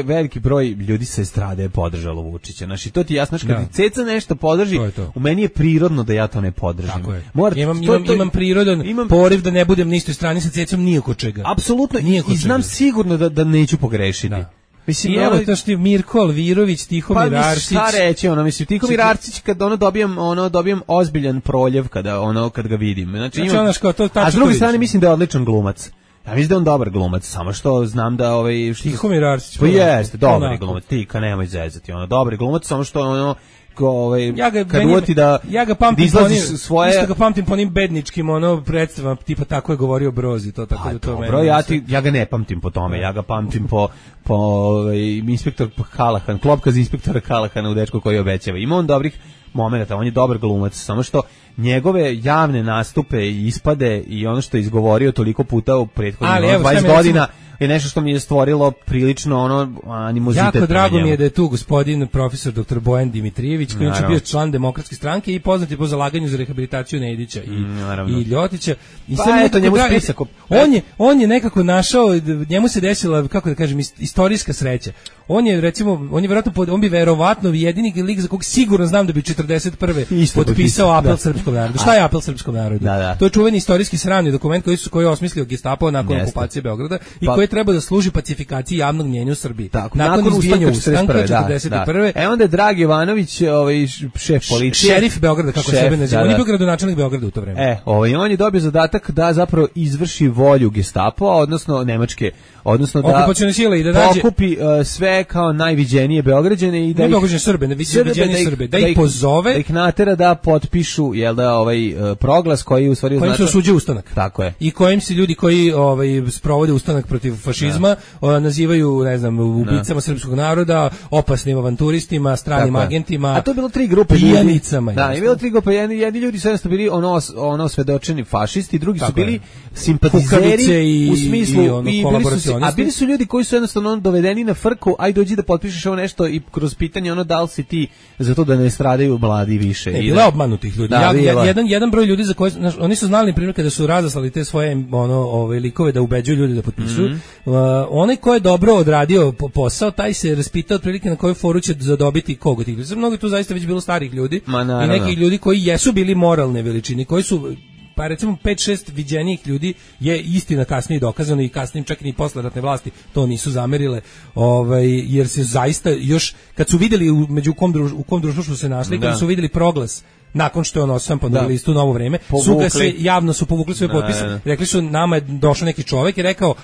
veliki broj ljudi sa estrade je podržalo Vučića. Znači, to ti jasno, kad ti Ceca nešto podrži, to to. U meni je prirodno da ja to ne podržim. Tako je. Mora, imam, to, imam, to, imam prirodan imam, poriv da ne budem na istoj strani sa Cecom nijeko čega. Apsolutno, i znam sigurno da, da neću pogrešiti. Da. Mislim, I evo to što je Mirko Alvirović, Tihomir pa, Arsić. Pa šta reći, ono, mislim, Tihomir Arsić, kad ono dobijem, ono, dobijem ozbiljan proljev kada, ono, kad ga vidim. Znači, znači imam, ono što, to, a s druge strane mislim da je odličan glumac. Ja mislim da je on dobar glumac, samo što znam da ovaj što Tihomir Arsić. Pa jeste, dobar glumac, ti ka nemoj zezati, ono, dobar glumac, samo što ono ko ovaj ja ga, kad uvati da ja ga pamtim da po onim, svoje isto ga pamtim po onim bedničkim ono predstavama tipa tako je govorio Brozi, to tako pa, da to dobro, meni. Bro, ja ti ja ga ne pamtim po tome, ja ga pamtim po po ovaj inspektor Kalahan, klopka za inspektora Kalahana u Dečku koji obećava. Ima on dobrih momenata, on je dobar glumac, samo što njegove javne nastupe i ispade i ono što je izgovorio toliko puta u prethodnih dvadeset godina je nešto što mi je stvorilo prilično ono animozitet. Jako drago mi je da je tu gospodin profesor doktor Bojan Dimitrijević, koji je bio član Demokratske stranke i poznat je po zalaganju za rehabilitaciju Nedića i, Naravno. i Ljotića. I pa eto, njemu spisak. On je, on je nekako našao, njemu se desila, kako da kažem, istorijska sreća. On je, recimo, on je verovatno, on bi verovatno jedini lik za kog sigurno znam da bi četrdeset prve potpisao apel da. Srpskom narodu. Šta je apel Srpskom narodu? Da, da. To je čuveni istorijski sramni dokument koji su koji je osmislio Gestapo nakon Jeste. okupacije Beograda i pa, koji treba da služi pacifikaciji javnog mnjenja u Srbiji. Tako, nakon, nakon izbijanja ustanka četrdeset prve. Da, da. E onda je Drag Jovanović, ovaj šef policije, šerif Beograda, kako šef, sebe naziva. Da, da. On je bio gradonačelnik Beograda u to vreme. E, ovaj on je dobio zadatak da zapravo izvrši volju Gestapoa, odnosno nemačke, odnosno da okupacione sile i da nađe pokupi uh, sve kao najviđenije Beograđane i da ne Beograđane Srbe, ne viđenije Srbe, da ih pozove, da ih natera da potpišu jel da ovaj uh, proglas koji u stvari kojim se osuđuje ustanak. Tako je. I kojim se ljudi koji ovaj sprovode ustanak protiv fašizma da. nazivaju, ne znam, ubicama da. srpskog naroda, opasnim avanturistima, stranim Tako agentima. A to je bilo tri grupe pijanicama. Da, je bilo tri grupe, jedni, jedni ljudi su jednostavno bili ono ono svedočeni fašisti, drugi Tako su bili je. simpatizeri i, u smislu i, ono, i bili su, a bili su ljudi koji su jednostavno dovedeni na frku, aj dođi da potpišeš ovo nešto i kroz pitanje ono da li si ti za to da ne stradaju mladi više. Ne, bilo je obmanutih ljudi. Da, ja, jedan, jedan broj ljudi za koje, znaš, oni su znali, na primjer, kada su razaslali te svoje ono, ove, likove da ubeđuju ljudi da potpisuju, mm -hmm. uh, onaj ko je dobro odradio posao, taj se raspitao otprilike na koju foru će zadobiti koga tih ljudi. Mnogo tu zaista već bilo starih ljudi i nekih ljudi koji jesu bili moralne veličine, koji su pa recimo pet šest viđenih ljudi je istina kasnije dokazano i kasnije čak i posle ratne vlasti to nisu zamerile, ovaj, jer se zaista još kad su vidjeli u, među kom druž, u kom društvu su se našli, kad su vidjeli proglas nakon što je on osam na listu Novo vreme, su ga se javno su povukli svoje potpise, rekli su nama je došao neki čovjek i rekao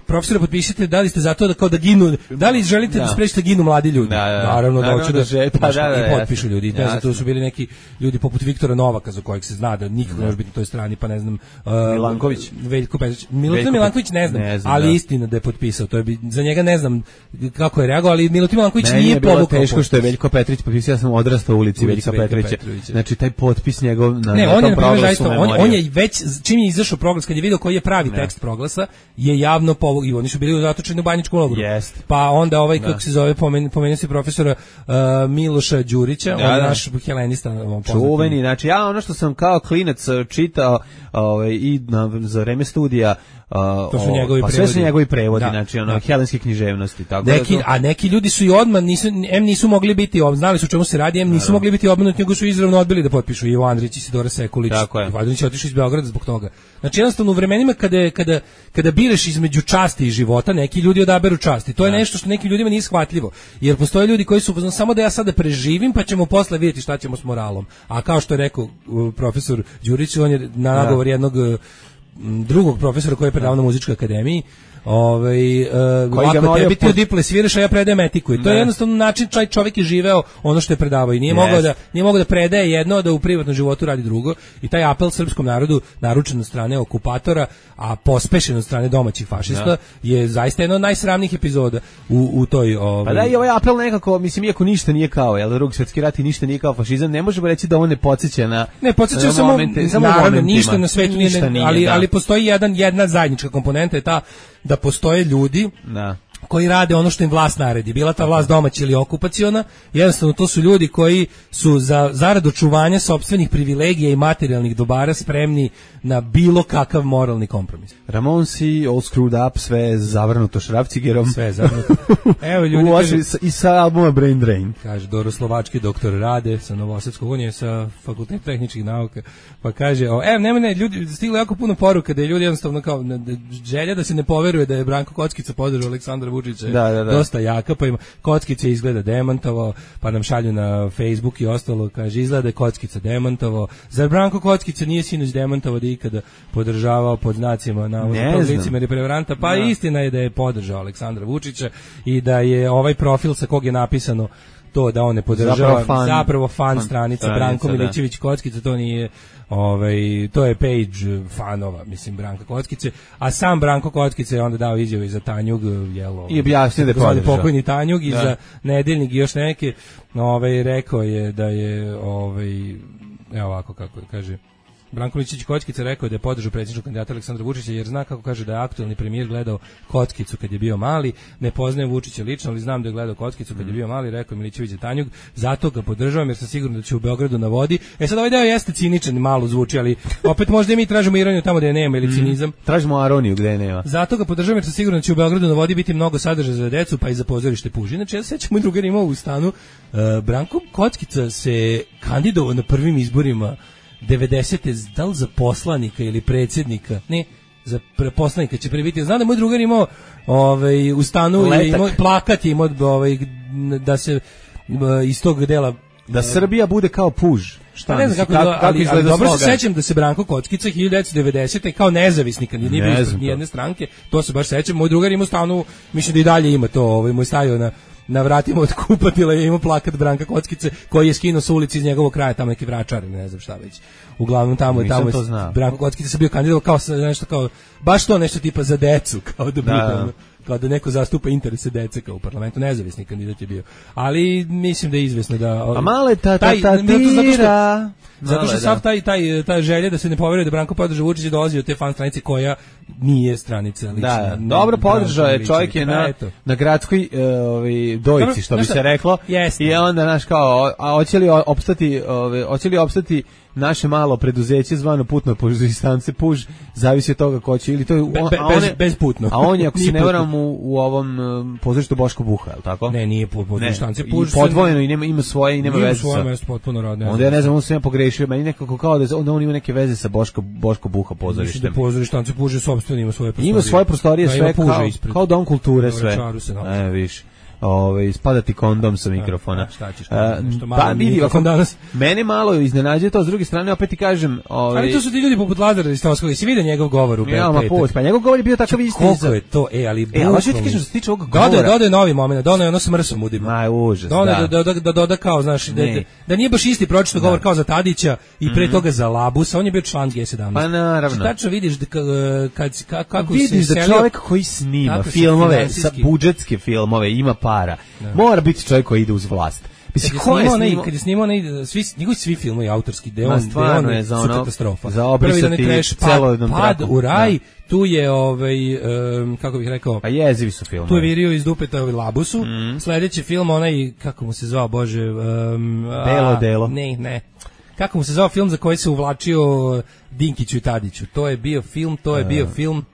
profesore, potpišite, da li ste za to da kao da ginu, da li želite da, da sprečite da ginu mladi ljudi? Da, da, Naravno da hoću da, da, žet, da, da, da, i potpišu ljudi. Ne znam, to su bili neki ljudi poput Viktora Novaka za kojeg se zna da nikako ne može biti na toj strani, pa ne znam, uh, Milanković, Veljko Petrović. Milutin Milanković ne znam, ne znam ali da. Istina da je potpisao. To je bi, za njega ne znam kako je reagovao, ali Milutin Milanković ne, nije povukao. Meni je teško što je Veljko Petrović potpisao, ja sam odrastao u ulici Veljka Petrovića. Znači taj potpis njegov na ne, on je zaista on on je već čim je izašao proglas, kad je video koji je pravi tekst proglasa, je javno povukao i oni su bili zatočeni u banjičkom logoru. Yes. Pa onda ovaj, da. kako se zove, pomen, pomenuo se profesora uh, Miloša Đurića, da, on je naš helenista. Čuveni, znači ja ono što sam kao klinac čitao ovaj, i na, za vreme studija, Uh, to su njegovi pa prevodi. Sve su njegovi prevodi, da, znači ono, da. helenske književnosti. Tako neki, da to... A neki ljudi su i odmah, nisu, em nisu mogli biti, znali su o čemu se radi, em nisu da, mogli biti obmanuti, nego su izravno odbili da potpišu. Ivo Andrić i Sidora Sekulić. Ivo Andrić je otišao iz Beograda zbog toga. Znači jednostavno u vremenima kada, kada, kada bireš između časti i života, neki ljudi odaberu časti. To je da. nešto što nekim ljudima nije shvatljivo. Jer postoje ljudi koji su samo da ja sada preživim, pa ćemo posle vidjeti šta ćemo s moralom. A kao što je rekao profesor Đurić, on je na nagovor da. jednog drugog profesora koji je predavao na muzičkoj akademiji, ovaj uh, lako tebi ti diple sviraš, a ja predajem etiku. I to je jednostavno način, čaj čovjek je živeo ono što je predavao i nije yes. mogao da nije mogao da predaje jedno, da u privatnom životu radi drugo. I taj apel srpskom narodu, naručen od strane okupatora, a pospešen od strane domaćih fašista, da. je zaista jedna od najsramnijih epizoda u, u toj ovaj... Pa da, i ovaj apel nekako, mislim, iako ništa nije kao, jel, Drugi svjetski rat i ništa nije kao fašizam, ne možemo reći da on ne podsjeća na ne podsjeća samo momente, samo naravno, ništa na svetu nije, ništa nije, ali da. ali postoji jedan jedna zajednička komponenta je ta da postoje ljudi da. koji rade ono što im vlast naredi. Bila ta vlast domaća ili okupaciona, jednostavno to su ljudi koji su za zarad očuvanja sopstvenih privilegija i materijalnih dobara spremni na bilo kakav moralni kompromis. Ramonsi, all screwed up, sve zavrnuto šrafcigerom. Sve zavrnuto. Evo ljudi kaže, i sa albuma Brain Drain. Kaže Doro Slovački doktor Rade sa Novosadskog, on je sa Fakulteta tehničkih nauka. Pa kaže, o, evo nema ne, ljudi stiglo jako puno poruka da je ljudi jednostavno kao želja da se ne poveruje da je Branko Kockica podržao Aleksandra Vučića. Da, da, da. Dosta jaka, pa ima Kockica izgleda demantovao, pa nam šalju na Facebook i ostalo, kaže izgleda je Kockica demantovao. Zar Branko Kockica nije sinoć demantovao da ikada podržavao pod znacima navodno licemera i prevaranta? Pa no. istina je da je podržao Aleksandra Vučića i da je ovaj profil sa kog je napisano to da on ne podržava, zapravo fan, zapravo fan, fan stranica Branko Milićević Kockica, to nije ovaj, to je page fanova, mislim, Branka Kockice, a sam Branko Kockice je onda dao izjavu i za Tanjug, jelo, i objasnio da je podržao pokojni Tanjug i da. za Nedeljnik i još neke, ovaj, rekao je da je ovaj, evo ovako kako kaže Branko Milićević Kockica rekao da je podržao predsjedničkog kandidata Aleksandra Vučića jer zna kako kaže da je aktuelni premijer gledao Kockicu kad je bio mali, ne poznajem Vučića lično, ali znam da je gledao Kockicu kad je bio mali, rekao Milićević je Tanjug, zato ga podržavam jer sam siguran da će u Beogradu na vodi. E sad ovaj deo jeste ciničan, malo zvuči, ali opet možda i mi tražimo ironiju tamo gde je nema ili cinizam. Mm, tražimo aroniju gde je nema. Zato ga podržavam jer sam siguran da će u Beogradu na vodi biti mnogo sadržaja za decu pa i za pozorište Puži. Znači ja se sećam, moj drugar imao u stanu, uh, Branko Kockica se kandidovao na prvim izborima devedesete da li za poslanika ili predsjednika, ne, za poslanika će prebiti. Znam da moj drugar imao ovaj, u stanu je imao, plakat je imao ovaj, da se iz tog dela da Srbija bude kao Puž. Šta ne znam kako, kako, kako ali, ali dobro se sećam da se Branko Kockica hiljadu devetsto devedesete kao nezavisni kandidat nije bio ispred nijedne stranke, to se baš sećam. Moj drugar ima u stanu, mislim da i dalje ima to, ovaj, moj stavio na na vratima od kupatila je imao plakat Branka Kockice koji je skinuo sa ulici iz njegovog kraja, tamo neki Vračar, ne znam šta već. Uglavnom tamo je tamo Branko Kockica se bio kandidat kao nešto kao baš to nešto tipa za decu, kao da bude. Da, kao da neko zastupa interese dece kao u parlamentu, nezavisni kandidat je bio. Ali mislim da je izvesno da... A male ta ta ta tira... Zato što sav taj, taj, taj želje da se ne poveruje da Branko podrža Vučića dolazi od te fan stranice koja nije stranica lična. Da, dobro podržao je, čovjek je na, na gradskoj uh, ovaj, dojici, što bi se reklo. Jasne. I onda, znaš, kao, a hoće li opstati, ove, hoće li opstati naše malo preduzeće zvano putno stanice Puž, zavisi od toga ko će, ili to je... Be, be, bez, bez putno. A on je, ako se ne varam, u, u ovom um, pozorištu Boško Buha, je li tako? Ne, nije pozorište stanice Puž. I podvojeno, i nema, ima svoje, i nema veze sa... Ima svoje mesto, potpuno radne. Onda ja ne znam, on se ja pogrešio, meni nekako kao da onda on ima neke veze sa Boško, Boško Buha pozorištem. Mislim da pozorište stanice Puž je sopstveno, ima svoje prostorije. Ima svoje prostorije, da, sve kao, kao dom kulture, sve. E, viš. Ove, spadati kondom sa mikrofona. Šta ćeš, nešto malo pa, vidi, ako, danas. Mene malo iznenađuje to, s druge strane, opet ti kažem... Ove, ali to su ti ljudi poput Lazara Ristovskog, i si vidio njegov govor u ja, petak. Pa njegov govor je bio takav isti. Koliko je to, e, ali... E, ali što ti kažem, što se tiče ovog govora... Dode, dode novi moment, dode ono s mrsom udima. Aj, užas, dode, da. Da, da, da, doda kao, znaš, da, da nije baš isti pročito govor kao za Tadića i pre toga za Labusa, on je bio član G sedamnaest. Pa naravno. Tačno vidiš da, kad, kako vidiš se vidiš da čovjek koji snima filmove, sa budžetske filmove, ima para. Mora biti čovjek koji ide uz vlast. Mislim, ko je snimao, kad je snimao onaj, svi, njegovi svi filmovi autorski, gde on, gde on je za ono, katastrofa. Za obrisati celo jednom trakom. Pad u raj, da. Tu je, ovaj, um, kako bih rekao... Pa jezivi su filmovi. Tu je virio iz dupeta ovaj Labusu. Mm. Sljedeći film, onaj, kako mu se zvao, bože... Um, Delo, a, delo. Ne, ne. Kako mu se zvao film za koji se uvlačio Dinkiću i Tadiću. To je bio film, to je bio film...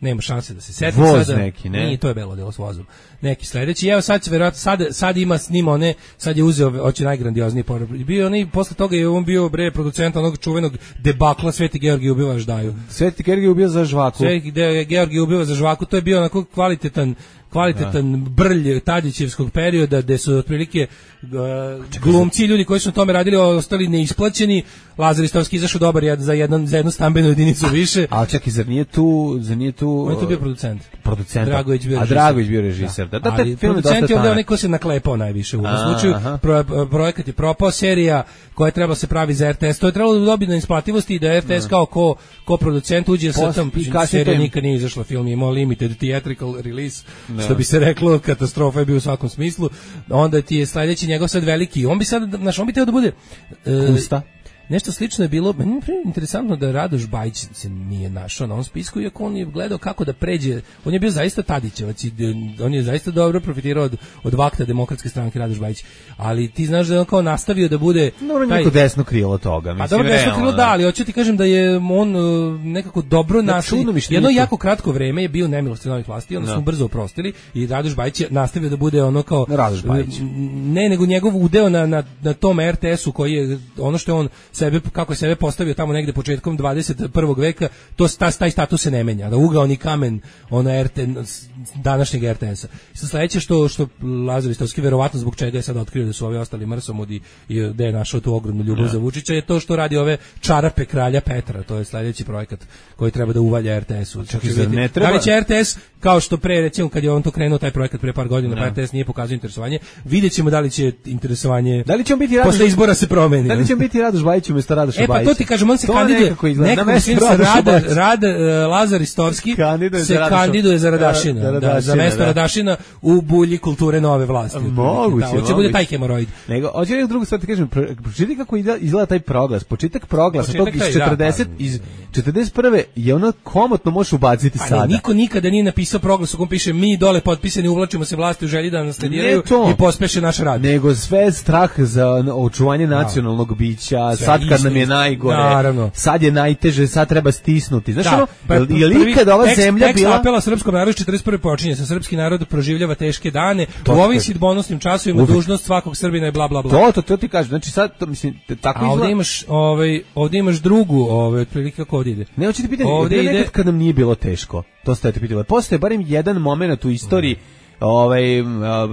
Nema šanse da se setim Voz sada. neki, ne? Nije, to je Belo delo s vozom. Neki sledeći. Evo sad će verovatno sad sad ima snima one, sad je uzeo hoće najgrandiozniji porad. Bio onaj posle toga je on bio bre producent onog čuvenog debakla Sveti Georgij ubiva Ždaju. Sveti Georgij ubio za žvaku. Sveti Georgij ubiva za žvaku. To je bio onako kvalitetan kvalitetan da. brlj Tadićevskog perioda gde su otprilike uh, glumci, ljudi koji su na tome radili ostali neisplaćeni. Lazar Ristovski izašao dobar jed, za, jedan, za jednu stambenu jedinicu više. A čekaj, zar nije tu... Zar nije tu on je tu bio producent. Producent. Dragović bio a Dragović bio režiser. Da, da, da ali producent je ovdje onaj ko se naklepao najviše u ovom slučaju. Pro, projekat je propao, serija koja je trebala se pravi za R T S. To je trebalo da dobiti na isplativosti i da R T S kao ko, ko producent uđe sa tom serija nikad nije izašla, film je imao limited theatrical release. Da. Što bi se reklo, katastrofa je bio u svakom smislu. Onda ti je sledeći njegov sad veliki. On bi sad, znaš, on bi teo da bude... Kusta. Nešto slično je bilo, meni je interesantno da Radoš Bajić se nije našao na ovom spisku, iako on je gledao kako da pređe, on je bio zaista Tadićevac i on je zaista dobro profitirao od, od vakta demokratske stranke Radoš Bajić, ali ti znaš da je on kao nastavio da bude... Dobro, taj... neko desno krilo toga. Mislim, a dobro, desno krilo da, ali hoću ti kažem da je on nekako dobro nastavio, jedno jako kratko vreme je bio nemilosti novih vlasti, onda no. smo brzo oprostili i Radoš Bajić je nastavio da bude ono kao... Radoš Bajić. Ne, nego njegov udeo na, na, na tom R T S-u koji je ono što je on sebe, kako je sebe postavio tamo negde početkom dvadeset prvog veka, to taj, taj status se ne menja. Da ugaoni kamen ona R T današnjeg R T S-a. Sa sledeće što što Lazar Ristovski verovatno zbog čega je sad otkrio da su ovi ostali mrsomudi i da je našao tu ogromnu ljubav za Vučića je to što radi ove čarape kralja Petra. To je sledeći projekat koji treba da uvalja R T S-u. Da li će R T S kao što pre recimo kad je on to krenuo taj projekat pre par godina, pa R T S nije pokazao interesovanje. Videćemo da li će interesovanje. Da li će on biti Radoš, posle izbora se promeni. Da li će on biti Radoš Bajić umesto Radoša Bajića? E pa to ti kažem, on se to kandiduje, nekako se Rada, Rada, uh, Lazar Ristovski kandiduje se kandiduje za Radašina, da, da, za mesto da. Radašina u bulji kulture nove vlasti. Moguće, da, hoće bude taj hemoroid. Nego, hoće li drugu stvar ti kažem, pročitaj kako izgleda taj proglas, početak proglasa, tog iz četrdeset, da, iz četrdeset prve je ono komotno možeš ubaciti pa sada. Ne, niko nikada nije napisao proglas u kom piše mi dole potpisani uvlačimo se vlasti u želji da nas naslediraju i pospeše naš rad. Nego sve strah za očuvanje nacionalnog bića, sad kad nam je najgore, naravno. Sad je najteže, sad treba stisnuti. Znaš, da, ono, pa, je li ikad ova tekst, zemlja tekst bila... apela srpskom narodu četrdeset prve počinje sa srpski narod proživljava teške dane, to u ovim sidbonosnim časovima dužnost svakog Srbina je bla bla bla. To, to, to ti kažem, znači sad, to, mislim, tako izgleda... A ovdje imaš, ovaj, ovdje imaš drugu, ovaj, otprilike kako ovdje ide. Ne, hoćete pitati, ovdje ide... nekad kad nam nije bilo teško, to ste te pitali. Postoje barem jedan moment u istoriji, ovaj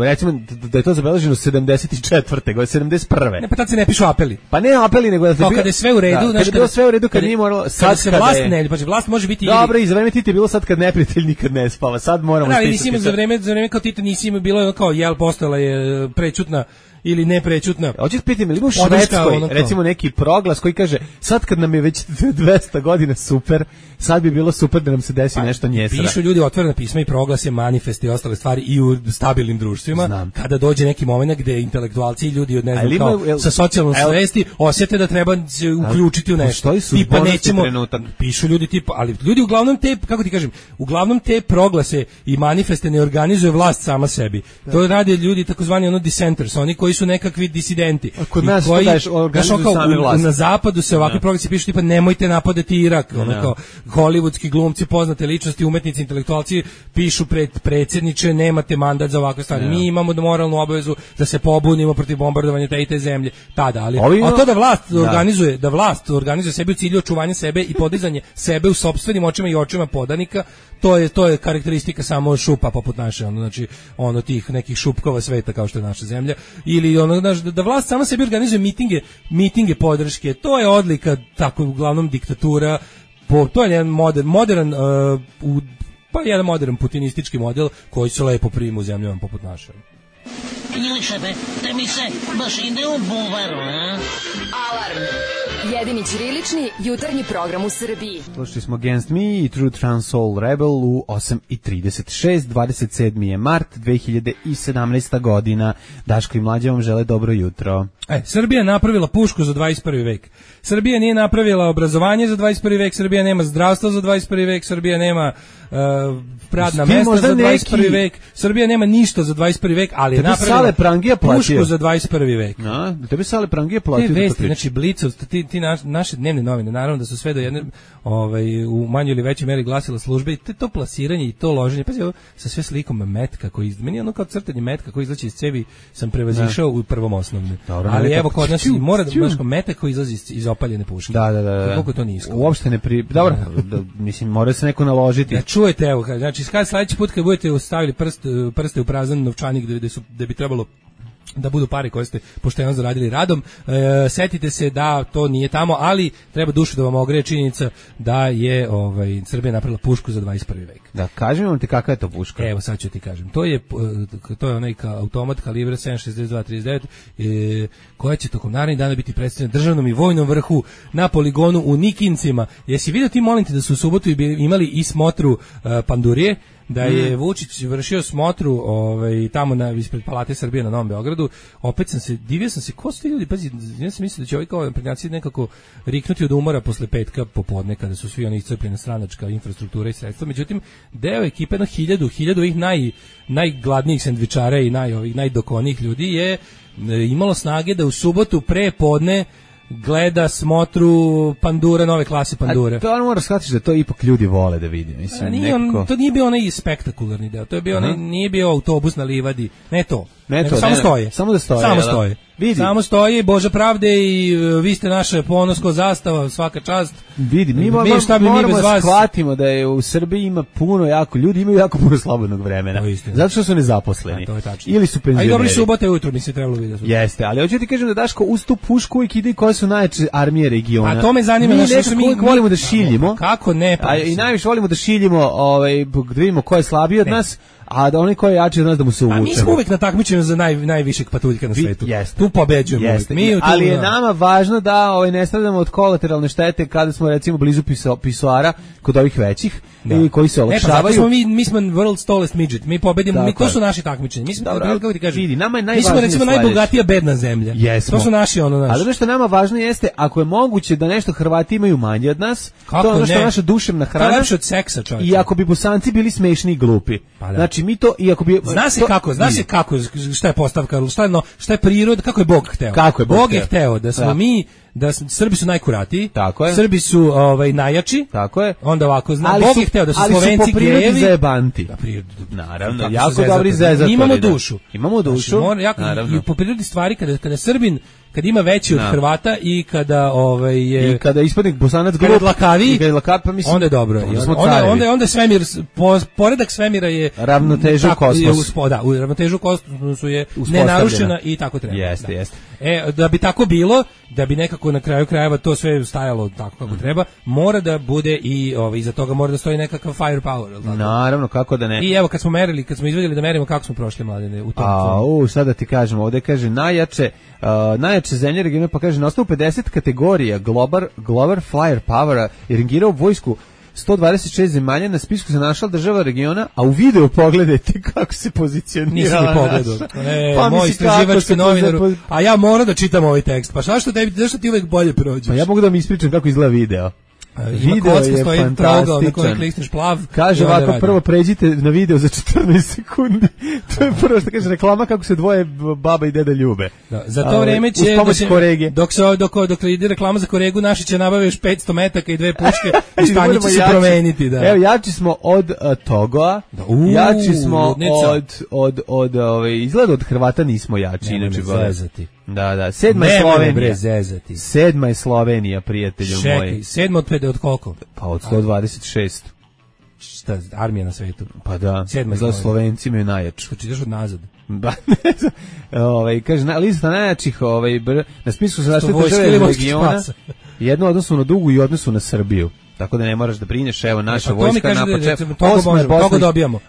recimo da je to zabeleženo sedamdeset četvrte godine, sedamdeset prve. Ne, pa tad se ne pišu apeli. Pa ne apeli, nego da se bio... kada je sve u redu, da, znači kada je sve u redu, kad nije moralo sad kada se vlast ne, pa vlast može biti. Dobro, i za vreme Tita je bilo sad kad neprijatelj nikad ne spava. Sad moramo stisnuti. Da, nisi za vreme za vreme kao Tita nisi bilo kao jel postojala je prećutna ili neprećutna. Hoćeš pitati me, ili u Švedskoj, ono recimo neki proglas koji kaže, sad kad nam je već dvesta godina super, sad bi bilo super da nam se desi pa, nešto njesra. Pišu ljudi otvorena pisma i proglase, manifeste i ostale stvari i u stabilnim društvima. Znam. Kada dođe neki moment gde intelektualci i ljudi od ne znam kao el, sa socijalnom el, svesti osjete da treba se uključiti u nešto. Tipa nećemo, trenutak. Pišu ljudi tipa, ali ljudi uglavnom te, kako ti kažem, uglavnom te proglase i manifeste ne organizuje vlast sama sebi. Da. To rade ljudi takozvani ono dissenters, oni koji su nekakvi disidenti. Kod nas koji, to daješ organizuju same vlasti. Na zapadu se ovakvi proglasi pišu tipa nemojte napadati Irak, ono kao hollywoodski glumci, poznate ličnosti, umetnici, intelektualci pišu pred predsjedniče, nemate mandat za ovakve stvari. Ja. Mi imamo moralnu obavezu da se pobunimo protiv bombardovanja te i te zemlje. Tada, ali Ovi, a to da vlast da. organizuje, da vlast organizuje sebi u cilju očuvanja sebe i podizanje sebe u sopstvenim očima i očima podanika, to je to je karakteristika samo šupa poput naše, ono znači ono tih nekih šupkova sveta kao što je naša zemlja, ili ono da, da vlast sama sebi organizuje mitinge, mitinge podrške. To je odlika tako uglavnom diktatura. Po, to je jedan modern, modern uh, u, pa jedan modern putinistički model koji se lepo prima u zemljama poput naše. Ili šefe, te mi se baš ide u buvaru, a? Alarm! Jedini ćirilični jutarnji program u Srbiji. Slušali smo Against Me i True Trans Soul Rebel u osam i trideset šest, dvadeset sedmi je mart dve hiljade sedamnaesta godina. Daško i Mlađa vam žele dobro jutro. E, Srbija napravila pušku za dvadeset prvi vek. Srbija nije napravila obrazovanje za dvadeset prvi vek, Srbija nema zdravstvo za dvadeset prvi vek, Srbija nema uh, radna mesta za dvadeset prvi neki... vek, Srbija nema ništa za dvadeset prvi vek, ali je napravila pušku za dvadeset prvi vek. A, tebe Sale Prangija platio. Te vesti, znači Blicov, ti, ti naš, naše dnevne novine, naravno da su sve do jedne ovaj, u manjoj ili većoj meri glasila službe i to, to plasiranje i to loženje, pazi ovo, sa sve slikom metka koji, meni je ono kao crtanje metka koji izlači iz cevi sam prevazišao u prvom osnovne. Dobro, ali evo kod nas i mora da znaš kao metak koji izlazi iz, iz opaljene puške. Da, da, da. Koliko to nisko. Uopšte ne pri... Dobro, da, mislim, mora se neko naložiti. Da čujete, evo, znači, kad sledeći put kad budete stavili prst, prste u prazan novčanik gde, gde, su, gde bi trebalo da budu pare koje ste pošteno zaradili radom, e, setite se da to nije tamo, ali treba dušu da vam ogreje činjenica da je ovaj, Srbija napravila pušku za dvadeset prvi vek. Da, kažem vam ti kakva je to puška. Evo, sad ću ti kažem. To je, to je onaj ka, automat kalibra sedam šezdeset dva trideset devet, e, koja će tokom narednih dana biti predstavljena državnom i vojnom vrhu na poligonu u Nikincima. Jesi vidio ti, molim te, da su u subotu imali i smotru e, pandurije, da je mm. Vučić vršio smotru ovaj, tamo na, ispred Palate Srbije na Novom Beogradu. Opet sam se, divio sam se, ko su ti ljudi, pazi, ja sam mislio da će ovi kao prednjaci nekako riknuti od umora posle petka popodne, kada su svi oni iscrpljena stranačka infrastruktura i sredstva. Međutim, deo ekipe, na hiljadu, hiljadu ovih naj, najgladnijih sendvičara i naj, ovih najdokonijih ljudi je e, imalo snage da u subotu pre podne gleda smotru pandura, nove klase pandure. A to ono moraš shvatiti da to ipak ljudi vole da vidi. Mislim, A nije on, to nije bio onaj spektakularni deo, to je bio onaj, nije bio autobus na livadi, ne to. Ne to, samo ne, stoje. Samo da stoje. Samo stoje. Vidi. Samo stoji, Bože pravde i uh, vi ste naše ponosko zastava, svaka čast. Vidi, mi, mi moramo, moramo da shvatimo da je u Srbiji ima puno jako, ljudi imaju jako puno slobodnog vremena. Zato što su nezaposleni. A, to je tačno. Ili su penzioneri. A i dobri subote ujutro nisi trebalo vidjeti. Jeste, ali hoću ti kažem da Daško uz tu pušku uvijek ide koje su najjače armije regiona. A to me zanima. Mi nešto mi, mi volimo da šiljimo. Kako ne? Pa, a, I najviše volimo da šiljimo, ovaj, da vidimo ko je slabiji od ne. nas. A da oni koji jači od nas da mu se uvučemo. A mi smo uvek na takmičenju za naj, najvišeg patuljka na svetu. Jeste. Tu pobeđujemo. Jeste. Mi tu, ali je nama važno da ovaj, ne stradamo od kolateralne štete kada smo recimo blizu piso, pisoara kod ovih većih da. i koji se olakšavaju. Ne, pa smo mi, mi smo world's tallest midget. Mi pobedimo, mi, to su naši takmičenja. Mi smo, Dobro, kako ti kažem, vidi, nama je mi smo recimo sledeći. najbogatija bedna zemlja. Jesmo. To su naši ono naši. Ali ono što nama važno jeste, ako je moguće da nešto Hrvati imaju manje od nas, kako to je ono što je naša duševna hrana. To je lepše od seksa, čovječe. I ako bi Bosanci bili smešni i glupi. Pa znači mi to, i ako bi Zna se kako, zna se kako, šta je postavka, šta je, no, šta je priroda, kako je Bog hteo. Kako je Bog, Bog je hteo da smo da. mi, da Srbi su najkuratiji, tako je. Srbi su ovaj najjači, tako je. Onda ovako zna, ali Bog su, je hteo da su ali Slovenci su gejevi, zajebanti. Da, pri, naravno, jako dobri zezatori. Imamo dušu. Imamo dušu. Znači, mora, jako, i po prirodi stvari kada kada Srbin kad ima veći od no. Hrvata i kada ovaj je i kada ispadnik Bosanac glup lakavi, lakav, pa mislim onda je dobro. Onda onda onda svemir po, poredak svemira je ravnoteža u kosmosu. Da, u ravnotežu u kosmosu je nenarušena i tako treba. Jeste, jeste. E, da bi tako bilo, da bi nekako kako na kraju krajeva to sve stajalo tako kako treba, mora da bude i ovaj, iza toga mora da stoji nekakav firepower, je li tako? Naravno, kako da ne. I evo kad smo merili, kad smo izvedeli da merimo kako smo prošli Mladene u tom. A, u, sad da ti kažemo, ovde kaže najjače, uh, najjače zemlje regiona, pa kaže na osnovu pedeset kategorija Global, Global Firepower je rangirao vojsku sto dvadeset šest zemalja, na spisku se našla država regiona, a u videu pogledajte kako se pozicionira. Nisam ni pogledao. E, pa moj istraživački novinar, poz... a ja moram da čitam ovaj tekst. Pa šta što tebi, zašto ti uvek bolje prođeš? Pa ja mogu da mi ispričam kako izgleda video. Ima video kocka, je stoji trogao na kojem klikneš plav. Kaže ovako, prvo pređite na video za četrnaest sekundi. To je prvo što kaže reklama kako se dvoje baba i deda ljube. Da, za to vreme će, da će dok se dok, dok ide reklama za Koregu, naši će nabaviti petsto metaka i dve puške i stanje će se promeniti. Da. Evo, jači smo od uh, Togoa, da, uu, jači smo ludnica. od, od, od ove, izgleda od Hrvata nismo jači. Inače, da, da, sedma je Slovenija. Sedma je Slovenija, prijatelju Čekaj, moji. Čekaj, sedma od pet, od koliko? Pa od sto dvadeset šest. Šta, armija na svetu? Pa da, sedma je Slovenci imaju najjaču. Što čitaš od nazad? Ba, ne znam. Ovaj, kaže, na, lista najjačih, ovaj, br, na spisku se našli države regiona, jedno odnosu na Dugu i odnosu na Srbiju. Tako da ne moraš da brineš, evo naša pa vojska napače.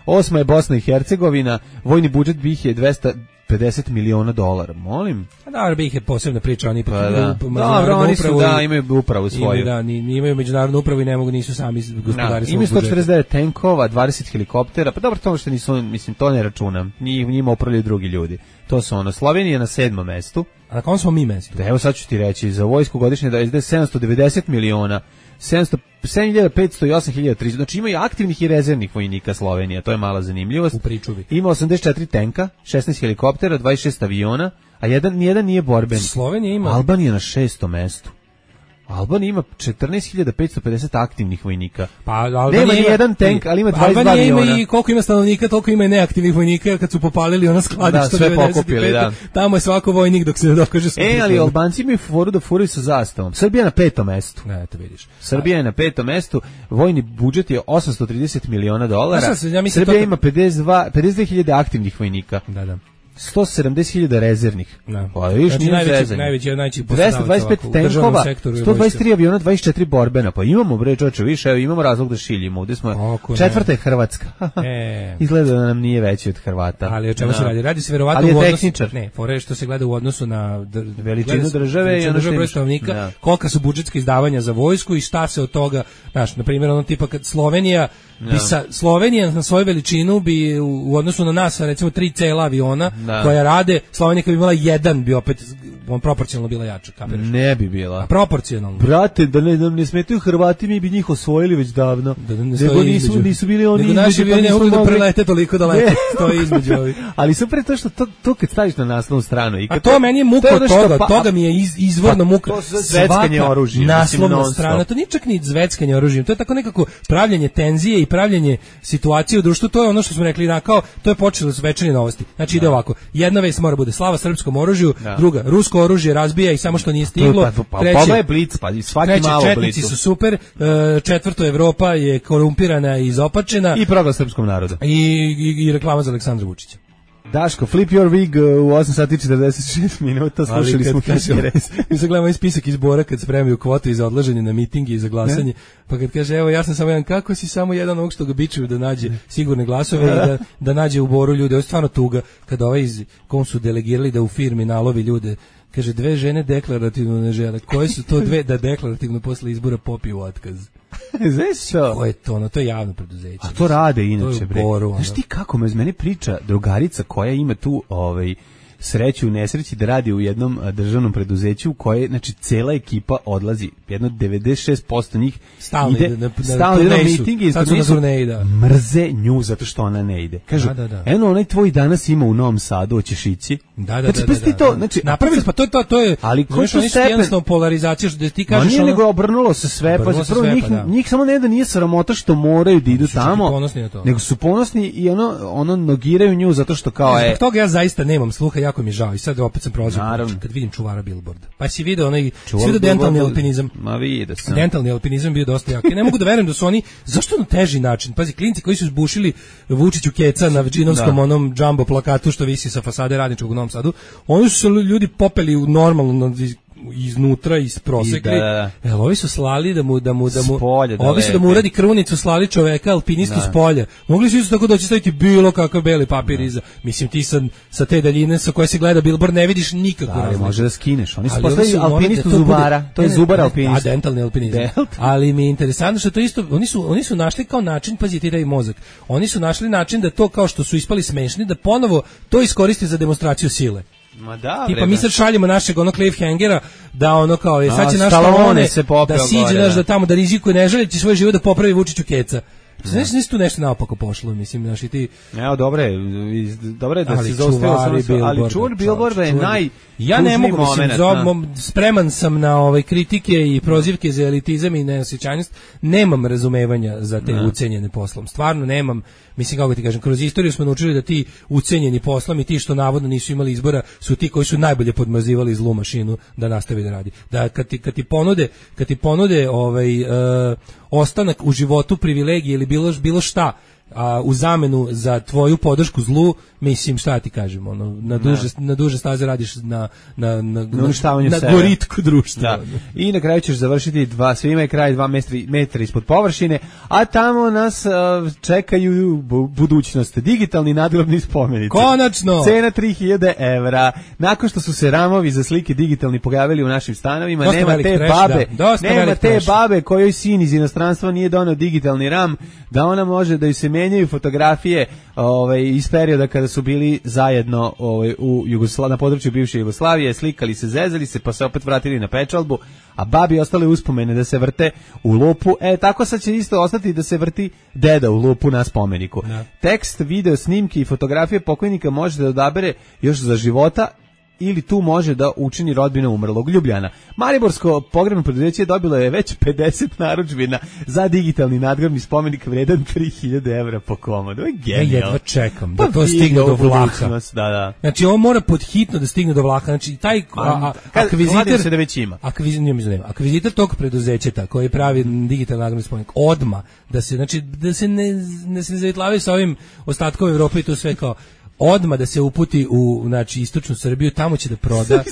Osma je Bosna i Hercegovina, vojni budžet bih je dvesta pedeset miliona dolara, molim. A dobro, bih je posebna priča, oni pa da. Dobro, oni su, da, imaju upravu svoju. Da, ni, imaju međunarodnu upravu i ne mogu, nisu sami gospodari svog budžeta. Imaju sto četrdeset devet tenkova, dvadeset helikoptera, pa dobro, to što nisu, mislim, to ne računam, njima upravljaju drugi ljudi. To su ono, Slovenija na sedmom mestu. A na kom smo mi mestu? Da, evo sad ću ti reći, za vojsku godišnje da izde sedamsto devedeset miliona, sedam hiljada petsto i osam hiljada tristo. Znači imaju aktivnih i rezervnih vojnika Slovenija, to je mala zanimljivost. U pričuvi. Ima osamdeset četiri tenka, šesnaest helikoptera, dvadeset šest aviona, a jedan nijedan nije borben. Slovenija ima. Albanija na šestom mestu. Albanija ima četrnaest hiljada petsto pedeset aktivnih vojnika. Pa Albanija nema ni jedan tank, ali ima dvadeset dva aviona. Albanija ima i koliko ima stanovnika, toliko ima i neaktivnih vojnika, kad su popalili ona skladišta. Da, sve pokupili, da. Tamo je svako vojnik dok se ne dokaže svoj. E, ali Albanci imaju foru da furaju sa zastavom. Srbija na petom mestu. Ne, to vidiš. Srbija je na petom mestu, vojni budžet je osamsto trideset miliona dolara. Ja sam, ja Srbija to... ima pedeset dva, pedeset dve hiljade aktivnih vojnika. Da, da. sto sedamdeset hiljada rezervnih. Da. Pa viš, znači, nije najveći, zezanje. najveći, najveći dvesta dvadeset pet tenkova, sto dvadeset tri aviona, dvadeset četiri borbena. Pa imamo, bre, čoče, više, evo, imamo razlog da šiljimo. Ovdje smo, Oko četvrta je Hrvatska. e. Izgleda da nam nije veći od Hrvata. Ali o čemu se radi? Radi se verovatno u odnosu... Ne, fore što se gleda u odnosu na... Dr... Veličinu države i ono što stanovnika, ja. Kolika su budžetska izdavanja za vojsku i šta se od toga... Znaš, na primjer, ono tipa kad Slovenija... Ja. Bi sa, Slovenija na svoju veličinu bi u, u odnosu na nas, recimo tri cela aviona da. Koja rade, Slovenija kad bi imala jedan bi opet on proporcionalno bila jača, kapiraš? Ne bi bila. A proporcionalno. Brate, da ne, nam ne smetaju Hrvati, mi bi njih osvojili već davno. Da, da ne nego nisu, nisu bili oni nego naši bi ne mogli da prelete toliko daleko, to je između ovih. Ali super to što to, to kad staviš na naslovnu stranu. I kad a to, to meni je muka od toga, pa, toga mi je iz, izvorno pa, muka. To su zveckanje oružjem. Naslovna strana, to nije čak ni zveckanje oružjem, to je tako nekako pravljenje tenzije i pravljenje situacije u društvu, to je ono što smo rekli, na kao to je počelo s večernje novosti. Znači ide ovako, jedna vest mora bude slava srpskom oružju, da. Druga rusko oružje razbija i samo što nije stiglo. Pa, pa, treće, je blic, pa svaki treće, malo četnici su super, četvrto Evropa je korumpirana i izopačena. I program srpskom narodu. I, i, i reklama za Aleksandra Vučića. Daško, flip your wig u osam sati i četrdeset šest minuta, slušali smo Kaški Rez. Mi se gledamo i spisak izbora kad spremaju kvote za odlaženje na mitingi i za glasanje, ne? Pa kad kaže, evo ja sam samo jedan, kako si samo jedan ovog što ga bičuju da nađe sigurne glasove i da, da nađe u Boru ljude, ovo je stvarno tuga, kada ovaj iz, kom su delegirali da u firmi nalovi ljude, kaže, dve žene deklarativno ne žele, koje su to dve da deklarativno posle izbora popiju otkaz? Znaš što? Ko je to? Ono, to je javno preduzeće. A to rade inače, bre. Boru, znaš ti kako me, meni priča drugarica koja ima tu ovaj, sreću u nesreći da radi u jednom državnom preduzeću u koje, znači, cela ekipa odlazi. Jedno devedeset šest posto njih stalno ide, ide na, na stalno ide na miting i na turneji, da. Mrze nju zato što ona ne ide. Kažu, da, da, da. eno, onaj tvoj danas ima u Novom Sadu, hoćeš ići. Da, da, znači, da, da, da, to, znači, napravili, pa to je to, to je, ali koji su jednostavno polarizacija, što ti kažeš, ono, nego obrnulo se sve, pa se prvo njih, da. njih samo ne da nije sramota što moraju da idu tamo, nego su ponosni i ono, ono nogiraju nju zato što kao je. Zbog toga ja zaista nemam sluha, jako mi žao i sad opet sam prozvao kad vidim čuvara billboarda. Pa si video onaj, si video dentalni alpinizam. Ma vidio sam. Dentalni alpinizam bio dosta jak. Ja ne mogu da verujem da su oni, zašto na teži način? Pazi, klinci koji su zbušili Vučiću keca na džinovskom da. Onom džambo plakatu što visi sa fasade Radničkog u Novom Sadu, oni su se ljudi popeli u normalno iznutra iz prosekli. Da, da, da. Evo, ovi su slali da mu da mu da mu spolje, da ovi su da mu uradi krunicu, slali čoveka alpinistu da. s polja. Mogli su isto tako doći staviti bilo kakav beli papir iza. Mislim ti sa sa te daljine sa koje se gleda billboard ne vidiš nikakvu da, razliku. Može da skineš. Oni su postavili alpinistu zubara. To je zubar alpinist. A dentalni alpinizam. Ali mi je interesantno što to isto oni su oni su našli kao način, pazite, taj mozak. Oni su našli način da to kao što su ispali smešni da ponovo to iskoriste za demonstraciju sile. Ma da, tipa mi sad šaljemo našeg onog cliffhangera da ono kao je sad će naš Stallone da siđe naš da tamo da rizikuje ne želeći svoj život da popravi Vučiću keca. Znaš, nisi tu nešto naopako pošlo, mislim, znaš, i ti... Evo, dobro je, dobro je da se zaustavio sam, ali čuvar billboarda je naj... Ja ne mogu, mislim, spreman sam na ove kritike i prozivke za elitizam i neosjećajnost, nemam razumevanja za te ucenjene poslom, stvarno nemam, mislim, kako ti kažem, kroz istoriju smo naučili da ti ucenjeni poslom i ti što navodno nisu imali izbora su ti koji su najbolje podmazivali zlu mašinu da nastavi da radi. Da kad ti, kad ti ponude, kad ti ponude ovaj, uh, ostanak u životu, privilegije ili bilo, bilo šta, a u zamenu za tvoju podršku zlu, mislim, šta ti kažem, ono, na duže, na duže staze radiš na, na, na, na, na, na goritku društva. Da. I na kraju ćeš završiti dva, svima je kraj dva metri, metra ispod površine, a tamo nas uh, čekaju bu, budućnost, digitalni nadgrobni spomenici. Konačno! Cena tri hiljade evra. Nakon što su se ramovi za slike digitalni pojavili u našim stanovima, dosta nema te trash, babe, da. nema te trash. babe kojoj sin iz inostranstva nije donao digitalni ram, da ona može da ju se menjaju fotografije ovaj, iz perioda kada su bili zajedno ovaj, u Jugosla, na području bivše Jugoslavije, slikali se, zezali se, pa se opet vratili na pečalbu, a babi ostale uspomene da se vrte u lupu. E, tako sad će isto ostati da se vrti deda u lupu na spomeniku. Ne. Tekst, video, snimke i fotografije pokojnika može da odabere još za života ili tu može da učini rodbina umrlog. Ljubljana. Mariborsko pogrebno preduzeće dobilo je već pedeset narudžbina za digitalni nadgrobni spomenik vredan tri hiljade evra po komodu. Je genijalno. Ja jedva čekam da pa to stigne do vlaka. Da, da. Znači on mora podhitno da stigne do vlaka. Znači taj akvizitor se da već ima. Akvizitor, akvizitor tog preduzeća koji pravi digitalni nadgrobni spomenik odma da se znači da se ne ne se zavitlavaju sa ovim ostatkom Evrope i to sve kao odma da se uputi u znači istočnu Srbiju, tamo će da proda.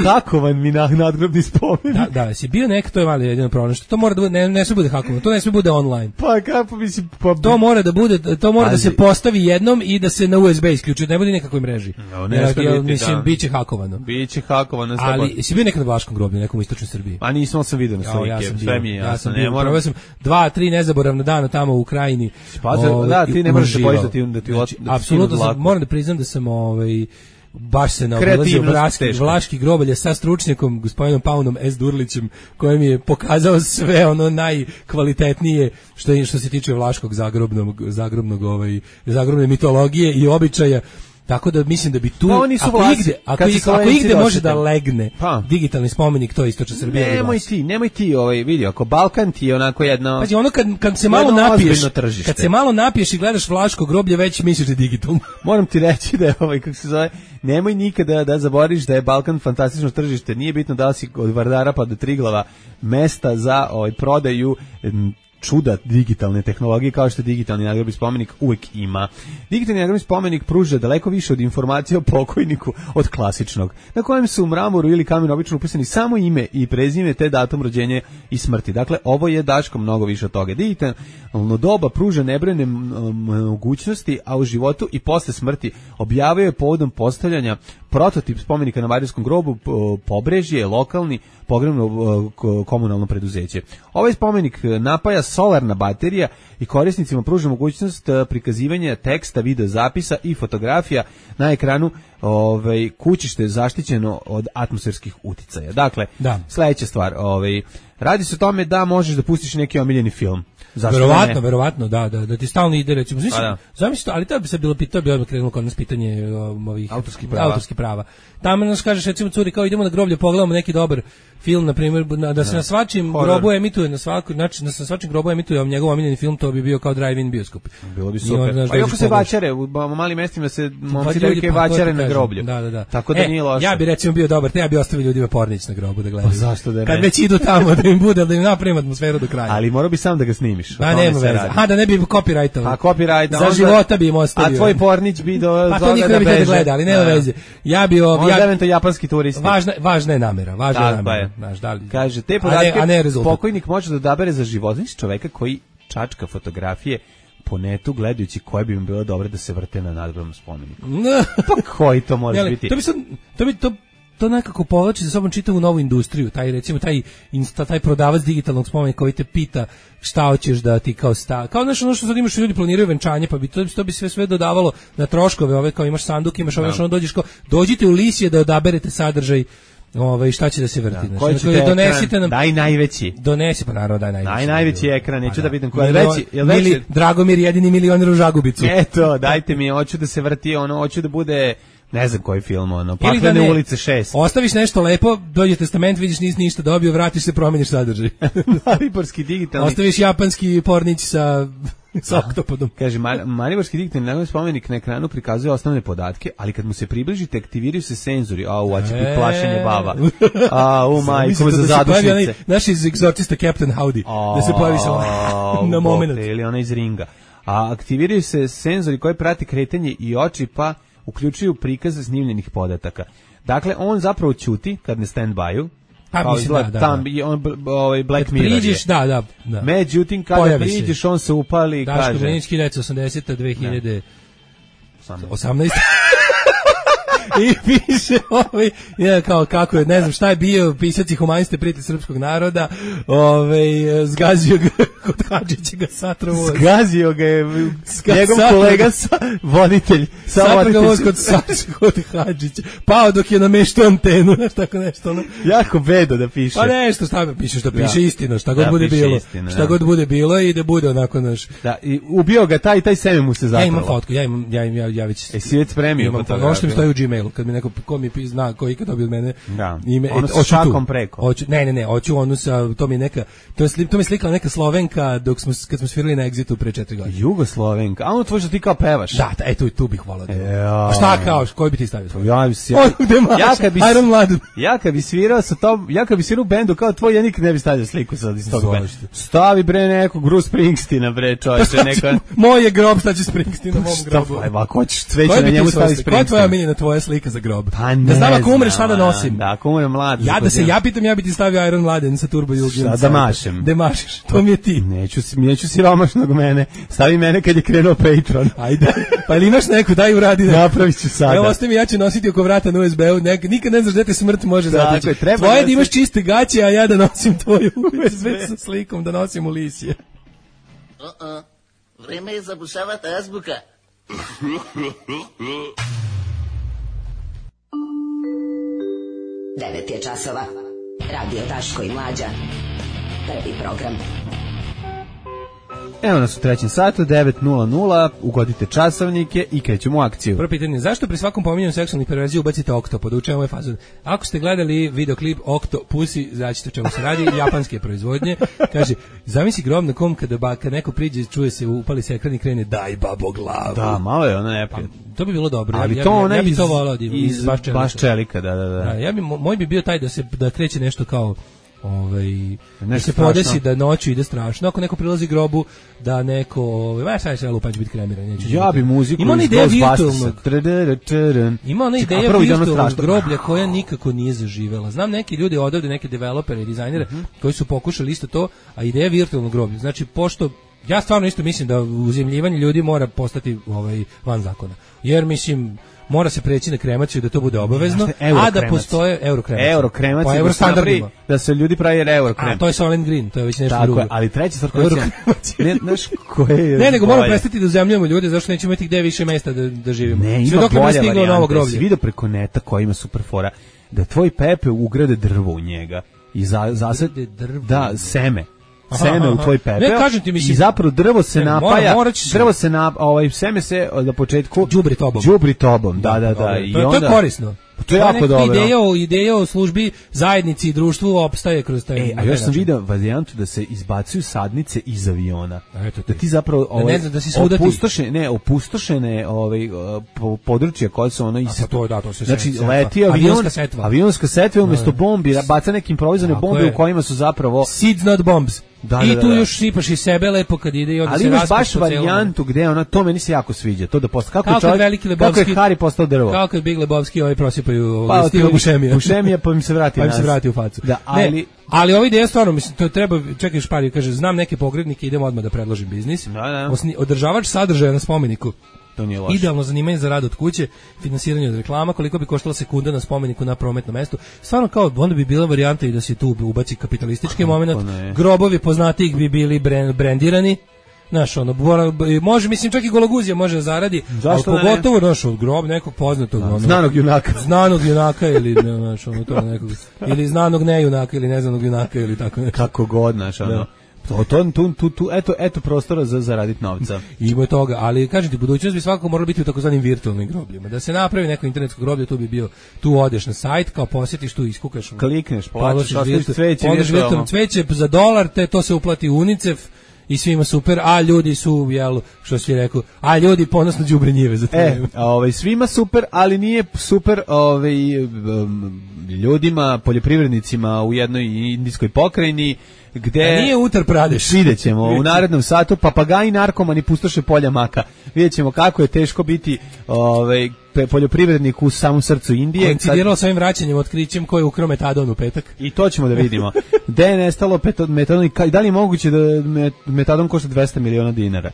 Hakovan mi na nadgrobni spomenik. Da, da, si bio nek, to je malo jedino problem, što to mora da bude, ne, ne sve bude hakovan, to ne sve bude online. Pa kako mislim, pa to mora da bude, to mora Pazi. da se postavi jednom i da se na U S B isključi, ne bude nikakvoj mreži. No, ne ja, ja, mislim, da. biće hakovano. Biće hakovano. Ali si bio nekad na Vlaškom groblju, nekom u istočnoj Srbiji? A nisam sam video na slike, ja, ja sve mi je jasno. Ja sam bio, sam dva, tri nezaboravna dana tamo u Krajini. Pa da, ti ne možeš da bojiš da ti da ti apsolutno moram da priznam da sam ovaj baš se naobilazio vlaški, vlaški grobalje sa stručnjakom gospodinom Paunom S. Durlićem koji mi je pokazao sve ono najkvalitetnije što je što se tiče vlaškog zagrobnog zagrobnog ovaj zagrobne mitologije i običaja. Tako da mislim da bi tu pa ako igde ako, ako igde može da legne pa. digitalni spomenik, to je istočna Srbija. Nemoj ti, nemoj ti ovaj vidi, ako Balkan ti je onako jedno. Pazi, ono kad kad se malo napiješ, kad se malo napiješ i gledaš vlaško groblje, već misliš da je digitalno. Moram ti reći da je ovaj kako se zove, nemoj nikada da zaboraviš da je Balkan fantastično tržište. Nije bitno da li si od Vardara pa do Triglava mesta za ovaj prodaju čuda digitalne tehnologije kao što je digitalni nadgrobni spomenik uvijek ima. Digitalni nadgrobni spomenik pruža daleko više od informacija o pokojniku od klasičnog, na kojem su u mramoru ili kamenu obično upisani samo ime i prezime te datum rođenja i smrti. Dakle, ovo je Daško mnogo više od toga. Digitalno doba pruža nebrojene mogućnosti, a u životu i posle smrti objavio je povodom postavljanja prototip spomenika na Mariborskom grobu Pobrežje, lokalni pogrebno komunalno preduzeće. Ovaj spomenik napaja solarna baterija i korisnicima pruža mogućnost prikazivanja teksta, video zapisa i fotografija na ekranu ovaj, kući što je zaštićeno od atmosferskih uticaja. Dakle, da. Sledeća stvar, ovaj, radi se o tome da možeš da pustiš neki omiljeni film. Zašto verovatno, verovatno, da, da, da ti stalno ide, recimo, znači, zamisli, ali to bi se bilo pitao, bi odmah krenulo kod nas pitanje um, ovih autorskih prava. Autorskih prava. Tamo nas kažeš, recimo, curi, kao idemo na groblje, pogledamo neki dobar film, na primjer, na, da se ne. na svačim Horror. grobu emituje, na svaku, znači, da se na svačim grobu emituje njegov omiljeni film, to bi bio kao drive-in bioskop. Bilo bi super. I pa i ako se vačare, u malim mestima se momci devojke vačare na na groblju. Da, da, da. Tako da e, nije loše. Ja bi recimo bio dobar, te ja bi ostavio ljudima pornić na grobu da gledaju. Pa zašto da ne? Kad već idu tamo da im bude, da im napravim atmosferu do kraja. Ali morao bi sam da ga snimiš. Pa nema veze. Ha, da ne bi copyrightovao. A copyright za onda, života bi im ostavio. A tvoj pornić bi do pa to niko ne bi da gleda, ali nema veze. Ja bi on ja, evento japanski turisti. Važna važna je namera, važna je namera. Znaš, da li kaže te podatke pokojnik može da odabere za život. Znači čoveka koji čačka fotografije po netu gledajući koje bi mu bilo dobro da se vrte na nadgrobnom spomeniku. Pa koji to može Jeli, biti? To bi sad, to bi to to nekako povlači za sobom čitavu novu industriju, taj recimo taj insta, taj prodavac digitalnog spomenika koji te pita šta hoćeš da ti kao sta, kao nešto ono što sad imaš ljudi planiraju venčanje, pa bi to, to bi sve sve dodavalo na troškove, ove kao imaš sanduk, imaš ove što ono dođeš kao dođite u Lisije da odaberete sadržaj. Ovaj šta će da se vrti, da, znači donesite nam daj najveći. Donesi pa naravno daj najveći. Daj najveći ekran, neću da vidim koji je veći. Jel veći? Dragomir jedini milioner u Žagubicu. Eto, dajte mi, hoću da se vrti, ono, hoću da bude ne znam koji film, ono, Paklene da ulice šest. Ostaviš nešto lepo, dođe testament, vidiš nisi ništa dobio, vratiš se, promeniš sadržaj. Mariborski digitalni. Ostaviš japanski pornić sa sa oktopodom. Kaže, Mariborski digitalni nagodni spomenik na ekranu prikazuje osnovne podatke, ali kad mu se približite, aktiviraju se senzori. A, u, a će biti plašenje baba. A, u majko, za zadušnice. Naš iz egzorcista Captain Howdy, da se pojavi sa na moment. Ili ona iz ringa. A aktiviraju se senzori koji prati kretanje i oči, pa uključuju prikaz snimljenih podataka. Dakle, on zapravo ćuti kad ne stand-by-u, pa kao mislim, da, da, tam, da. On, ovaj Black Mirror priđeš, da, da, da. Međutim, kada Pojavi priđeš, se. On se upali i Daško kaže... Daško Brenić, hiljadu devetsto osamdesete dve hiljade osamnaeste I piše ovaj, ja, kao kako je, ne znam šta je bio, pisac i humaniste prijatelj srpskog naroda, ovaj, zgazio ga kod Hadžića ga satrovo. Zgazio ga je njegov kolega sa, voditelj. Satro ga voz kod, kod Hadžića. Pao dok je nameštao antenu, znaš tako nešto. Ono. Jako bedo da piše. Pa nešto, šta piše, što piše ja. Istino, šta god da, bude bilo. Istino, šta da. God bude bilo i da bude onako naš. Da, i ubio ga taj, taj seme mu se zatrlo. Ja imam fotku, ja imam, ja, ja, ja već... E, si već spremio fotografiju. Ono što mi stoji u Gmailu, kad mi neko, ko mi zna, ko ikad dobio od mene da. Ime, ono sa šakom preko. Oću, ne, ne, ne, hoću onu sa, to mi neka, to je, to mi slikala neka Slovenka dok smo, kad smo svirali na Exitu pre četiri godine. Jugoslovenka, a ono tvoj što ti kao pevaš. Da, da, eto, tu bih volao. A šta kao, koji bi ti stavio? Ja bi se, ja, ja kad bi, Iron Mladen. Ja kad bi svirao sa tom, ja kad bi svirao u bendu kao tvoj, ja nikad ne bi stavio sliku sa iz tog benda. Stavi bre neko Bruce Springsteena bre, čoveče, neka. Moj je grob, šta će Springsteen na mom grobu. Aj, ako hoćeš cveće na njemu stavi Springsteen. Koja je tvoja omiljena tvoja slika za grob? Pa ne znam ako umreš šta da nosim. Da, ako umrem mlad. Ja da se ja pitam, ja bi ti stavio Iron Mladen sa Turbo Jugend. Šta da mašem? Da mašiš, to mi je ti. Neću, neću siromašnog mene. Stavi mene kad je krenuo Patreon. Ajde. Pa ili imaš neku, daj uradi. Napravit ću sada. Evo, ostavi, ja ću nositi oko vrata na U S B-u. Nikad ne znaš gde te smrt može zateći. Tvoje da imaš čiste gaće, a ja da nosim tvoju U S B sa slikom, da nosim u Lisije. Uh-uh. Vreme je zabušavati azbuka. Devet je časova. Radio Daško i Mlađa. Prvi program. Evo nas u trećem satu, devet nula nula, ugodite časovnike i krećemo u akciju. Prvo pitanje, zašto pri svakom pominjanju seksualnih perverzija ubacite oktopod? U čemu je fazon? Ako ste gledali videoklip Octopussy, znaćete o čemu se radi, japanske proizvodnje, kaže, zamisli grob na kom kada ba, kad neko priđe, čuje se, upali se ekran i krene, daj babo glavu. Da, malo je ono neprijatno. Pa, to bi bilo dobro. Ali ja, to ja, ona ja bi iz, to volao da iz, iz baš čelika. Baš čelika, da, da, da. da ja bi, moj bi bio taj da se da kreće nešto kao ovaj da se podesi da noću ide strašno, ako neko prilazi grobu, da neko, ovaj, šta će lupać biti kremiran, neće. Ja bi muziku ima ona ideja virtualnog, ima ona ideja virtualnog groblja koja nikako nije zaživela. Znam neki ljudi odavde, neke developere i dizajnere mm-hmm. koji su pokušali isto to, a ideja virtualnog groblja. Znači, pošto ja stvarno isto mislim da uzemljivanje ljudi mora postati ovaj van zakona. Jer mislim mora se preći na kremaciju da to bude obavezno, a da postoje eurokramac. Eurokramac po eurostandardima. Da se ljudi pravi eurokrem. A to je Solent Green, to je već nešto tako drugo. Je, ali treća stvar koja ne znaš koje je. Ne, nego moramo prestati da uzemljujemo ljude, zašto nećemo imati gde više mesta da da živimo. Ne, sve dok ne stiglo novo groblje. Si video preko neta koji ima super fora da tvoj Pepe ugrade drvo u njega i za zasad da seme. Seme u tvoj pepeo. Ne, kažem ti, mislim, i zapravo drvo se ne, napaja, mora, drvo se na ovaj seme se na početku đubri tobom. Đubri tobom, da, da, da. da I to, onda to je korisno. To je jako dobro. Ideja o, ideja o službi zajednici i društvu opstaje kroz taj. E, a još sam vidio varijantu da se izbacuju sadnice iz aviona. Eto da ti zapravo ovaj, da ne znam da si svuda opustošene, ne, opustošene ovaj područja koja su ono iz a to je da to se znači setva. leti avion, avionska setva. Avionska setva umjesto bombi baca neke improvizovane bombe je. U kojima su zapravo seeds not bombs. Da, I da, tu da, da. još sipaš i sebe lepo kad ide i onda ali se imaš baš raspaš varijantu gde ona, to meni se jako sviđa, to da posta kako, kako čovjek, veliki Lebovski, kako je Hari postao drvo. Kako je Big Lebovski ovaj prosipaju pa, stil bušemija. Bušemija pa im se vrati pa im se vrati u facu. Da, ali ne, ali ovaj ideja stvarno mislim to treba čekaj špari kaže znam neke pogrebnike idemo odmah da predložim biznis. Da, da. Osni, održavač sadržaja na spomeniku. To nije loše. Idealno zanimanje za rad od kuće, finansiranje od reklama, koliko bi koštala sekunda na spomeniku na prometnom mestu. Stvarno kao onda bi bila varijanta i da se tu ubaci kapitalistički momenat. Grobovi poznatijih bi bili brend, brendirani. Znaš, ono, može, mislim, čak i Gologuzija može zaradi, zašto ali pogotovo, znaš, od grob nekog poznatog, da, ono, znanog junaka. Znanog junaka ili, ne, znaš, ono, to nekog, ili znanog ne junaka ili neznanog junaka ili tako nešto. Kako god, znaš, ono. Da. To, to, tu, tu, tu, eto, eto prostora za zaraditi novca. Ima je toga, ali kažem ti, budućnost bi svakako morala biti u takozvanim virtualnim grobljima. Da se napravi neko internetsko groblje, tu bi bio, tu odeš na sajt, kao posjetiš, tu iskukaš. Klikneš, plaćaš, ostaviš cveće, virtualno cveće za dolar, te to se uplati u UNICEF i svima super, a ljudi su, jel, što si rekao, a ljudi ponosno đubre njive za e, ovaj, svima super, ali nije super ovaj, um, ljudima, poljoprivrednicima u jednoj indijskoj pokrajini, gde a nije Utar Pradeš. Vidjet ćemo u narednom satu papagaji narkomani pustoše polja maka. Vidjet ćemo kako je teško biti ovaj, poljoprivrednik u samom srcu Indije. Koincidiralo sa ovim vraćanjem, otkrićem ko je ukrao metadon u petak. I to ćemo da vidimo. Gde je nestalo metadon i da li je moguće da metadon košta dvesta miliona dinara?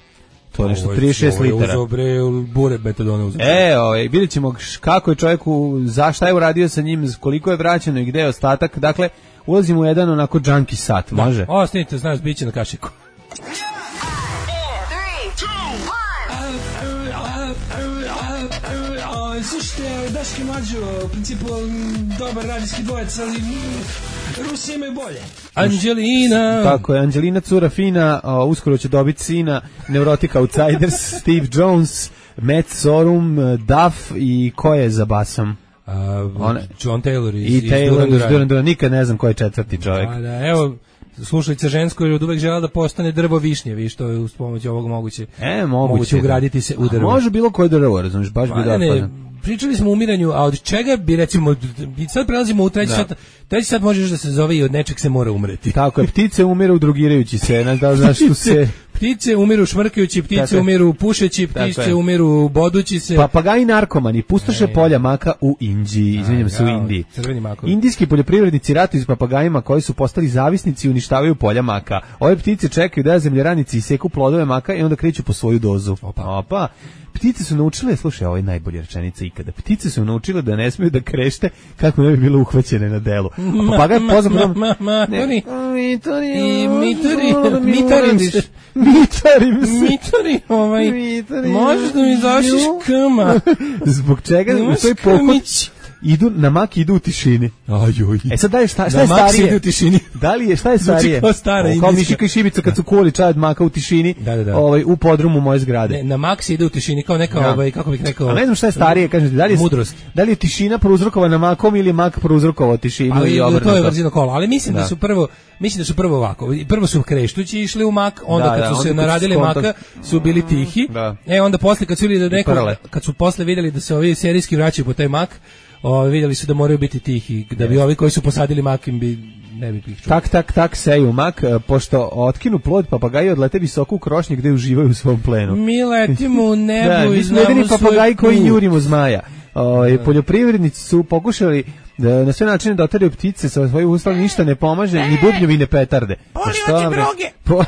To je nešto trideset šest litara. Ovo je uzo bure metadona uzeo. E, ovaj, vidjet ćemo kako je čovjeku, za šta je uradio sa njim, koliko je vraćeno i gde je ostatak. Dakle, ulazimo u jedan onako junkie sat, da. Može? Ostanite, znaš, bit će na kašiku. Slušajte, Daške Mlađo, u principu dobar radijski dvojec, ali Rusi imaju bolje. Anđelina. Tako je, Anđelina cura fina, o, uskoro će dobiti sina, Neurotic Outsiders, Steve Jones, Matt Sorum, Duff i ko je za basom? Uh, One, John Taylor iz, i iz Taylor Duran Duran. iz Duran Duran. Nikad ne znam ko je četvrti čovjek. Da, da, evo, slušalica žensko je od uvek žela da postane drvo višnje, vi što je uz pomoć ovog moguće, e, moguće, moguće ugraditi se u drvo. A može bilo koje drvo, razumiješ, baš bi da ne, pričali smo o umiranju, a od čega bi recimo, sad prelazimo u treći sat, treći sat možeš da se zove i od nečeg se mora umreti. Tako je, ptice umiru drogirajući se, ne da znaš tu se... Ptice umiru šmrkajući, ptice tako umiru pušeći, ptice umiru bodući se. Papagaji narkomani pustoše e, polja maka u Indiji, izvinjam se, u Indiji. Indijski poljoprivrednici ratuju s papagajima koji su postali zavisnici i uništavaju polja maka. Ove ptice čekaju da zemljaranici iseku plodove maka i onda kreću po svoju dozu. Opa. Opa. Ptice su naučile, slušaj, ovo je najbolja rečenica ikada. Ptice su naučile da ne smiju da krešte kako ne bi bilo uhvaćene na delu. A papagaj poznam ma, ma, ne, mitori, i mitori, mitarim se, mitarim se, mitori, ovaj, možeš da mi zašiš kama. Zbog čega u toj pokuć idu na mak idu u tišini. Ajoj. E sad da je šta, šta je starije? Idu u tišini. Da li je šta je starije? Kao stara o, kao Mišika i Šibica kad su kuvali čaj od maka u tišini, da, da, da. Ovaj u podrumu moje zgrade. Ne, na mak se ide u tišini kao neka ja. ovaj kako bih rekao. A ne znam šta je starije, kažete, da li je mudrost. Da li je tišina prouzrokovana makom ili je mak prouzrokovao tišinu ali, i obrnuto? To je brzino kola, ali mislim da. da su prvo mislim da su prvo ovako. Prvo su kreštući išli u mak, onda da, kad su da, se naradili maka su bili tihi. Da. E onda posle kad su videli da neko kad su posle videli da se ovi serijski vraćaju po taj mak, o, vidjeli su da moraju biti tihi, da bi ovi koji su posadili mak im bi ne bi ih čuli. Tak, tak, tak, seju mak, pošto otkinu plod papagaji odlete visoko u krošnje gde uživaju u svom plenu. Mi letimo u nebu da, i znamo svoj papagaji koji put. njurimo zmaja. O, da. Poljoprivrednici su pokušali da na sve načine doteraju ptice sa svojih usta, ništa ne pomaže, ni bubnjevi, ni petarde. Poli oči droge! Poli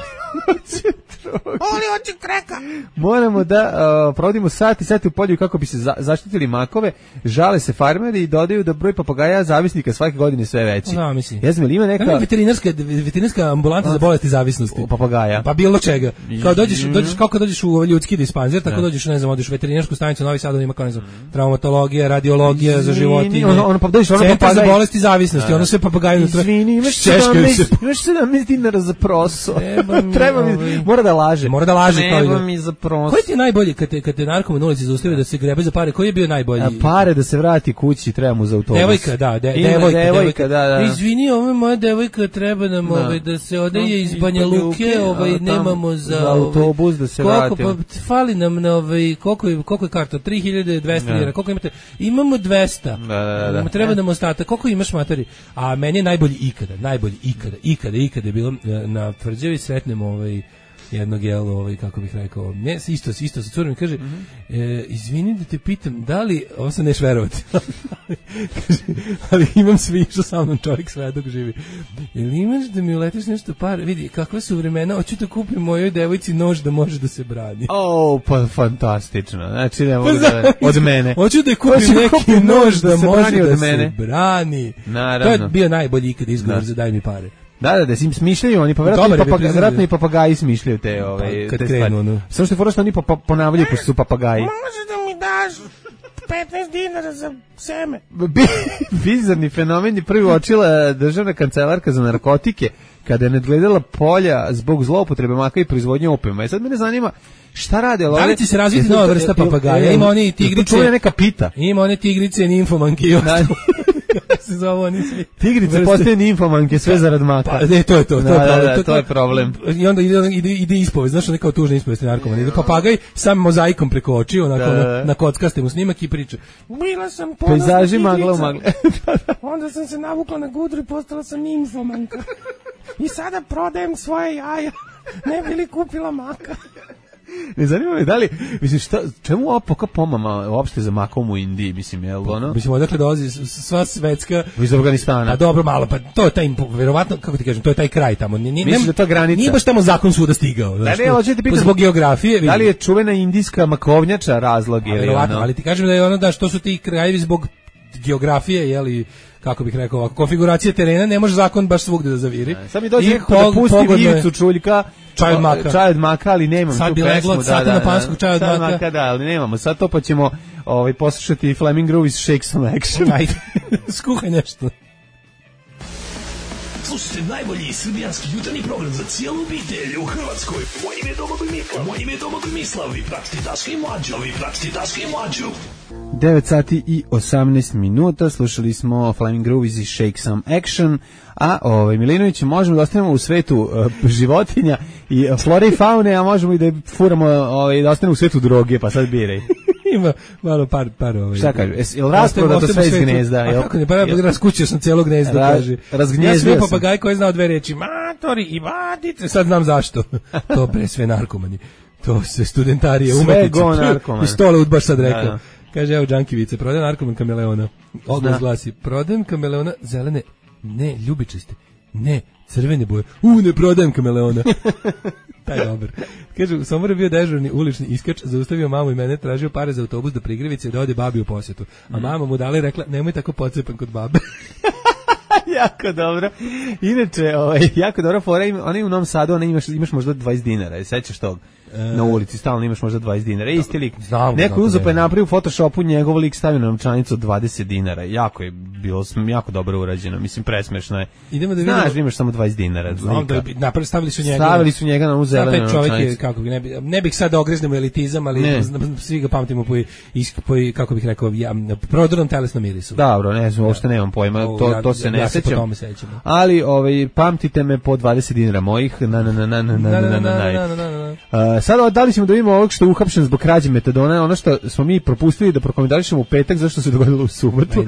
oči droge! Poli oči kreka! Moramo da uh, provodimo sati, sati u polju kako bi se za, zaštitili makove, žale se farmeri i dodaju da broj papagaja zavisnika svake godine sve veći. No, mislim. Ja znam, ima neka... Ima veterinarska, veterinarska ambulanta za bolesti zavisnosti. U papagaja. Pa bilo čega. Kao dođeš, dođeš, kako dođeš u ljudski dispanzer, tako dođeš, ne znam, odeš u veterinarsku stanicu Novi Sad, ima kao, ne znam, traumatologija, radiologija za životinje. Ono, ono, pa dođeš, ono centar za bolesti zavisnosti, ono sve papagaji unutra. Izvini, imaš sedamnaest dinara za proso. Treba mi, mora da laže. Mora da laže kao Nebo mi za prost. Koji ti je najbolji kad te, kad te narkoman na ulici zaustavi da se grebe za pare? Koji je bio najbolji? A pare da se vrati kući, treba mu za autobus. Devojka, da, de, Ima, devojka, devojka, da, da. Izvini, ovo je moja devojka, treba nam da. Ovaj, da se odeje iz Banja Luke, ovaj, nemamo za, za autobus da se koliko, vratimo. Pa, fali nam na ovaj, koliko je, koliko je karta? tri hiljade dvesta dinara, koliko imate? Imamo dvesta. Da, da, da. Treba nam ostatak. Koliko imaš, materi? A meni je najbolji ikada, najbolji ikada, ikada, ikada je bilo na Tvrđavi, sretnemo ovaj jednog jel, ovaj, kako bih rekao, ne, isto, isto sa curom, kaže, mm -hmm. e, izvini da te pitam, da li, ovo sam neš verovati, kaže, ali imam svi, išao sa mnom čovjek sve dok živi, jel imaš da mi uletiš nešto par, vidi, kakve su vremena, hoću da kupim mojoj devojci nož da može da se brani. O, oh, pa fantastično, znači ne mogu pa da, od mene. Hoću da kupim hoću neki kupim nož da, da se može da mene. se brani. Naravno. To je bio najbolji ikad izgovor da. za daj mi pare. Da, da, da, sim smišljaju oni, pa vjerojatno, Dobar, i, papaga, vjerojatno i papagaji smišljaju te, ove, pa, te krenu, stvari. No. Samo što je fora što oni pa, ponavljaju, pošto su papagaji. Može da mi daš petnaest dinara za seme? Bizarni fenomen je prvi uočila državna kancelarka za narkotike, kada je nadgledala polja zbog zloupotrebe maka i proizvodnje opijuma. I sad mene zanima, šta rade? Da li će se razviti nova vrsta papagaja? Ima oni tigrice. To je neka pita. Ima one tigrice, nimfomanke i ostalo. Se zove oni svi. Tigrice postaju nimfomanke, sve zarad maka. Pa, ne, to je to, to, da, je, problem. Da, da, to je problem. I onda ide, ide, ide ispovest, znaš, neka tužna ispovest narkomana. Ide papagaj sam mozaikom preko očiju, onako da, da. na kockaste mu snimak i priča. Bila sam ponosna pejzaži magla u magle. Onda sam se navukla na gudru i postala sam nimfomanka. I sada prodajem svoje jaja. Ne bi li kupila maka? Ne zanima me da li, mislim, šta, čemu ova poka pomama uopšte za makom u Indiji, mislim, je li ono? Mislim, odakle dolazi sva svetska... Iz Afganistana. Pa dobro, malo, pa to je taj, verovatno, kako ti kažem, to je taj kraj tamo. Nije, mislim da to granica. Nije baš tamo zakon svuda stigao. Da, ne, hoćete pitati, zbog geografije. Da li je čuvena indijska makovnjača razlog? A, verovatno, ali ti kažem da je ono da što su ti krajevi zbog geografije, jeli, kako bih rekao, konfiguracije terena, ne može zakon baš svugde da zaviri. Ne, sad mi dođe neko da pusti Ivicu Čuljka, čaj od maka. Čaj od maka, ali nemam sad tu pesmu. Sad bi leglo, sad na panskog čaj od maka. maka. Da, ali nemamo. Sad to pa ćemo ovaj, poslušati Flaming Groove iz Shake Some Action. Ajde, skuhaj nešto. Slušajte najbolji srbijanski jutarnji program za cijelu obitelj u Hrvatskoj. Moje ime je Domagoj Mislav. Moje ime je Domagoj Mislav. Vi pratite Daška i Mlađu. Vi pratite Daška i Mlađu. devet sati i osamnaest minuta, slušali smo Flaming Groove iz Shake Some Action, a ovaj, Milinović, možemo da ostanemo u svetu uh, životinja i uh, flore i faune, a možemo i da furamo, ovaj, da ostanemo u svetu droge, pa sad biraj. Ima malo par, par ovaj. Šta kaže? Es, jel rasproda to sve iz gnezda? A kako ne, pa ja raskućio sam cijelo gnezdo, Ra, kaže. Razgnjezdio ja sam papagaj koji je znao dve reči, matori i vadice, sad znam zašto. To pre sve narkomani. To se studentarije, umetnici. Sve go narkomani. I stole udbaš sad rekao. Da, da. Kaže, evo Džankivice, prodajem narkoman kameleona. Oglas glasi, prodajem kameleona zelene, ne, ljubičaste, ne, crvene boje. U, ne prodajem kameleona. Taj je dobar. Kaže, u Somboru je bio dežurni ulični iskač, zaustavio mamu i mene, tražio pare za autobus do Prigrevice da ode babi u posjetu. A mama mu dala i rekla, nemoj tako pocepan kod babe. Jako dobro. Inače, ovaj, jako dobro fora, ona je u Novom Sadu, ona imaš, imaš možda dvadeset dinara, sećaš tog? Na ulici stalno imaš možda dvadeset dinara. Isti lik. Znam, neko uzeo pa je napravio u Photoshopu njegov lik, stavio na novčanicu od dvadeset dinara. Jako je bilo jako dobro urađeno. Mislim, presmešno je. Idemo da vidimo. Znaš, imaš samo dvadeset dinara. Znam da je, napravili stavili su njega. Stavili su njega na uzelenu novčanicu. Čovjek je, kako ne, bi, ne bih sad da ogreznemo elitizam, ali ne. Svi ga pamtimo po, po, kako bih rekao, ja, prodornom telesnom mirisu. Dobro, ne znam, uopšte nemam pojma, to, ja, to se ne ja sećam. Se po tome sećam. Ali, ovaj, pamtite me po dvadeset dinara mojih. Na, na, na, na, na, na, na, na. Sad, da li ćemo da vidimo ovog što je uhapšen zbog krađe metadona, ono što smo mi propustili da prokomentarišemo u petak, zašto se dogodilo u subotu. Uh,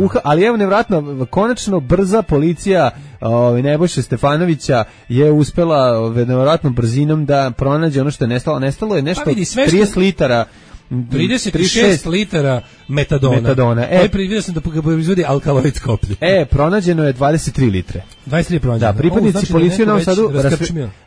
uha, ali evo nevratno, konačno brza policija ovaj Nebojše Stefanovića je uspela nevratnom brzinom da pronađe ono što je nestalo. Nestalo je nešto pa vidi, trideset litara trideset šest litara metadona. metadona. E, vidio sam da proizvodi alkaloid koplje. E, pronađeno je dvadeset tri litre. dvadeset tri pronađeno. Da, pripadnici znači policije u Novom Sadu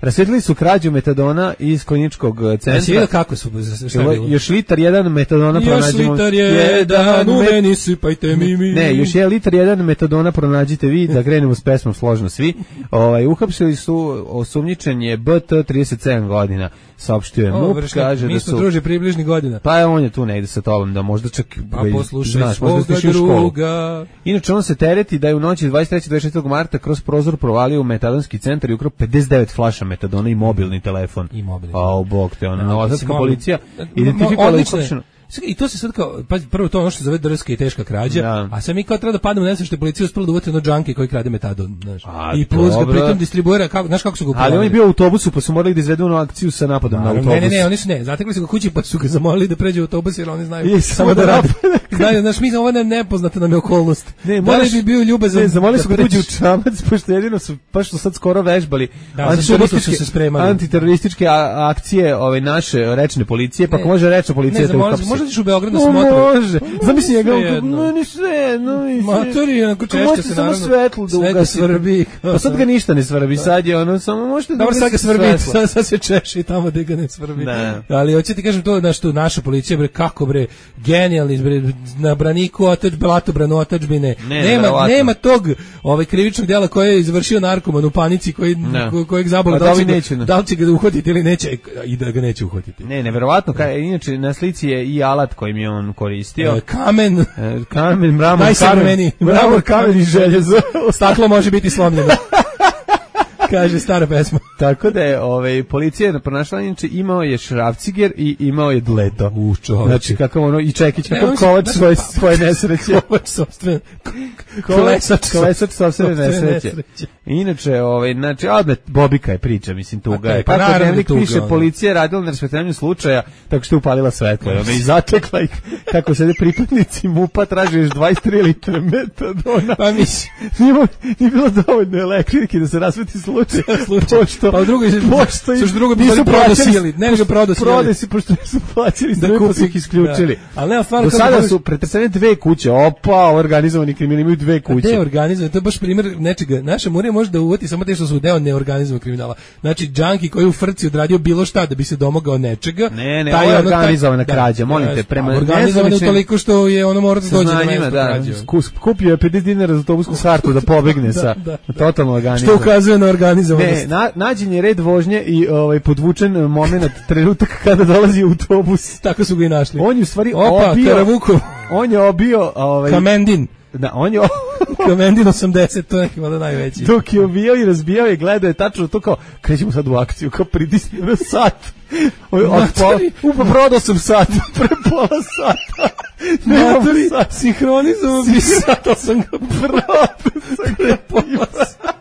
rasvetili su krađu metadona iz kliničkog centra. Ja si vidio kako su, šta je bilo? Još litar jedan metadona pronađemo. Još litar jedan, u meni sipajte mi mi. Ne, još je litar jedan metadona pronađite vi, da krenemo s pesmom složno svi. Ovaj, uhapsili su, osumnjičen je B T trideset sedam godina. saopštio je MUP, kaže mi da smo su... druži približnih godina. Pa je on je tu negde sa tobom, da možda čak... Pa poslušaj svoga druga. Inače, on se tereti da je u noći dvadeset trećeg do dvadeset četvrtog marta kroz prozor provalio u metadonski centar i ukrao pedeset devet flaša metadona i mobilni telefon. I mobilni. A, o bog te, ona novosadska policija identifikovala uključeno. I to se sad kao, pa prvo to ono što se zove drska i teška krađa, da. A sad mi kao treba da padnemo nesvešće što je policija uspela da uvati ono džanke koji krade metadon, znaš. A, i plus ga pritom distribuira, kako, znaš kako su ga upravili. Ali on je bio u autobusu, pa su morali da izvedu onu akciju sa napadom na autobus. Ne, ne, ne, oni su ne, zatekli su ga kući pa su ga zamolili da pređe u autobus jer oni znaju I, samo da rade. Znaju, znaš, mi ovo ne nepoznata nam je okolnost. Ne, da li bi bio ljubazan? Ne, zamolili su ga da uđe u čamac, pošto jedino su, pa što sad skoro vežbali antiterorističke akcije ove naše rečne policije, pa ko može rečna policija da uhapsi. Možda ćeš u Beograd na može. Zamisli njega, no ni sve, no ni sve. Matori, onako češće se naravno. Svetlo da ugasi. Pa sad ga ništa ne svrbi, sad je ono, samo možete da ugasi. Dobro, sad ga svrbi, sad, sad se češi tamo da ga ne svrbi. Ne. Ali hoće ti kažem to, znaš, tu naša policija, bre, kako bre, genijalni, bre, na braniku otač, blatobranu otačbine. Ne, nema, nema tog ovaj, krivičnog djela koje je izvršio narkoman u panici, koji, ko, kojeg zabole, da, da, da li će ga uhvatiti ili neće, i da ga neće uhvatiti. Ne, neverovatno, inače na slici je i alat kojim je on koristio. E, kamen. E, kamen, mramor, kamen. Mramor, kamen i željezo. Staklo može biti slomljeno. Kaže stara pesma. Tako da je ovaj, policija je pronašla, inače imao je šrafciger i imao je dleto. U čovječe. Znači kakav ono, i Čekić, kakav kovač svoje, svoje nesreće. Kovač sopstvene. Kolesač. Kolesač sopstvene nesreće. Inače, ovaj, znači, odmet, Bobika je priča, mislim, tuga je. Pa pa dnevnik piše, policija je radila na raspetranju slučaja, tako što je upalila svetlo. Ona i zatekla ih, kako sede pripadnici MUP-a, traže još dvadeset tri litre metadona. Pa mislim. Nije bilo dovoljno elektrike da se rasveti slučaj. Pošto, pa u drugoj pošto su drugo nisu prodosili, ne nego prodosili. Prodasi pošto su plaćali da kupe ih isključili. Da. Ali nema stvar do sada su pretresene dve kuće. Opa, organizovani kriminal imaju dve kuće. Ne organizovani, to je baš primjer nečega. Naša Murija može da uvati samo te što su deo neorganizovanog kriminala. Znači džanki koji u frci odradio bilo šta da bi se domogao nečega. Ne, ne, taj je organizovana krađa, molim te, prema organizovano toliko što je ono mora da dođe do mesta krađe. Kupio je pedeset dinara za autobusku kartu da pobegne sa totalno organizovano. Što ukazuje na organizovanost. Ne, na, nađen je red vožnje i ovaj podvučen momenat, trenutak kada dolazi autobus. Tako su ga i našli. On je u stvari Opa, obio. Karavuko. On je obio ovaj Kamendin. Da, on je Kamendin osamdeset, to je neki valjda najveći. Dok je obijao i razbijao i gledao je tačno to kao, krećemo sad u akciju, kao pritisni na sat. Upa, prodao sam sat, pre pola sata. Matori, sinhronizovao bi sat, ali sam ga prodao sam pre pola sata.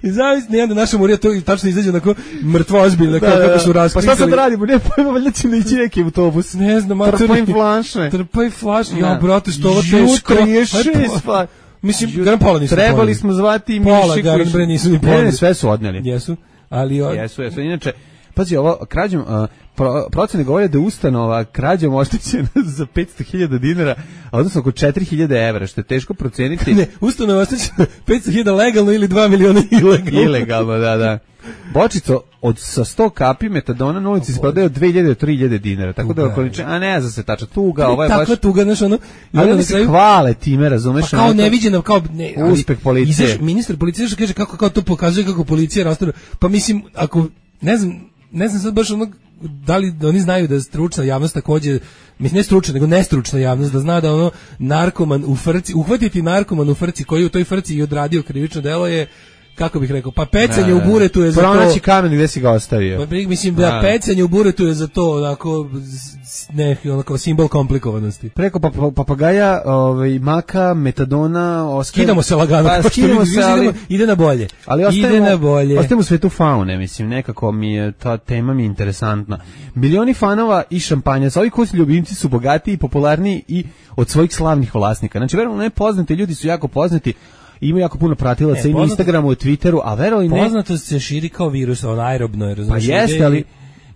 I zavisno, nijedna naša Murija to tačno izađe onako mrtvo ozbiljno, kao kako su raskrinkali. Pa šta sad radimo? Ne pojma, valjda će ići neki autobus. Ne znam, matori. Trpaj flaše. Trpaj flaše. Ja, brate, što ovo teško. trideset šest Mislim, garan pola nisu trebali poneli. Smo zvati i pola, garan bre nisu ni poneli. Ne, sve su odneli. Jesu, ali... Od... Jesu, jesu. Inače, pazi, ovo krađom... Uh, Pro, procene govore da je ustanova krađom oštećena za petsto hiljada dinara, a odnosno oko četiri hiljade evra, što je teško proceniti. Ne, ustanova oštećena petsto hiljada legalno ili dva miliona ilegalno. Ilegalno, da, da. Bočico od sa sto kapi metadona na ulici se prodaje od dve hiljade do tri hiljade dinara, tako da okoliče, a ne zna se tačno tuga, ovo je baš takva tuga, znaš, ono, ali oni se hvale time, razumeš, pa kao neviđeno, kao ne, uspeh policije. Izaš, ministar policije što kaže kako kao to pokazuje kako policija rastura, pa mislim ako ne znam, ne znam sad baš ono da li da oni znaju da stručna javnost takođe, mislim ne stručna nego nestručna javnost da zna da ono narkoman u frci, uhvatiti narkoman u frci koji u toj frci i odradio krivično delo je, kako bih rekao, pa pecanje u buretu je za to. Pronaći kamen gde si ga ostavio. Pa mislim da a. pecanje u buretu je za to onako ne, onako simbol komplikovanosti. Preko pa, pa, papagaja, ovaj maka, metadona, ostaje. Skidamo se lagano, pa, skidamo se, ali idemo, ide na bolje. Ali ostajemo, ide na bolje. Ostajemo u svetu faune, mislim, nekako mi je ta tema mi je interesantna. Milioni fanova i šampanjaca, ovi kućni ljubimci su bogatiji i popularniji i od svojih slavnih vlasnika. Znači, verujem, ne poznati ljudi su jako poznati. Ima jako puno pratilaca i na Instagramu i Twitteru, a verovali ne... Poznatost se širi kao virus, on aerobno je, razumiješ? Pa jeste, ali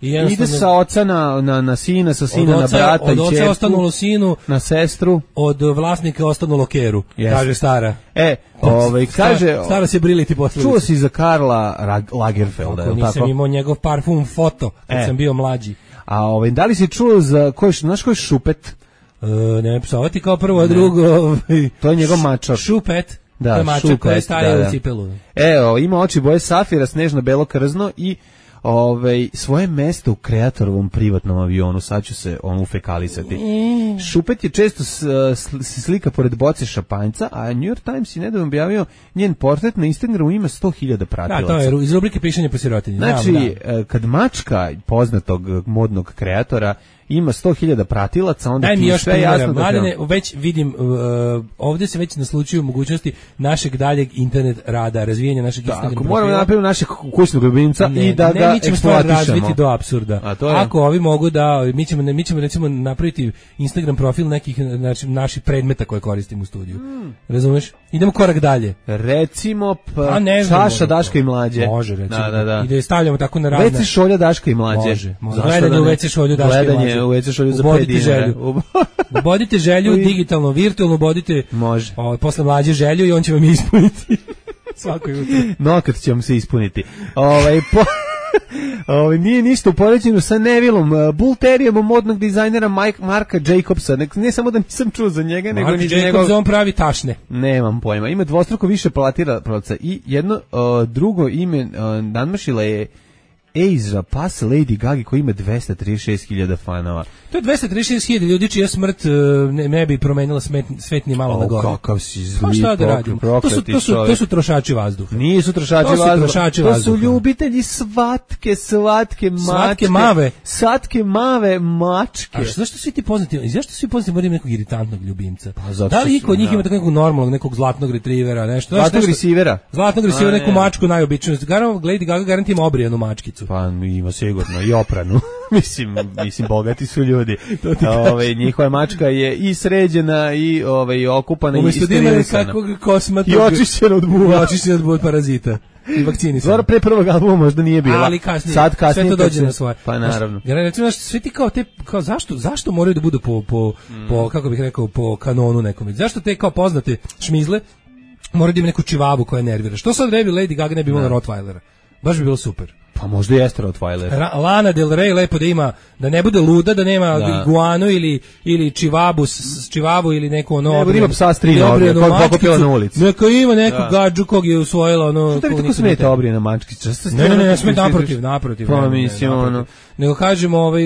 ide sa oca na, na, na sina, sa sina oca, na brata i čerku. Od oca ostanulo sinu, na sestru. Od vlasnika ostanulo keru, yes. Kaže stara. E, ovaj, kaže... Stara, stara se briliti posljedice. Čuo si za Karla Lagerfelda, je li tako? Nisam imao njegov parfum foto, kad e. sam bio mlađi. A ovaj, da li si čuo za... Ko je, znaš ko je Šupet? E, ne, psovati kao prvo, a drugo... Ovaj, to je njegov mačor. Šupet. Da, to je mačak koji je stavio u cipelu. Evo, ima oči boje safira, snežno belo krzno i ovaj, svoje mesto u kreatorovom privatnom avionu, sad ću se on ufekalisati. Mm. Šupet je često s, s, slika pored boce šampanjca, a New York Times je nedavno objavio njen portret na Instagramu ima sto hiljada pratilaca. Da, to je iz rubrike pišanje po sirotinji. Znači, da, da. kad mačka poznatog modnog kreatora ima sto hiljada pratilaca, onda daj mi ti još sve jasno. Mladene, već vidim, uh, ovdje se već naslučuju mogućnosti našeg daljeg internet rada, razvijanja našeg Instagram profila. Ako moramo napraviti našeg kućnog ljubimca ne, i da ne, ga mi ćemo stvar razviti do apsurda. Ako ovi mogu da, mi ćemo, mi ćemo recimo napraviti Instagram profil nekih znači, naših predmeta koje koristimo u studiju. Hmm. Razumeš? Idemo korak dalje. Recimo pa, ne znam, čaša Daška i Mlađe. Može, recimo. Da, da, da. I da je stavljamo tako na razne. ve ce šolja Daška i Mlađe. Može, može. Gledanje u ve ce šolju Daška i Mlađe. U ve ce šolju za pet dinara. Ubodite želju, digitalno, virtualno, ubodite može. O, posle Mlađe želju i on će vam ispuniti svako jutro. Nokat će vam se ispuniti. Ovaj, po... Ovo, nije ništa u poređenju sa Nevillom, Bull Terrierom modnog dizajnera Mike, Marka Jacobsa. Ne, ne samo da nisam čuo za njega, Mark nego ni za njegov... Mark on pravi tašne. Nemam pojma. Ima dvostruko više platiraca i jedno uh, drugo ime uh, nadmašila je Asia Pass Lady Gaga koji ima dvesta trideset šest hiljada fanova. To je dvesta trideset šest hiljada ljudi čija smrt ne, ne bi promenila smet, svet ni malo oh, na gore. Kakav si zli, pa šta da radimo? To su, to, su, to su trošači vazduha. Nisu trošači to su vazduha. Trošači to vazduha. su ljubitelji svatke, slatke mačke. Slatke mave. Slatke mave mačke. A zašto svi ti poznati? Zašto svi poznati moraju nekog iritantnog ljubimca? Pa, da li kod njih ima tako nekog normalnog, nekog zlatnog retrivera, nešto? Zlatnog resivera. Zlatnog resivera, neku mačku najobičniju. Lady Gaga garantima obrijanu mačkicu. Pa ima sigurno i opranu. mislim, mislim bogati su ljudi. Ove, njihova mačka je i sređena i ovaj okupana i sterilisana. Kakvog kosmatog i očišćena od buva. I očišćena od buva od parazita. I vakcini su. Zora pre prvog albuma možda nije bila. Ali kasnije. Sad kasnije sve to dođe na svoje. Pa naravno. Jer recimo sve ti kao te kao zašto zašto moraju da budu po po mm. po kako bih rekao po kanonu nekom. Zašto te kao poznate šmizle moraju da imaju neku čivavu koja nervira. Što sad ne bi Lady Gaga ne bi imala Rottweilera? Baš bi bilo super. Pa možda jeste Rottweiler. Lana Del Rey lepo da ima, da ne bude luda, da nema da. iguanu ili, ili čivabu, s, čivabu ili neko ono... Ne, ima psa s tri noge, kog pokupila na ulici. Neka ima neku da. gađu kog je usvojila ono... Što da bi tako smeta obrijena mačkića? Ne, ne, ne, ne, smeta naprotiv, naprotiv. Pa mislim, ono... Nego kažemo, ovaj,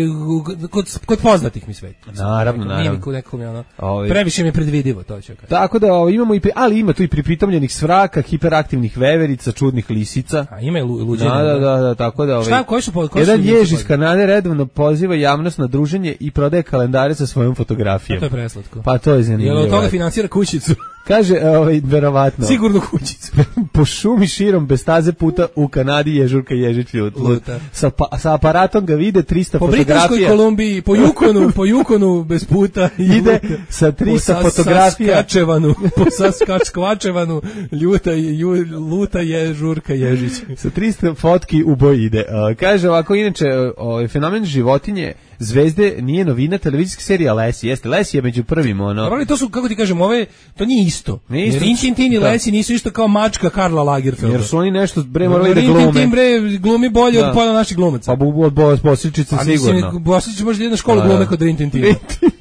kod, kod poznatih mi sveti. Naravno, naravno. Nije mi ono, ovaj. Previše mi je predvidivo, to ću kažem. Tako da ovaj, imamo i, ali ima tu i pripitomljenih svraka, hiperaktivnih veverica, čudnih lisica. A ima i luđenja. Da, da, da, da, tako da... Ovaj, šta, koji su, koji jedan su jež iz Kanade redovno poziva javnost na druženje i prodaje kalendare sa svojom fotografijom. A to je preslatko. Pa to je zanimljivo. Jel od toga finansira kućicu? Kaže, ovaj, verovatno. Sigurno kućicu. Po šumi širom bez staze puta u Kanadi ježurka ježić luta. Sa, pa, sa aparatom ga vide trista po fotografija. Po Britanskoj Kolumbiji, po Yukonu, po Yukonu bez puta. Ide sa trista po fotografija. Saskačevanu, po Saskačevanu, ljuta, ju, luta ježurka ježić. Sa trista fotki u boj ide. Uh, kaže ovako, inače, ovaj fenomen životinje zvezde nije novina, televizijska serija Lesi, jeste, Lesi je među prvim, ono... Ali to su, kako ti kažem, ove, to nije isto. Nije isto. Rintintin i Lesi nisu isto kao mačka Karla Lagerfelda. Jer su oni nešto, bre, morali da glume. Rintintin, bre, glumi bolje da. od pola naših glumaca. Pa bu, od, od Bosličice sigurno. Bosličice možda jedna škola glume kod Rintintina.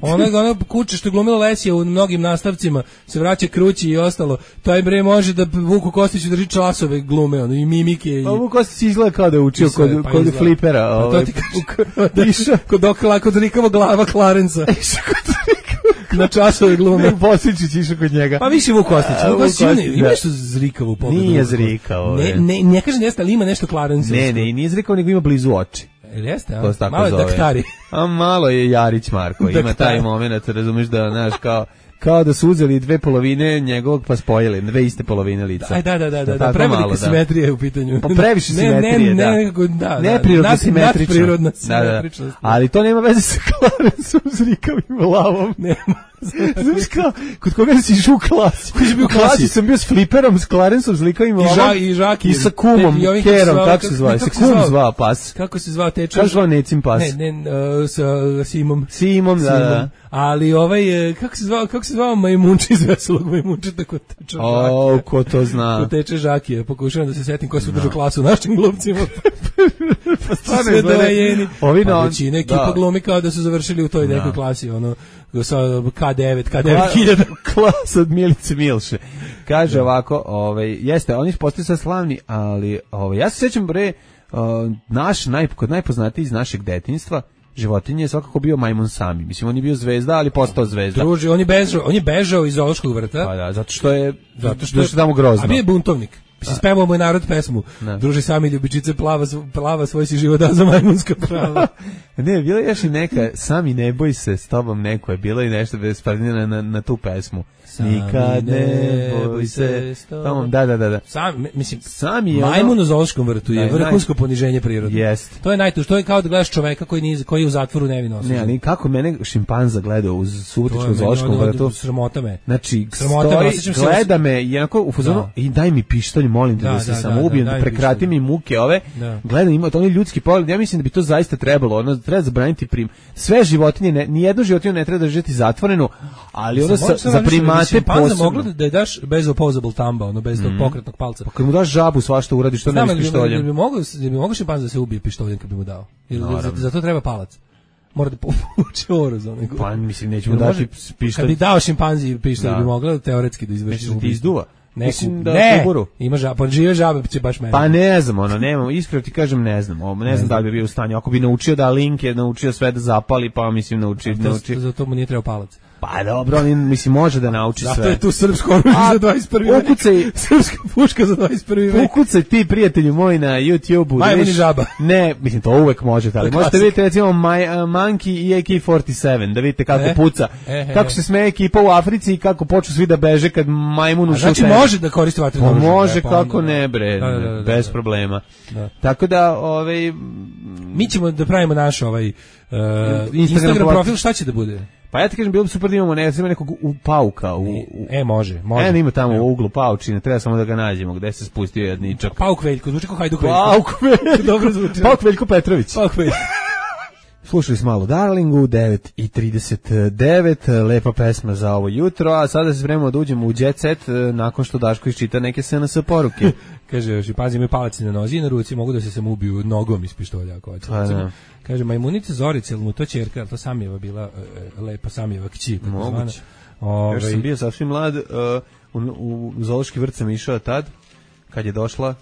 Ona, ona kuće što je glumila Lesija u mnogim nastavcima, se vraća Krući i ostalo. Taj bre može da Vuku Kostiću drži časove glume, ono, i mimike. I... Pa Vuku Kostić izgleda kao da je učio kod, pa kod flipera. A to ti kažem, kod Dokla, kod Rikava glava Klarenca. Na časove glume. Bosličić išao kod njega. Pa više Vuk Kostić. Vuk Kostić ima nešto zrikavo u pogledu. Nije zrikavo. Ne, ne, ne kaže jeste, ali ima nešto Klarenca. Ne, ne, nije zrikavo, nego ima blizu oči. Ili jeste, a? Malo je daktari. A malo je Jarić Marko. Ima taj moment, razumiješ da, znaš, kao... kao da su uzeli dve polovine njegovog pa spojili, dve iste polovine lica. Aj, da, da, da, da, da prevelika simetrija je u pitanju. Pa previše simetrije, ne, da. Ne, da, neprirodno simetrično. Neprirodna simetričnost. Da, da. Ali to nema veze sa Clarencom zrikavim glavom. Nema. Znaš kao, kod koga si išao u klasi? Koji si bio u klasi? klasi sam bio s fliperom, s Clarencom zrikavim glavom. I Žaki. I sa kumom, Kerom, kako se zvao? Se kum zvao pas. Kako se zvao teča? Kako zvao Necim pas? Ne, ne, sa Simom. Simom, da, da. Ali ovaj, kako se zvao, kako se zvao majmunči iz Veselog majmunčeta kod teče Žaki? O, ko to zna? Kod teče Žaki, pokušavam da se setim ko su držao klasu našim glumcima. Pa stvarno je gledaj. Ovi na većina ekipa glumi kao da su završili u toj nekoj klasi, ono, sa ka devet, ka devet hiljada. Klasa od Milice Milše. Kaže ovako, ovaj, jeste, oni postaju sad slavni, ali ovaj, ja se sećam bre, uh, naš, naj, kod najpoznatiji iz našeg detinjstva, životinje je svakako bio majmun Sami. Mislim, on je bio zvezda, ali postao zvezda. Druži, on je bežao, on je bežao iz zoološkog vrta. Pa da, zato što je, zato što je tamo grozno. A bio je buntovnik. Mislim, spevao mu je narod pesmu. Ne. Druži Sami ljubičice, plava, plava svoj si život da za majmunska prava. Ne, bila je još i neka, Sami ne boj se, s tobom neko je, bilo i nešto bez na, na, na tu pesmu. Nikad ne boj se s tobom. Da, da, da. da. Sam, mislim, Sami je majmun ono, u zoološkom vrtu je vrhunsko naj... poniženje prirode. Jest. To je najtuž, to je kao da gledaš čoveka koji, nije, koji je u zatvoru nevino osuđen. Ne, ali kako mene šimpanza gleda u Subotičkom zoološkom vrtu. Sramota me. Znači, stoji, gleda me i onako u fazonu, da. I daj mi pištolj, molim te da, da se da, samo ubijem, da, da, da prekrati pištolj. Mi muke ove. Da. Gledam, ima to ljudski pogled. Ja mislim da bi to zaista trebalo, ono treba zabraniti prim. Sve životinje, ne, ni jednu životinju ne treba držati zatvoreno, ali ono sa, za primate posebno. Da je daš bez opposable tamba, ono bez tog mm. pokretnog palca. Pa kad mu daš žabu, svašta uradiš, što ne s pištoljem. Da bi mogao, da bi mogao šimpanz da se ubije pištoljem kad bi mu dao. Jer za, za to treba palac. Mora da povuče oroz onego. Pa mislim nećemo dati pištolj. Kad bi dao šimpanzi pištolj, da. Bi mogla teoretski da izvrši ubistvo. Ti izduva. Neku, da ne, ima žaba, pa žive žabe će baš mene. Pa ne znam, ono, nemamo, iskreno ti kažem, ne znam, o, ne, ne znam da li bi bio u stanju, ako bi naučio da link je naučio sve da zapali, pa mislim nauči, nauči. Za to mu nije trebao palac. Pa dobro, on mislim može da nauči zato sve. Zato je tu srpsko oružje za dvadeset prvi vek. Ukucaj, srpska puška za dvadeset prvi vek. Ukucaj ti, prijatelju moj, na YouTubeu. Majmun i žaba. Ne, mislim, to uvek možete, ali možete vidjeti recimo My, uh, Monkey i A K četrdeset sedam, da vidite kako e? puca. E, e, kako se smeje ekipa u Africi i kako počnu svi da beže kad majmun ušao. Znači može da koristi vatreno oružje. Može, pa kako onda, ne bre, da, da, da, bez da, da. problema. Da. Tako da, ovaj... Mi ćemo da pravimo naš ovaj... Uh, Instagram, Instagram profil, šta će da bude? Pa ja ti kažem, bilo bi super da imamo ne, nekog u pauka. U, u, e, može, može. E, ima tamo ja. u uglu paučine, treba samo da ga nađemo, gde se spustio jedničak. Pauk Veljko, zvuči kao Hajduk Veljko. Pauk Veljko, dobro zvuči. Pauk Veljko Petrović. Pauk Veljko. Slušali smo malo Darlingu, devet i trideset devet, lepa pesma za ovo jutro, a sada se spremamo da uđemo u Jet Set nakon što Daško iščita neke S N S poruke. Kaže, još i pazi, imaju palac na nozi i na ruci, mogu da se sam ubiju nogom iz pištolja. Ako hoće. Kaže, majmunica Zorica, ili mu to ćerka, to Samijeva bila e, lepa Samijeva kći. Moguće. Ove... Još sam bio sasvim mlad, uh, u, u zoološki vrt sam išao tad, kad je došla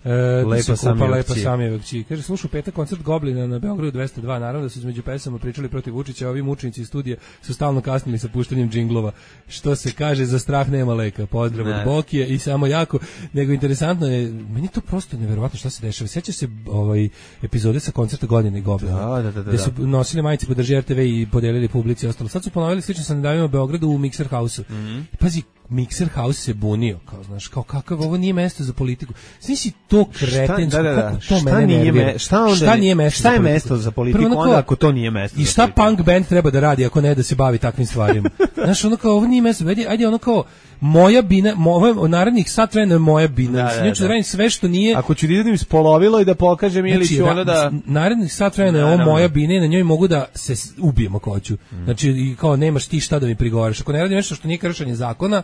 E, lepa Samijeva lepa Samijeva kći. Kaže, slušao petak koncert Goblina na Beogradu dvesta dva, naravno da su između pesama pričali protiv Vučića, a ovi mučenici iz studija su stalno kasnili sa puštanjem džinglova. Što se kaže, za strah nema leka. Pozdrav od Bokije i samo jako, nego interesantno je, meni to prosto neverovatno šta se dešava. Sjećaš se ovaj epizode sa koncerta Godine Goblina, da, da, da, da. gde su nosili majice Podrži R T V i podelili publici i ostalo. Sad su ponovili slično sa nedavima u Beogradu u Mixer House-u. Mm -hmm. Pazi, Mixer House se bunio, kao znaš, kao kakav ovo nije mesto za politiku. Znači si to kretensko, da, da, da. kako to šta mene nije nervira. Me, šta, onda, šta nije mesto šta za je politiku? mesto za politiku, Prvo, onda ako to nije mesto i za šta politiku? punk band treba da radi ako ne da se bavi takvim stvarima? Znaš, ono kao, ovo nije mesto, ajde, ajde ono kao, moja bina, moja, narednih sat vremena je moja bina. Da, da, da. Da radim sve što nije... Ako ću da idem ispolovilo i da pokažem ili znači, ću ono da... Narednih sat vremena je ovo moja bina i na njoj mogu da se ubijem ako hoću. Mm. Znači, i kao nemaš ti šta da mi prigovaraš. Ako ne radim nešto što nije kršenje zakona,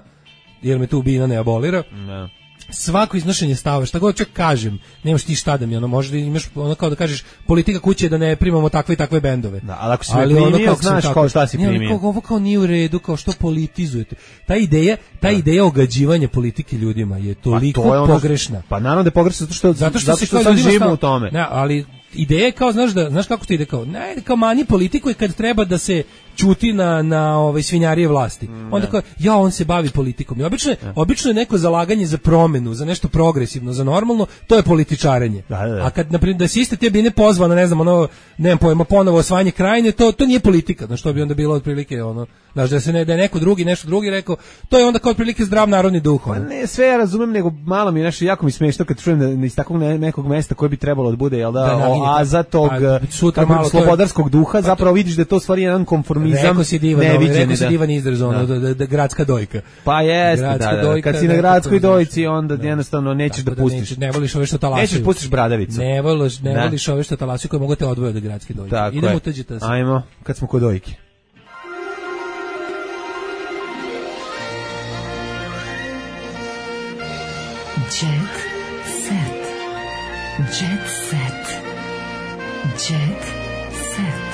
jer me tu bina ne abolira, no. svako iznošenje stava, šta god čak kažem, nemaš ti šta da mi, ono, možda imaš ono kao da kažeš politika kuće da ne primamo takve i takve bendove. Da, ali ako si ali me primio, ono znaš kao šta si primio. Kao, ovo kao nije u redu, kao što politizujete. Ta ideja, ta da. ideja ogađivanja politike ljudima je toliko pa to je ono, pogrešna. Pa naravno da je pogrešna zato što, zato što, zato što, što sad živimo u tome. Ne, ali ideja je kao, znaš, da, znaš kako to ide kao, ne, kao manji politiku je kad treba da se ćuti na, na ovaj, svinjarije vlasti. Mm, onda kao, ja, on se bavi politikom. I obično, je, obično je neko zalaganje za promenu, za nešto progresivno, za normalno, to je političarenje. Da, da, da. A kad, naprimjer, da si iste te bine pozvano, ne znam, ono, nemam pojma, ponovo osvajanje krajine, to, to nije politika. Znaš, to bi onda bilo otprilike, ono, znaš, da se ne, da je neko drugi, nešto drugi rekao, to je onda kao otprilike zdrav narodni duh. Ono. Pa ne, sve ja razumem, nego malo mi je nešto, jako mi smiješno kad čujem da iz takvog ne, nekog mesta koje bi trebalo da bude, jel da, da oaza tog pa, slobodarskog duha, zapravo vidiš da je to stvari jedan konformizam. Rekao si divan izraz, ono, da, da, da, gradska dojka. Pa jeste, da, da, dojka, kad si na gradskoj dojci, onda da. jednostavno nećeš da, da pustiš. Nećeš, ne voliš ove što talasaju. Nećeš pustiš bradavicu. Ne voliš, ne da. voliš ove što talasaju koje mogu te odvojiti od gradske dojke. Tako idemo je. u tuđe. Ajmo, kad smo kod dojke. Jet set. Jet set. Jet set.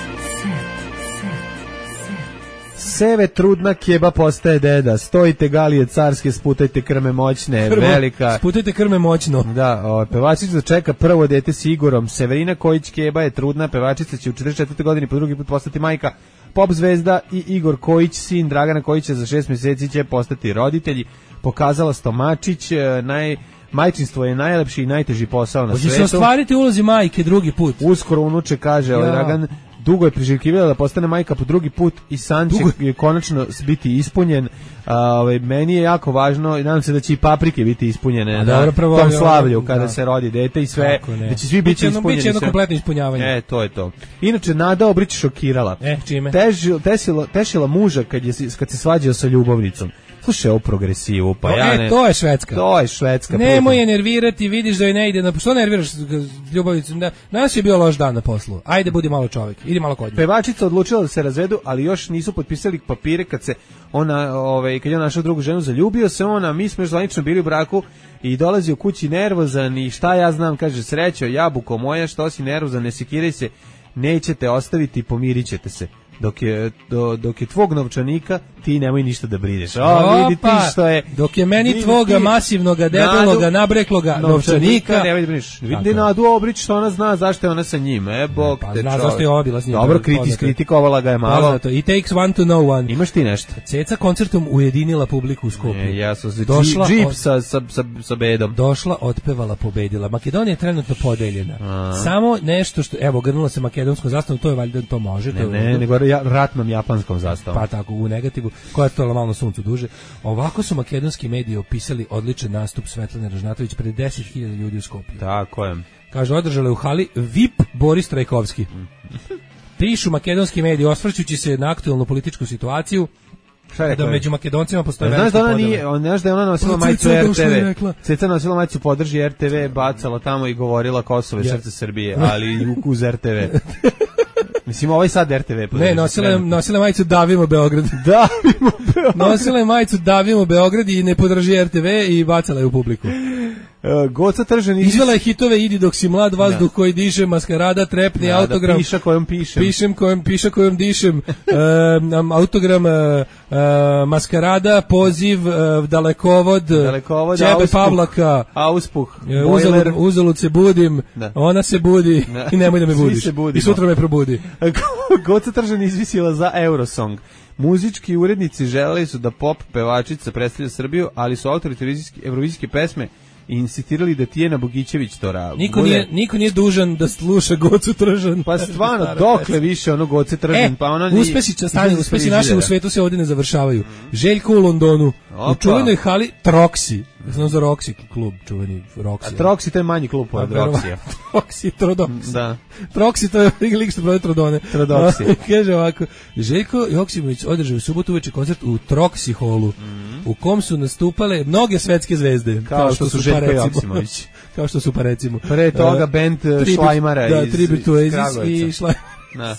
Seve trudna keba postaje deda, stojite galije carske, sputajte krme moćne, Krmo, velika. Sputajte krme moćno. Da, o, pevačica čeka prvo dete s Igorom. Severina Kojić Keba je trudna, pevačica će u četrdeset četvrtoj godini po drugi put postati majka. Pop zvezda i Igor Kojić, sin Dragana Kojića, za šest mjeseci će postati roditelji. Pokazala Stomačić, naj... majčinstvo je najlepši i najteži posao na Hoće svetu. Hoće se ostvariti ulozi majke drugi put. Uskoro unuče, kaže ovaj Dragan, dugo je priželjkivala da postane majka po drugi put i san će je konačno biti ispunjen. A, ovaj, meni je jako važno i nadam se da će i paprike biti ispunjene A, na dobro, pravo, tom slavlju kada da. se rodi dete i sve, da će svi biti ispunjeni. Biće jedno kompletno ispunjavanje. E, to je to. Inače, Nada Obrić šokirala. E, čime? Težila, tesila, tešila muža kad, je, kad se svađao sa ljubavnicom. Slušaj, ovo progresivu, pa o, ja ne... E, to je Švedska. To je Švedska. Nemoj je nervirati, vidiš da joj ne ide na... Što nerviraš ljubavnicu? Da, danas je bio loš dan na poslu. Ajde, budi malo čovjek. Idi malo kod nje. Pevačica odlučila da se razvedu, ali još nisu potpisali papire kad se ona, ovaj, kad je on našao drugu ženu, zaljubio se ona, mi smo još zvanično bili u braku i dolazi u kući nervozan i šta ja znam, kaže, srećo, jabuko moja, što si nervozan, ne sekiraj se, nećete ostaviti, pomirit ćete se. Dok je, do, dok je tvog novčanika, ti nemoj ništa da brineš. O, vidi ti što je... Dok je meni tvoga masivnoga, debeloga, nabrekloga novčanika... Nemoj da brineš. Vidi Nadu Obrić što ona zna zašto je ona sa njim. E, bog pa, te zna zašto je ova bila s njim. Dobro, kritis, kritikovala ga je malo. Poznato. It takes one to know one. Imaš ti nešto? Ceca koncertom ujedinila publiku u Skoplju. E, ja sam se došla džip od... sa, sa, sa, sa bedom. Došla, otpevala, pobedila. Makedonija je trenutno podeljena. A. Samo nešto što... Evo, grnula se makedonskom zastavom, to je valjda to može. Ne, to ne, nego ja, ratnom japanskom zastavom. Pa tako, u negativu, koja je to malo na suncu duže. Ovako su makedonski mediji opisali odličan nastup Svetlane Ražnatović pred deset hiljada ljudi u Skoplju. Tako je. Kaže, održala je u hali V I P Boris Trajkovski. Pišu makedonski mediji, osvrćući se na aktualnu političku situaciju, da među Makedoncima postoje velike podele. Znaš da ona nije, on, znaš da je ona nosila majicu R T V. Ceca nosila majicu podrži R T V, bacala tamo i govorila Kosovo je srce Srbije, ali uz R T V. Mislim, ovaj sad R T V. Ne, nosila je, nosila je majicu Davimo Beograd. Davimo Beograd. Nosila je majicu Davimo Beograd i ne podrži R T V i bacala je u publiku. Uh, Goca Tržan iz... Izvela je hitove Idi dok si mlad, vazduh ja. koji diše, maskarada, trepni, ja, autogram. Da, piša kojom pišem. Pišem kojom, piša kojom dišem. uh, autogram, uh, uh, maskarada, poziv, uh, dalekovod, dalekovod Ćebe auspuh, Pavlaka, auspuh, uh, uzalud, uzalud se budim, da. ona se budi da. i nemoj da me budiš. I sutra me probudi. Goca Tržan izvisila za Eurosong. Muzički urednici želeli su da pop pevačica predstavlja Srbiju, ali su autori evrovizijske pesme i insistirali da Tijena Bogićević to radi. Niko nije, niko nije dužan da sluša Gocu Tržan. Pa stvarno, dokle više ono Goce Tržan, e, pa ona... Uspesi, stani, uspesi naše u svetu se ovdje ne završavaju. Željko u Londonu, Opa. u čuvenoj hali Troxy. Znam za Roxy klub, čuveni Roxy. A Troxy to je manji klub od Roxy. Troxy, Trodox. Da. Troxy to je lik što prodaje Trodone. Trodoxy. Kaže ovako, Željko Joksimović održao u subotu uveče koncert u Troxy holu, mm. u kom su nastupale mnoge svetske zvezde. Kao, kao što, što su Željko Joksimović. Kao što su pa recimo. Pre toga uh, band Šlajmara da, iz, Tribute to iz i Šlajmara.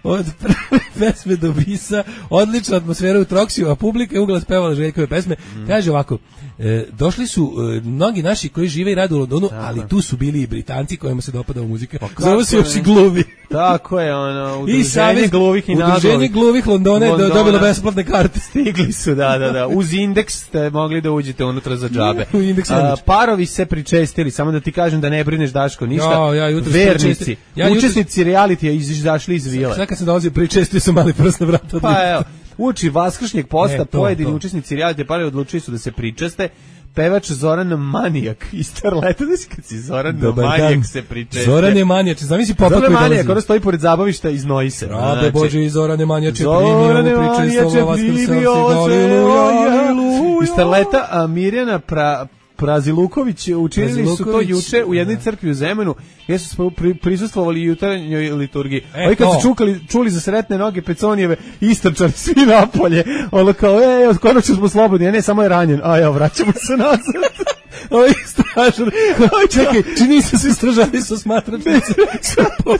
Od prve pesme do bisa, odlična atmosfera u Troxiju, a publika je uglas pevala Željkove pesme. Mm. Kaže ovako, e, došli su e, mnogi naši koji žive i rade u Londonu, Aha. ali tu su bili i Britanci kojima se dopada muzika. Zove se još i gluvi. Tako je, ono, udruženje gluvih i naglovih. Udruženje gluvih Londona je dobilo besplatne karte. Stigli su, da, da, da. Uz indeks ste mogli da uđete unutra za džabe. U indeks A, parovi se pričestili, samo da ti kažem da ne brineš Daško ništa. Ja, ja, jutros vernici, ja, jutros... učesnici realitija izašli iz vile. Sad kad sam dolazio pričestili su mali prst na vrata. Pa evo, uči vaskršnjeg posta, ne, to, pojedini to. učesnici realitija parovi odlučili su da se pričeste. Pevač Zoran Manijak iz Starleta, znači kad si Zoran Dobar Manijak dan. se pričeše. Zoran je Manijak, zamisli popa koji dolazi. Zoran Manijak, ono stoji pored zabavišta i znoji se. Rabe znači, Bože, i Zoran je Manijak primio ovu pričestvo, primio Iz Starleta, a Mirjana pra... Praziluković učinili Praziluković, su to juče u jednoj crkvi u Zemunu gdje su pri, prisustvovali jutarnjoj liturgiji. E, Ovi kad su čukali, čuli za sretne noge Peconijeve, istrčali svi napolje. Ono kao, e, konačno smo slobodni, a ne, samo je ranjen. A ja, vraćamo se nazad. Ovo je stražar. Čekaj, čini se svi stražari su smatračnice.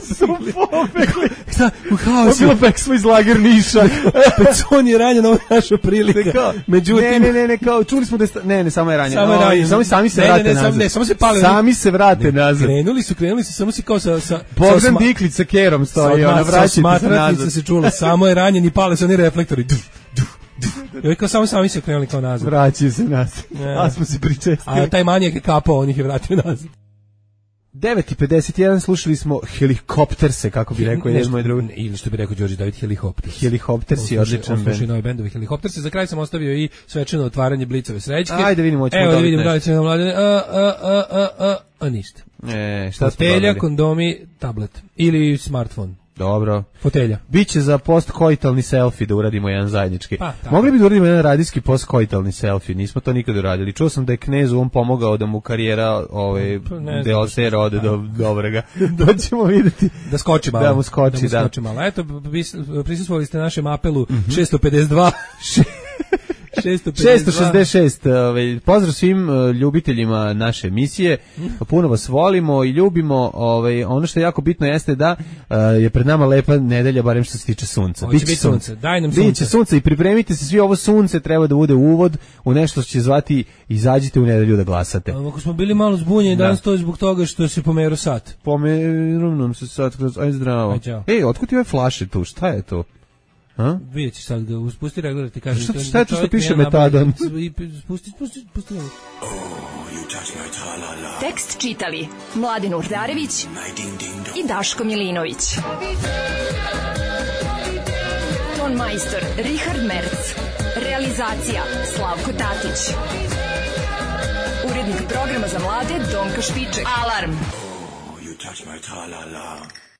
Su pobegli. Da, u haosu. Bilo pek smo iz lager Niša. Pecon je ranjen, ovo je naša prilika. Međutim... Ne, ne, ne, ne, kao, čuli smo da je... Sta... Ne, ne, samo je ranjen. Samo je ranjen. Samo sami se ne, vrate ne, ne, nazad. Ne, samo se pale. Sami se vrate ne, nazad. Krenuli su, krenuli su, samo si kao sa... sa Bogdan Diklić sa kerom stoji, ona vraćajte se nazad. Smatračnica se čula, samo je ranjen i pale se oni reflektori. Duf, duf, duf. I kao samo sami se krenuli kao nazad. Vraćaju se nazad. A smo se pričestili. A taj manijak je kapao, on ih je vratio nazad. devet i pedeset jedan slušali smo Helikopterse, kako bi rekao jedan moj drugi. Ili što bi rekao Đorđe David, Helikopters. Helikoptersi, odličan bend. Slušaj nove bendove Helikopterse. Za kraj sam ostavio i svečano otvaranje Blicove srećke. Ajde vidimo, hoćemo Evo dobiti da vidimo nešto. da li će nam mladine. A, a, a, a, a, a ništa. E, šta smo Fotelja, dobili? kondomi, tablet. Ili smartfon. Dobro. Fotelja. Biće za postkoitalni selfie da uradimo jedan zajednički. Pa, mogli bi da uradimo jedan radijski postkoitalni selfie, nismo to nikad uradili. Čuo sam da je Knezu on pomogao da mu karijera ovaj Deosera ode do dobrega. Da ćemo vidjeti. Da skoči malo. Da mu skoči, da. Mu da. skoči malo. Eto, prisustvovali ste našem apelu mm-hmm. šesto pedeset dva šesto šesdeset šest. Ovaj, pozdrav svim uh, ljubiteljima naše emisije. Puno vas volimo i ljubimo. Ovaj, ono što je jako bitno jeste da uh, je pred nama lepa nedelja, barem što se tiče sunca. Biće biti sunce. Daj nam sunce. Biće sunce i pripremite se svi, ovo sunce treba da bude uvod u nešto što će zvati izađite u nedelju da glasate. Ako smo bili malo zbunjeni da. Danas to je zbog toga što se pomerao sat. Pomeru nam se sat. Aj zdravo. Aj, ej, otkud ti ove flaše tu? Šta je to? A? Vidjet ćeš sad ga, uspusti regler, ti kažem. Šta, šta je to što piše metadon? Spusti, spusti, spusti. Oh, tekst čitali Mladin Urdarević i Daško Milinović. Ton majstor Richard Merc. Realizacija Slavko Tatić. Urednik programa za mlade Donka Špiček. Alarm! Oh, you touch my tra-la-la.